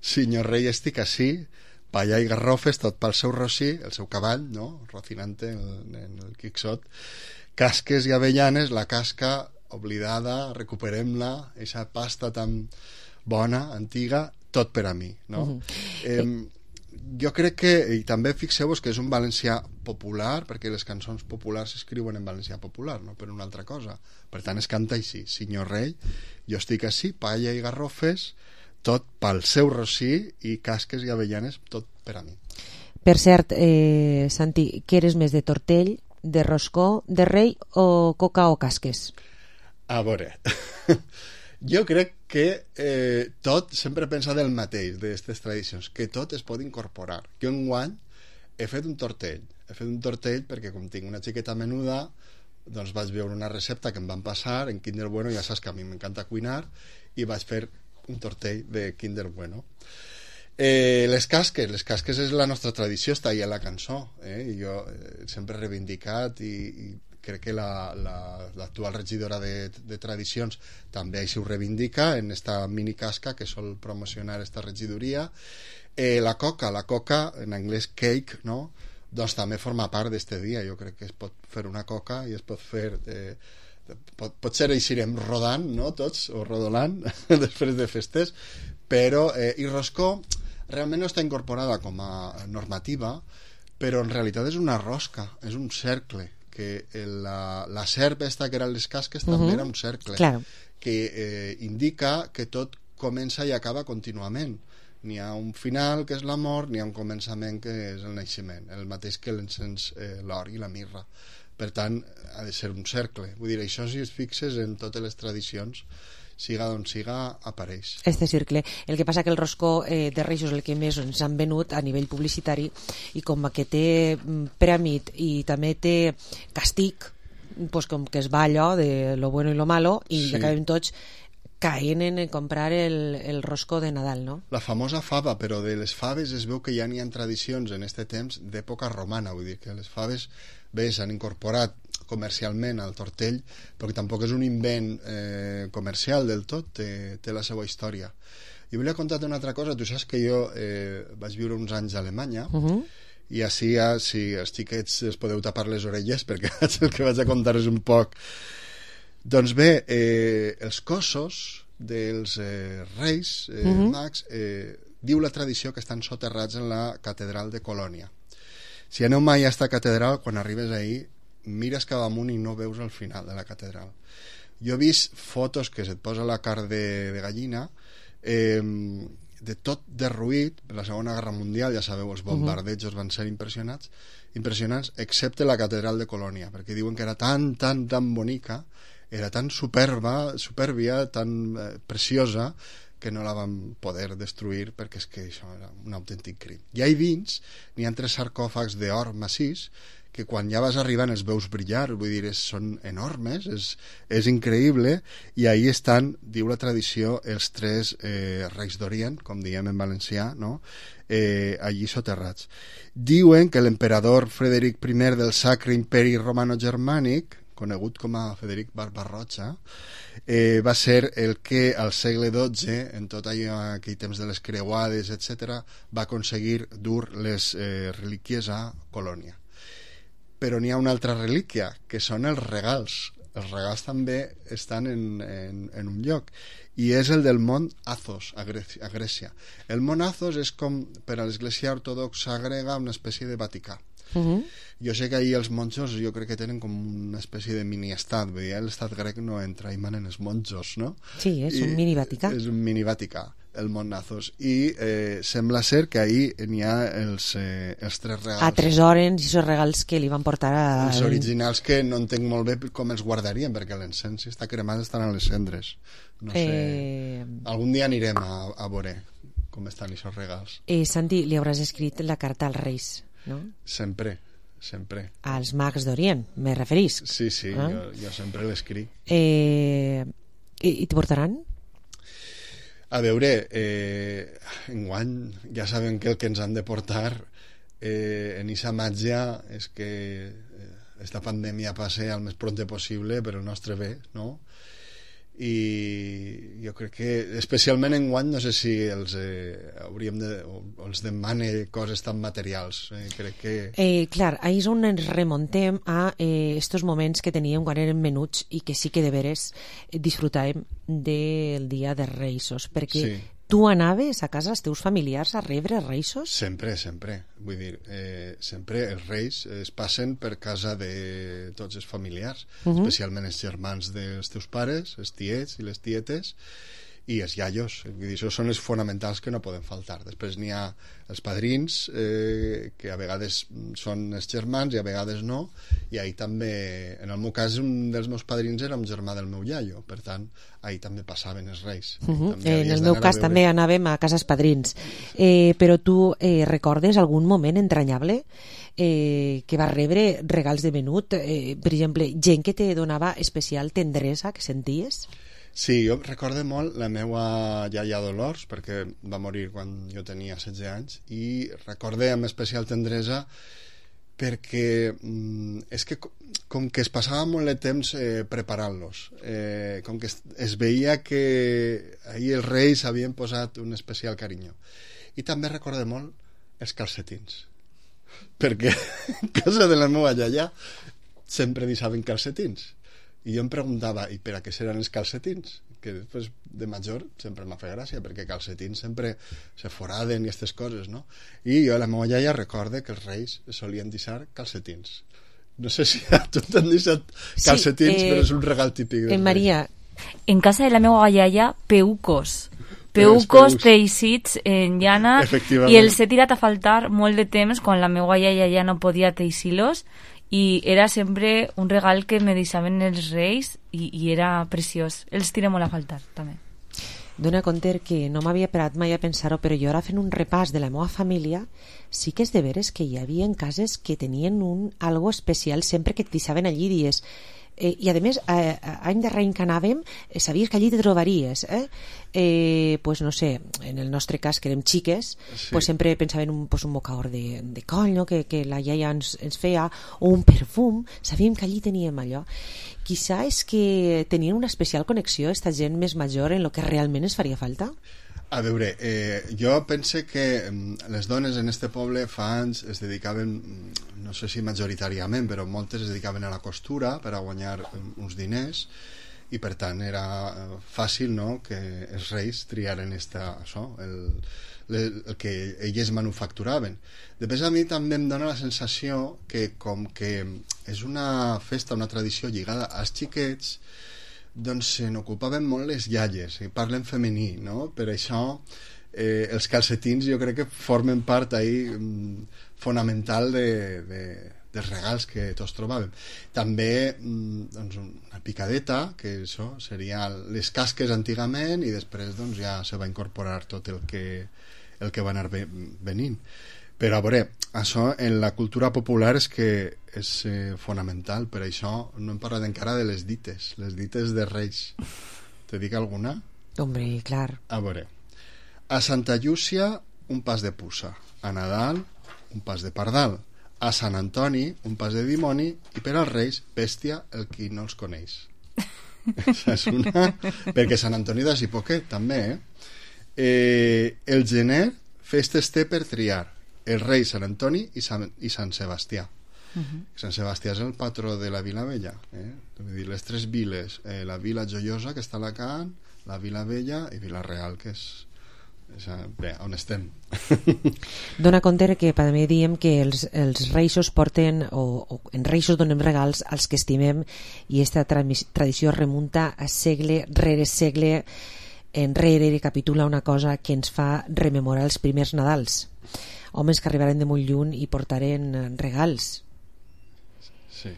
senyor rei estic ací, palla i garrofes, tot pel seu rossí, el seu cavall, no? Rocinante en, en el Quixot, casques i avellanes, la casca oblidada, recuperem-la, aquesta pasta tan bona, antiga, tot per a mi, no? Uh-huh. eh, jo crec que, i també fixeu-vos que és un valencià popular, perquè les cançons populars s'escriuen en valencià popular, no per una altra cosa. Per tant, es canta així, senyor rei, jo estic ací, palla i garrofes, tot pel seu rossí, i casques i avellanes, tot per a mi. Per cert, eh, Santi, què eres més de tortell, de roscó, de rei o coca o casques? A veure, jo crec que eh, tot sempre pensa del mateix, d'aquestes tradicions, que tot es pot incorporar. Jo enguany he fet un tortell, he fet un tortell perquè com tinc una xiqueta menuda, doncs vaig veure una recepta que em van passar en Kinder Bueno, ja saps que a mi m'encanta cuinar, i vaig fer un tortell de Kinder Bueno. Eh, les casques, les casques és la nostra tradició, està ahí a la cançó, eh? I jo eh, sempre he reivindicat i, i crec que la, la, l'actual regidora de, de tradicions també així ho reivindica en esta mini casca que sol promocionar esta regidoria. Eh, la coca, la coca en anglès cake, no? Doncs també forma part d'este dia. Jo crec que es pot fer una coca i es pot fer eh, pot, potser eixirem rodant, no?, tots, o rodolant, després de festes, però, eh, i roscó realment no està incorporada com a normativa, però en realitat és una rosca, és un cercle, que la, la serp esta que eren les casques també uh-huh. era un cercle, claro. que eh, indica que tot comença i acaba contínuament. N'hi ha un final, que és la mort, n'hi ha un començament, que és el naixement, el mateix que l'encens, eh, l'or i la mirra. Per tant, ha de ser un cercle. Vull dir, això, si es fixes en totes les tradicions, siga d'on siga, apareix. Este cercle. El que passa que el roscó eh, de Reis és el que més ens han venut a nivell publicitari, i com que té prèmit i també té castig, pues com que es va allò de lo bueno i lo malo, i sí. acabem tots caient en comprar el, el roscó de Nadal, no? La famosa fava, però de les faves es veu que ja n'hi ha tradicions en este temps d'època romana, vull dir que les faves bé s'han incorporat comercialment al tortell, però que tampoc és un invent eh, comercial del tot, té, té la seva història. Jo volia contar-te una altra cosa. Tu saps que jo eh, vaig viure uns anys a Alemanya, uh-huh. i així ja, si els xiquets es podeu tapar les orelles, perquè el que vaig a contar és un poc. Doncs bé, eh, els cossos dels eh, reis eh, uh-huh. mags, eh, diu la tradició que estan soterrats en la catedral de Colònia. Si aneu mai a esta catedral, quan arribes ahí, mires cap amunt i no veus el final de la catedral. Jo he vist fotos que se't posa la carn de, de gallina, eh, de tot derruït. Per la Segona Guerra Mundial, ja sabeu, els bombardejos uh-huh. van ser impressionats, impressionants, excepte la catedral de Colònia, perquè diuen que era tan, tan, tan bonica, era tan superba, superbia, tan eh, preciosa, que no la van poder destruir, perquè és que això era un autèntic crim. I ahí dins n'hi ha tres sarcòfags d'or massís, que quan ja vas arribant els veus brillar, vull dir, és, són enormes, és, és increïble, i ahí estan, diu la tradició, els tres eh, reis d'Orient, com diem en valencià, no?, eh, allí soterrats. Diuen que l'emperador Frederic primer del Sacre Imperi Romano-Germànic, conegut com a Frederic Barbarroja, eh, va ser el que al segle dotze, en tot allò, aquell temps de les creuades, etcètera, va aconseguir dur les eh, relíquies a Colònia. Però n'hi ha una altra relíquia, que són els regals. Els regals també estan en, en, en un lloc, i és el del mont Athos, a Grècia, a Grècia. El mont Athos és com, per a l'església ortodoxa grega, una espècie de Vaticà. Uh-huh. Jo sé que ahir els monjos, jo crec que tenen com una espècie de mini-estat, vull dir, l'estat grec no entra, hi manen els monjos, no? Sí, és I un mini-Vaticà. És un mini-Vaticà, el mont Athos, i eh, sembla ser que ahir n'hi ha els, eh, els tres regals. A tres hores, i els regals que li van portar a... Els originals, que no entenc molt bé com els guardarien, perquè l'encens, si està cremat, estan a les cendres. No sé... Eh... Algun dia anirem a, a veure com estan aquests regals. Eh, Santi, li hauràs escrit la carta als Reis, no? Sempre, sempre. Als mags d'Orient, me referís. Sí, sí, ah? jo, jo sempre l'escric. Eh, I i t'hi portaran? A veure, eh, enguany ja sabem que el que ens han de portar eh, en aquesta màgia és que esta pandèmia passe al més pront possible per el nostre bé, no? I jo crec que especialment enguany no sé si els eh, hauríem de, o, o els demane coses tan materials, eh, crec que eh, clar, ahí és on ens remontem a eh, estos moments que teníem quan érem menuts i que sí que de veres disfrutàvem del dia de Reisos, perquè sí. Tu anaves a casa dels teus familiars a rebre Reisos? Sempre, sempre. Vull dir, eh, sempre els Reis es passen per casa de tots els familiars, uh-huh. especialment els germans dels teus pares, els tiets i les tietes, i els iaios. Vull dir, això són els fonamentals que no poden faltar. Després n'hi ha els padrins, eh, que a vegades són els germans i a vegades no, i ahir també, en el meu cas, un dels meus padrins era un germà del meu iaio, per tant, ahir també passaven els Reis. Uh-huh. Eh, en el meu cas també anàvem a cases padrins. Eh, però tu eh, recordes algun moment entranyable eh, que vas rebre regals de menut? Eh, per exemple, gent que te donava especial tendresa, que senties? Sí, jo recorde molt la meva iaia Dolors, perquè va morir quan jo tenia setze anys, i recorde amb especial tendresa perquè mm, és que com que es passava molt de temps eh, preparant-los, eh, com que es, es veia que ahir els Reis havien posat un especial carinyo. I també recorde molt els calcetins, perquè en casa de la meva iaia sempre deixaven calcetins. I jo em preguntava, i per a què seran els calcetins? Que després de major sempre m'ha fet gràcia, perquè calcetins sempre se foraden i aquestes coses, no? I jo, la meva iaia, recorde que els reis solien deixar calcetins. No sé si a tu t'han deixat calcetins, sí, eh, però és un regal típic. En Maria. En casa de la meva iaia, peucos. Peucos teixits en llana, i els he tirat a faltar molt de temps quan la meva iaia ja no podia teixir-los, i era sempre un regal que me deixaven els reis i, i era preciós. Els tiré molt a faltar, també. Dona compte que no m'havia parat mai a pensar-ho, però jo ara fent un repàs de la meva família, sí que és de veres que hi havia cases que tenien un algo especial sempre que et deixaven allí dies. Eh, i a més, eh, any darrer any que anàvem, eh, sabies que allí te trobaries, eh? Eh, pues no sé, en el nostre cas que érem xiques, sí, pues sempre pensàvem un, pues un mocaor de, de coll, no? que, que la iaia ens, ens feia, o un perfum, sabíem que allí teníem allò. Quizà és que tenien una especial connexió esta gent més major en lo que realment ens faria falta. A veure, eh, jo pense que les dones en este poble fa anys es dedicaven, no sé si majoritàriament, però moltes es dedicaven a la costura per a guanyar uns diners, i per tant era fàcil, no?, que els reis triaren esta, això, el, el, el que elles manufacturaven. Després a mi també em dona la sensació que com que és una festa, una tradició lligada als xiquets, doncs se n'ocupaven molt les iaies, i parlen femení, no? Per això eh, els calcetins jo crec que formen part ahí mm, fonamental de, de, dels regals que tots trobàvem. També mm, doncs una picadeta, que això seria les casques antigament, i després doncs ja se va incorporar tot el que, el que va anar venint. Però a veure, això en la cultura popular és que és eh, fonamental. Per això no hem parlat encara de les dites, les dites de Reis. Te dic alguna? Hombre, clar. A veure, a Santa Llúcia un pas de puça, a Nadal un pas de pardal, a Sant Antoni un pas de dimoni, i per als Reis, bèstia el qui no els coneix. Això és una... Perquè Sant Antoni de Sipoquet també, eh? eh el gener festes té per triar, el rei Sant Antoni i Sant, i Sant Sebastià. Uh-huh. Sant Sebastià és el patró de la Vila Vella, eh? Vull dir, les tres viles, eh, la Vila Joiosa, que està a Alacant, la Vila Vella i Vila Real, que és, és bé, on estem. Dona compte que també diem que els, els reixos porten, o, o en reixos donem regals als que estimem, i aquesta tradició remunta a segle rere segle enrere, i capitula una cosa que ens fa rememorar els primers Nadals. Homes que arribaren de molt lluny i portaren regals. Sí.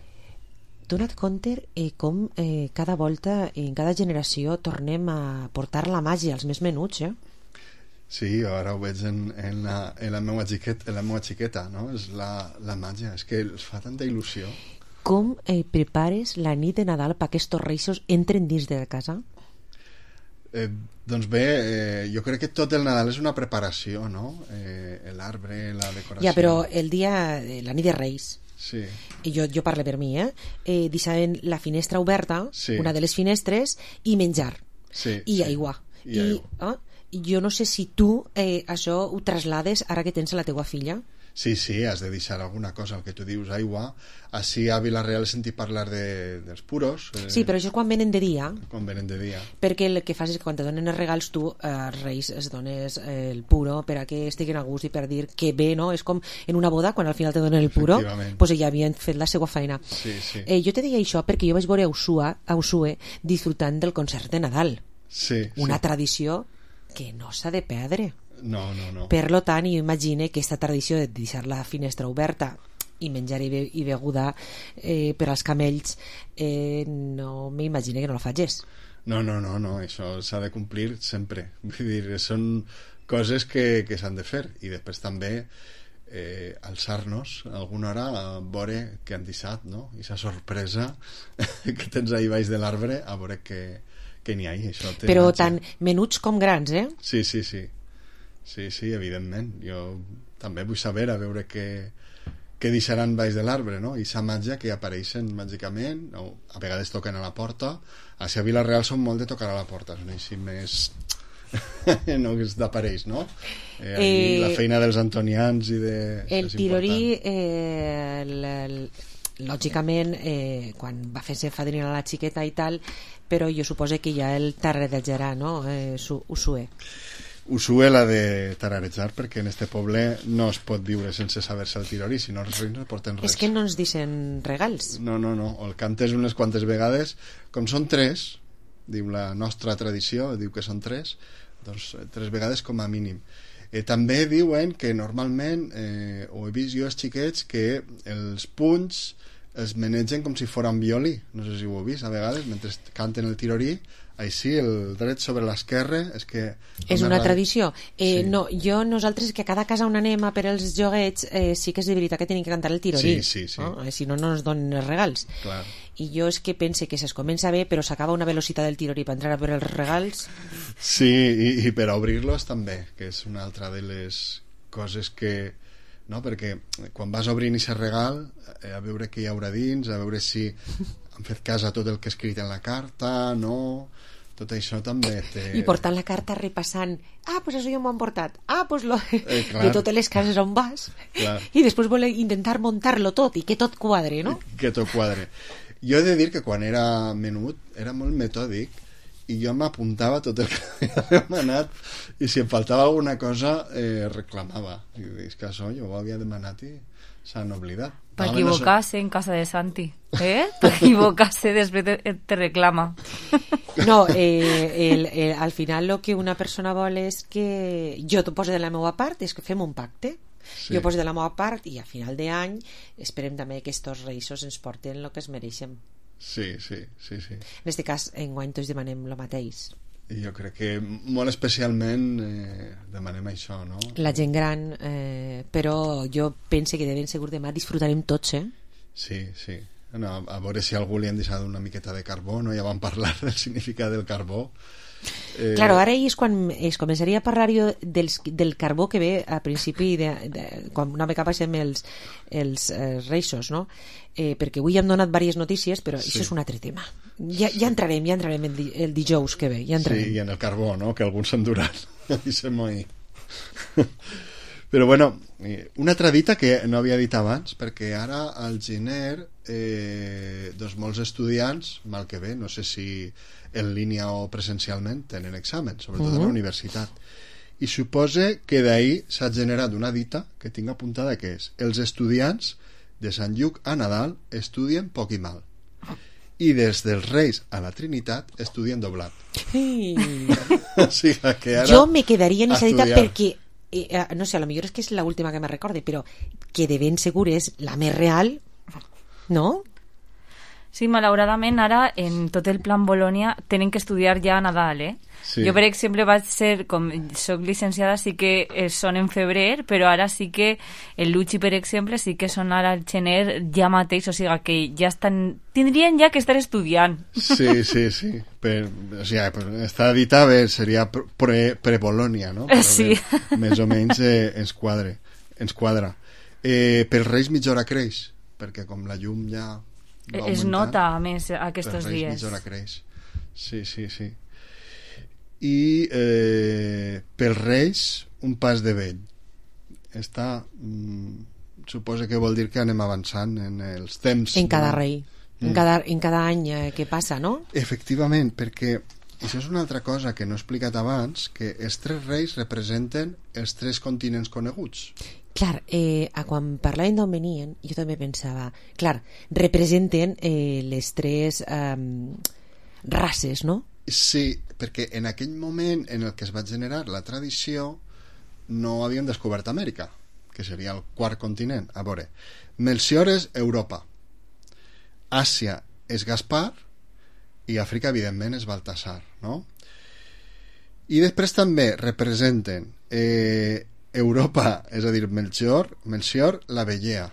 Dona't compte eh, com eh, cada volta, en cada generació, tornem a portar la màgia als més menuts, eh? Sí, ara ho veig en, en, la, en, la meva xiqueta, en la meva xiqueta, no? És la, la màgia, és que els fa tanta il·lusió. Com eh, prepares la nit de Nadal perquè aquests reixos entren dins de casa? Eh, doncs bé, eh, jo crec que tot el Nadal és una preparació, no? Eh, l'arbre, la decoració... Ja, però el dia, la nit de Reis, sí. I jo, jo parlo per mi, eh? eh deixaven la finestra oberta, sí, una de les finestres, i menjar, sí, i sí. aigua. I, I, aigua. Eh? Jo no sé si tu eh, això ho traslades ara que tens a la teua filla. Sí, sí, has de deixar alguna cosa, el que tu dius, aigua. Així a Vila-real he sentit parlar de, dels puros. Eh, sí, però això quan venen de dia. Quan venen de dia. Perquè el que fas és que quan te donen els regals tu, eh, als Reis, es dones eh, el puro per a que estiguin a gust i per dir que bé, no? És com en una boda, quan al final te donen el puro, pues ja havien fet la seva feina. Sí, sí. Eh, jo te deia això perquè jo vaig veure a Usua, a Usue disfrutant del concert de Nadal. Sí, una sí. tradició que no s'ha de perdre. No, no, no. Per lo tant, jo imagine que aquesta tradició de deixar la finestra oberta i menjar i, be i beguda eh, per als camells, eh, no m'imagine que no la facis. No, no, no, no, això s'ha de complir sempre. Vull dir, són coses que, que s'han de fer, i després també eh, alçar-nos alguna hora a veure què han deixat, no? I aquesta sorpresa que tens ahí baix de l'arbre, a veure què, què n'hi ha. Això però tant menuts com grans, eh? Sí, sí, sí. Sí, sí, evidentment. Jo també vull saber a veure què, què deixaran baix de l'arbre, no? I sa màgia que apareixen màgicament, o a vegades toquen a la porta. A si a Vila-real són molt de tocar a la porta, són així més... no, que d'apareix, no? Eh, eh, la feina dels antonians i de... El tirorí, eh, el, el, lògicament, eh, quan va fer-se fadrina la xiqueta i tal, però jo suposo que ja el tararejarà, no? Eh, su, Usue. Usue l'ha de tararejar perquè en este poble no es pot viure sense saber-se el tirori, si no els reis no porten res. És que no ens deixen regals. No, no, no, el cantes unes quantes vegades, com són tres, diu la nostra tradició, diu que són tres, doncs tres vegades com a mínim. Eh, també diuen que normalment, eh, ho he vist jo els xiquets, que els punys els manegen com si foren violí, no sé si ho heu vist a vegades, mentre canten el tirorí, així el dret sobre l'esquerra és que... És una tradició. Eh, sí. No, jo, nosaltres, que a cada casa on anem a per els joguets, eh, sí que és de veritat que tenim que cantar el tirorí. Sí, sí, sí. No? Eh, si no, no ens donen els regals. Clar. I jo és que pense que es comença bé, però s'acaba una velocitat del tirorí per entrar a per els regals. Sí, i, i per a obrir-los també, que és una altra de les coses que... No? Perquè quan vas obrint aquest regal, eh, a veure què hi haurà dins, a veure si han fet cas a tot el que he escrit en la carta, no... Tot això també té... I portant la carta repassant, ah, pues això ja m'ho han portat, ah, pues lo... Eh, de totes les cases on vas, clar. I després voler intentar muntar-lo tot i que tot quadre, no? Que tot quadre. Jo he de dir que quan era menut era molt metòdic i jo m'apuntava tot el que havia demanat i si em faltava alguna cosa eh, reclamava. I dic que això jo ho havia demanat i s'han oblidat. Per equivocar-se en casa de Santi, eh? Per equivocar-se després te, te reclama. No, eh, el, el, al final el que una persona vol és que jo t'ho poso de la meva part, és que fem un pacte. Sí. Jo poso de la meva part i a final d'any esperem també que estos reisos ens porten el que es mereixen. Sí, sí, sí, sí. En aquest cas, enguany tots demanem el mateix. I jo crec que molt especialment eh, demanem això, no? La gent gran, eh, però jo pense que de ben segur demà disfrutarem tots, eh? Sí, sí. No, a veure si a algú li han deixat una miqueta de carbó, no? Ja vam parlar del significat del carbó. Eh... Claro, ara és quan es començaria a parlar jo del, del carbó que ve a principi de, de, quan una mica passem els, els eh, reixos, no? Eh, perquè avui hem donat diverses notícies, però sí. Això és un altre tema. Ja, ja entrarem, ja entrarem el, el dijous que ve, ja entrarem. Sí, i en el carbó, no? Que alguns s'han durat. I se moi. Però bueno, una altra dita que no havia dit abans, perquè ara al gener eh, doncs molts estudiants, mal que bé, no sé si en línia o presencialment, tenen examen, sobretot uh-huh. a la universitat. I supose que d'ahir s'ha generat una dita que tinc apuntada que és: els estudiants de Sant Lluc a Nadal estudien poc i mal. I des dels Reis a la Trinitat estudien doblat. Sí. O sigui que ara jo me quedaria en aquesta dita perquè eh, no sé, a lo millor és que és l'última que me recorde, però que de ben segur és la més real, no? Sí, malauradament ara en tot el plan Bolònia tenen que estudiar ja a Nadal, eh? Sí. Jo, per exemple, vaig ser, com soc llicenciada, sí que són en febrer, però ara sí que el Luchi, per exemple, sí que són ara al gener ja mateix, o sigui que ja estan, tindrien ja que estar estudiant. Sí, sí, sí. Per, o sigui, està dita bé, seria pre, pre-Bolònia, no? Però sí. Bé, més o menys eh, ens quadre, ens quadra. Eh, pels Reis mitja hora creix, perquè com la llum ja... Es nota, a més, aquests dies. Mitja hora creix. Sí, sí, sí. I eh, pels Reis un pas de vell. Està, mm, suposa que vol dir que anem avançant en els temps. En cada no? rei, mm. en, cada, en cada any eh, que passa, no? Efectivament, perquè això és una altra cosa que no he explicat abans, que els tres reis representen els tres continents coneguts. Clar, eh, a quan parlaven d'on venien, jo també pensava, clar, representen eh, les tres eh, races, no? Sí, perquè en aquell moment en el que es va generar la tradició no havien descobert Amèrica, que seria el quart continent. A veure, Melcior és Europa, Àsia és Gaspar i Àfrica, evidentment, és Baltasar, no? I després també representen eh, Europa, és a dir, Melchior, Melchior, la vellea,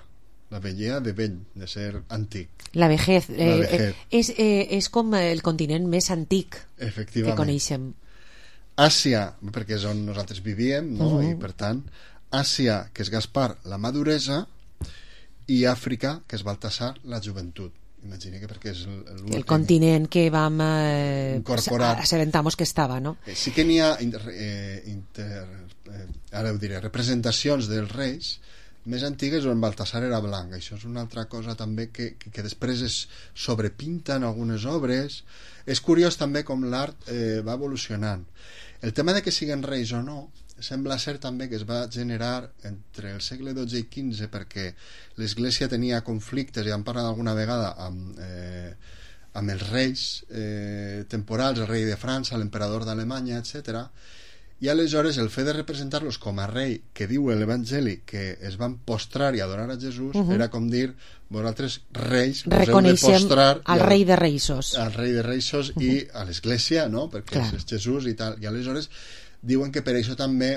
la vellea de vell, de ser antic. La vejez, eh, la vejez. Eh, és, eh, és com el continent més antic que coneixem. Àsia, perquè és on nosaltres vivíem, no? Uh-huh. I per tant, Àsia, que és Gaspar, la maduresa, i Àfrica, que és Baltasar, la joventut. Imagina que perquè és el, el continent que vam eh, incorporar. Assabentamos que estava, no? Sí que n'hi ha inter, eh, inter, eh, ara ho diré, representacions dels reis més antigues on Baltasar era blanc. Això és una altra cosa també que, que, que després es sobrepinta en algunes obres. És curiós també com l'art eh, va evolucionant. El tema de que siguin reis o no sembla ser també que es va generar entre el segle dotze i quinze, perquè l'Església tenia conflictes, ja hem parlat alguna vegada amb, eh, amb els reis eh, temporals, el rei de França, l'emperador d'Alemanya, etcètera. I aleshores el fet de representar-los com a rei, que diu l'Evangeli que es van postrar i adorar a Jesús, uh-huh. era com dir, vosaltres reis us heu de postrar al al rei de reisos, al rei de reisos uh-huh. i a l'Església, no? Perquè Clar. és Jesús i tal. I aleshores diuen que per això també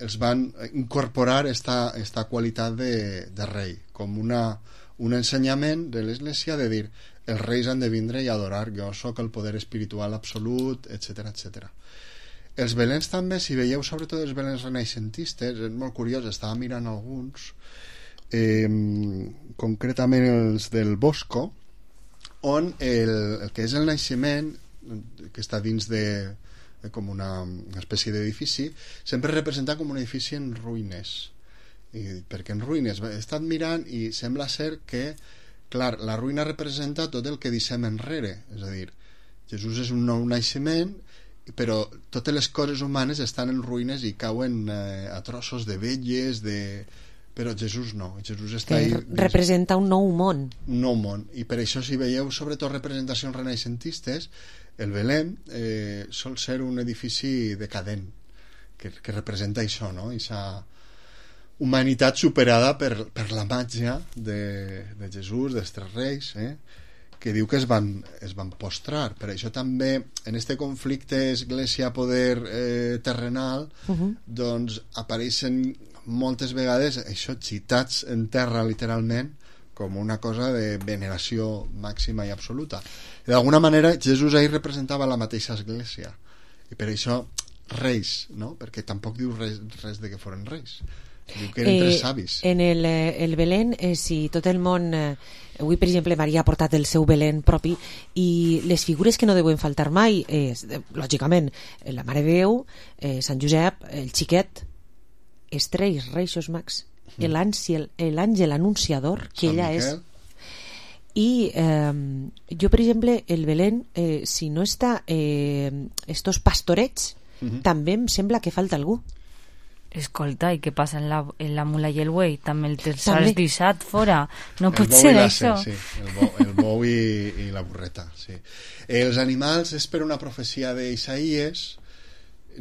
els van incorporar esta, esta qualitat de, de rei, com una, un ensenyament de l'Església de dir els reis han de vindre i adorar, jo sóc el poder espiritual absolut, etcètera, etcètera. Els belens també, si veieu sobretot els belens renaixentistes, és molt curiós, estava mirant alguns, eh, concretament els del Bosco, on el, el que és el naixement, que està dins de com una, una espècie d'edifici, sempre representa com un edifici en ruïnes. I perquè en ruïnes he estat mirant i sembla ser que, clar, la ruïna representa tot el que deixem enrere, és a dir, Jesús és un nou naixement, però totes les coses humanes estan en ruïnes i cauen eh, a trossos de velles, de... però Jesús no, Jesús està que ahí, representa un nou món, un nou món, i per això si veieu sobretot representacions renaixentistes, el Belém eh, sol ser un edifici decadent que, que representa això, no? Aquesta humanitat superada per, per la màgia de, de Jesús, dels tres reis, eh? que diu que es van, es van postrar. Per això també en este conflicte església-poder eh, terrenal uh-huh. doncs apareixen moltes vegades això, citats en terra literalment com una cosa de veneració màxima i absoluta. D'alguna manera Jesús ahir representava la mateixa església i per això reis, no? Perquè tampoc diu res, res de que foren reis, diu que eren eh, tres savis. En el, el Belén, eh, si tot el món eh, avui per exemple Maria ha portat el seu Belén propi i les figures que no deuen faltar mai és, eh, lògicament, la Mare de Déu, eh, Sant Josep, el xiquet, els tres Reixos Mags, l'àngel anunciador que Sant ella Miquel. És, i eh, jo per exemple el Belén, eh, si no està eh, estos pastorets uh-huh. també em sembla que falta algú. Escolta, i què passa en la, en la mula i el buey? També el has deixat fora. No el pot ser això. Sí, el bou, el bou i, i la burreta. Sí. Els animals és per una profecia d'Isaïes,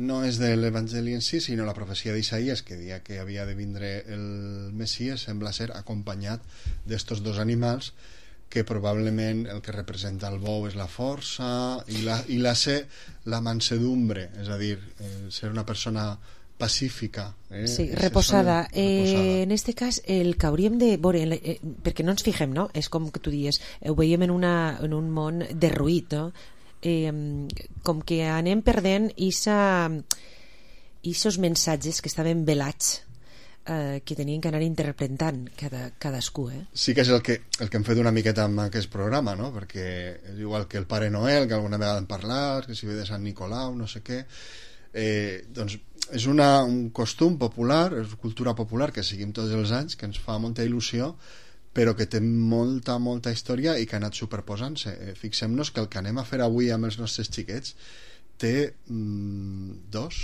no és de l'Evangeli en si, sinó la profecia d'Isaïes, que dia que havia de vindre el Messies, sembla ser acompanyat d'estos dos animals, que probablement el que representa el bou és la força i la, i la ser la mansedumbre, és a dir, eh, ser una persona pacífica, eh? Sí, reposada. Eh, en este cas, el que hauríem de veure, eh, perquè no ens fixem, no? És com que tu dius, ho veiem en, una, en un món derruït, no? Eh, com que anem perdent aquests mensatges que estaven velats, eh, que tenien que anar interpretant cada, cadascú, eh? Sí que és el que, el que hem fet una miqueta amb aquest programa, no? Perquè és igual que el Pare Noel, que alguna vegada hem parlat, que si ve de Sant Nicolau, no sé què, eh, doncs és una, un costum popular, és cultura popular que seguim tots els anys, que ens fa molta il·lusió, però que té molta, molta història i que ha anat superposant-se. Eh, fixem-nos que el que anem a fer avui amb els nostres xiquets té mm, dos,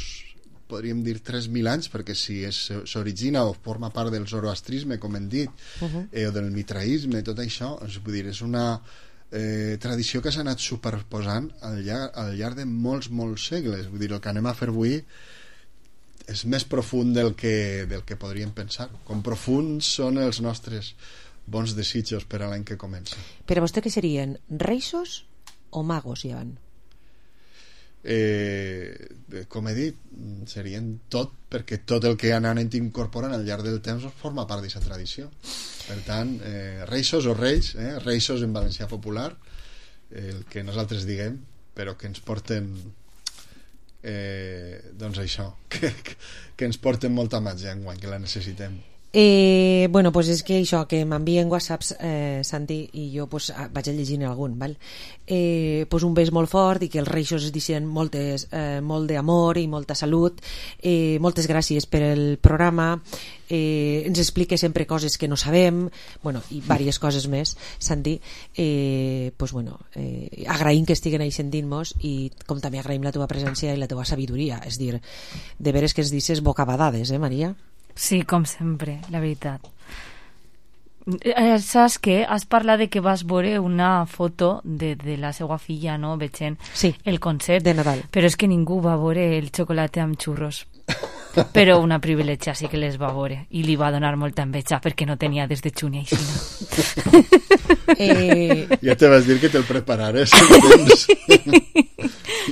podríem dir tres mil anys, perquè si s'origina o forma part del zoroastrisme, com hem dit, uh-huh. eh, o del mitraïsme, tot això, és, vull dir, és una eh, tradició que s'ha anat superposant al llarg, al llarg de molts, molts segles. Vull dir, el que anem a fer avui és més profund del que, del que podríem pensar. Com profunds són els nostres bons desitjos per a l'any que comença. Per a vostè què serien? Reixos o magos, ja van? Eh, com he dit, serien tot, perquè tot el que han anat incorporant al llarg del temps forma part d'aquesta tradició. Per tant, eh, reixos o reis, eh, reixos en valencià popular, el que nosaltres diguem, però que ens porten eh, doncs això, que, que ens porten molta màgia enguany, que la necessitem. Eh, bueno, pues és que això, que m'envien whatsapps, eh, Santi, i jo pues, vaig a llegir algun, val? Eh, pues un bes molt fort i que els reixos es deixen moltes, eh, molt d'amor i molta salut. Eh, moltes gràcies per el programa. Eh, ens explica sempre coses que no sabem, bueno, i diverses coses més, Santi. Eh, pues bueno, eh, agraïm que estiguen ahí sentint-nos i com també agraïm la teva presència i la teva sabidoria, és dir, de veres que es dices bocabadades, eh, Maria? Sí, com sempre, la veritat. Eh, saps què? Has parlat de que vas veure una foto de, de la seva filla, no?, veient sí, el concert de Nadal. Però és que ningú va veure el xocolate amb xurros. Però una privilegia sí que les va veure i li va donar molta enveja perquè no tenia des de junio i xina. eh... Ja te vas dir que te'l preparares el temps.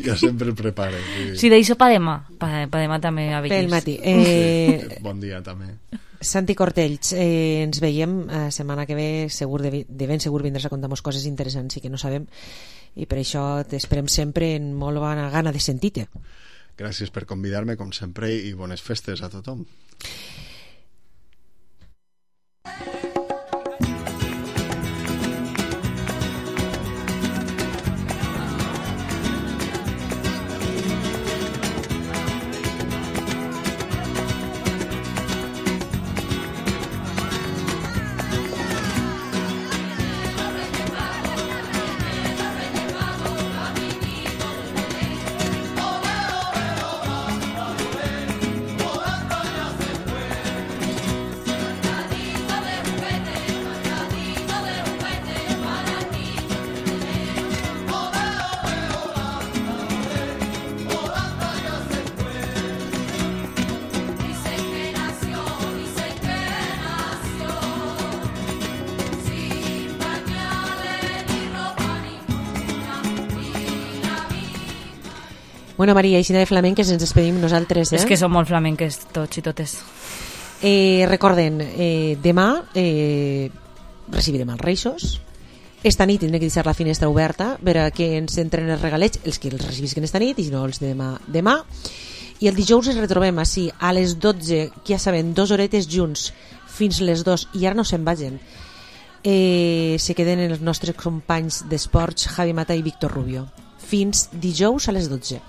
Jo sempre el prepare. Sí, sí d'això pa demà. Pa, pa demà també a Pel matí. Eh... Sí, bon dia també. Santi Cortells, eh, ens veiem la eh, setmana que ve, segur de, de ben segur vindràs a contar-nos coses interessants i que no sabem, i per això t'esperem sempre en molt bona gana de sentir-te. Gràcies per convidar-me, com sempre, i bones festes a tothom. Bueno, Maria, així de flamenques ens despedim nosaltres, eh? És que som molt flamenques tots i totes. Eh, recorden, eh, demà eh, recibirem els Reixos. Esta nit tindrem que deixar la finestra oberta per a que ens entren els regalets, els que els recibisquen esta nit, i si no els de demà. demà. I el dijous ens retrobem així a les dotze, que ja saben, dos horetes junts fins les dos, i ara no se'n vagin. Eh, se queden els nostres companys d'esports Javi Mata i Víctor Rubio. Fins dijous a les dotze.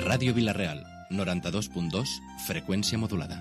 Ràdio Vila-real, noranta-dos punt dos, freqüència modulada.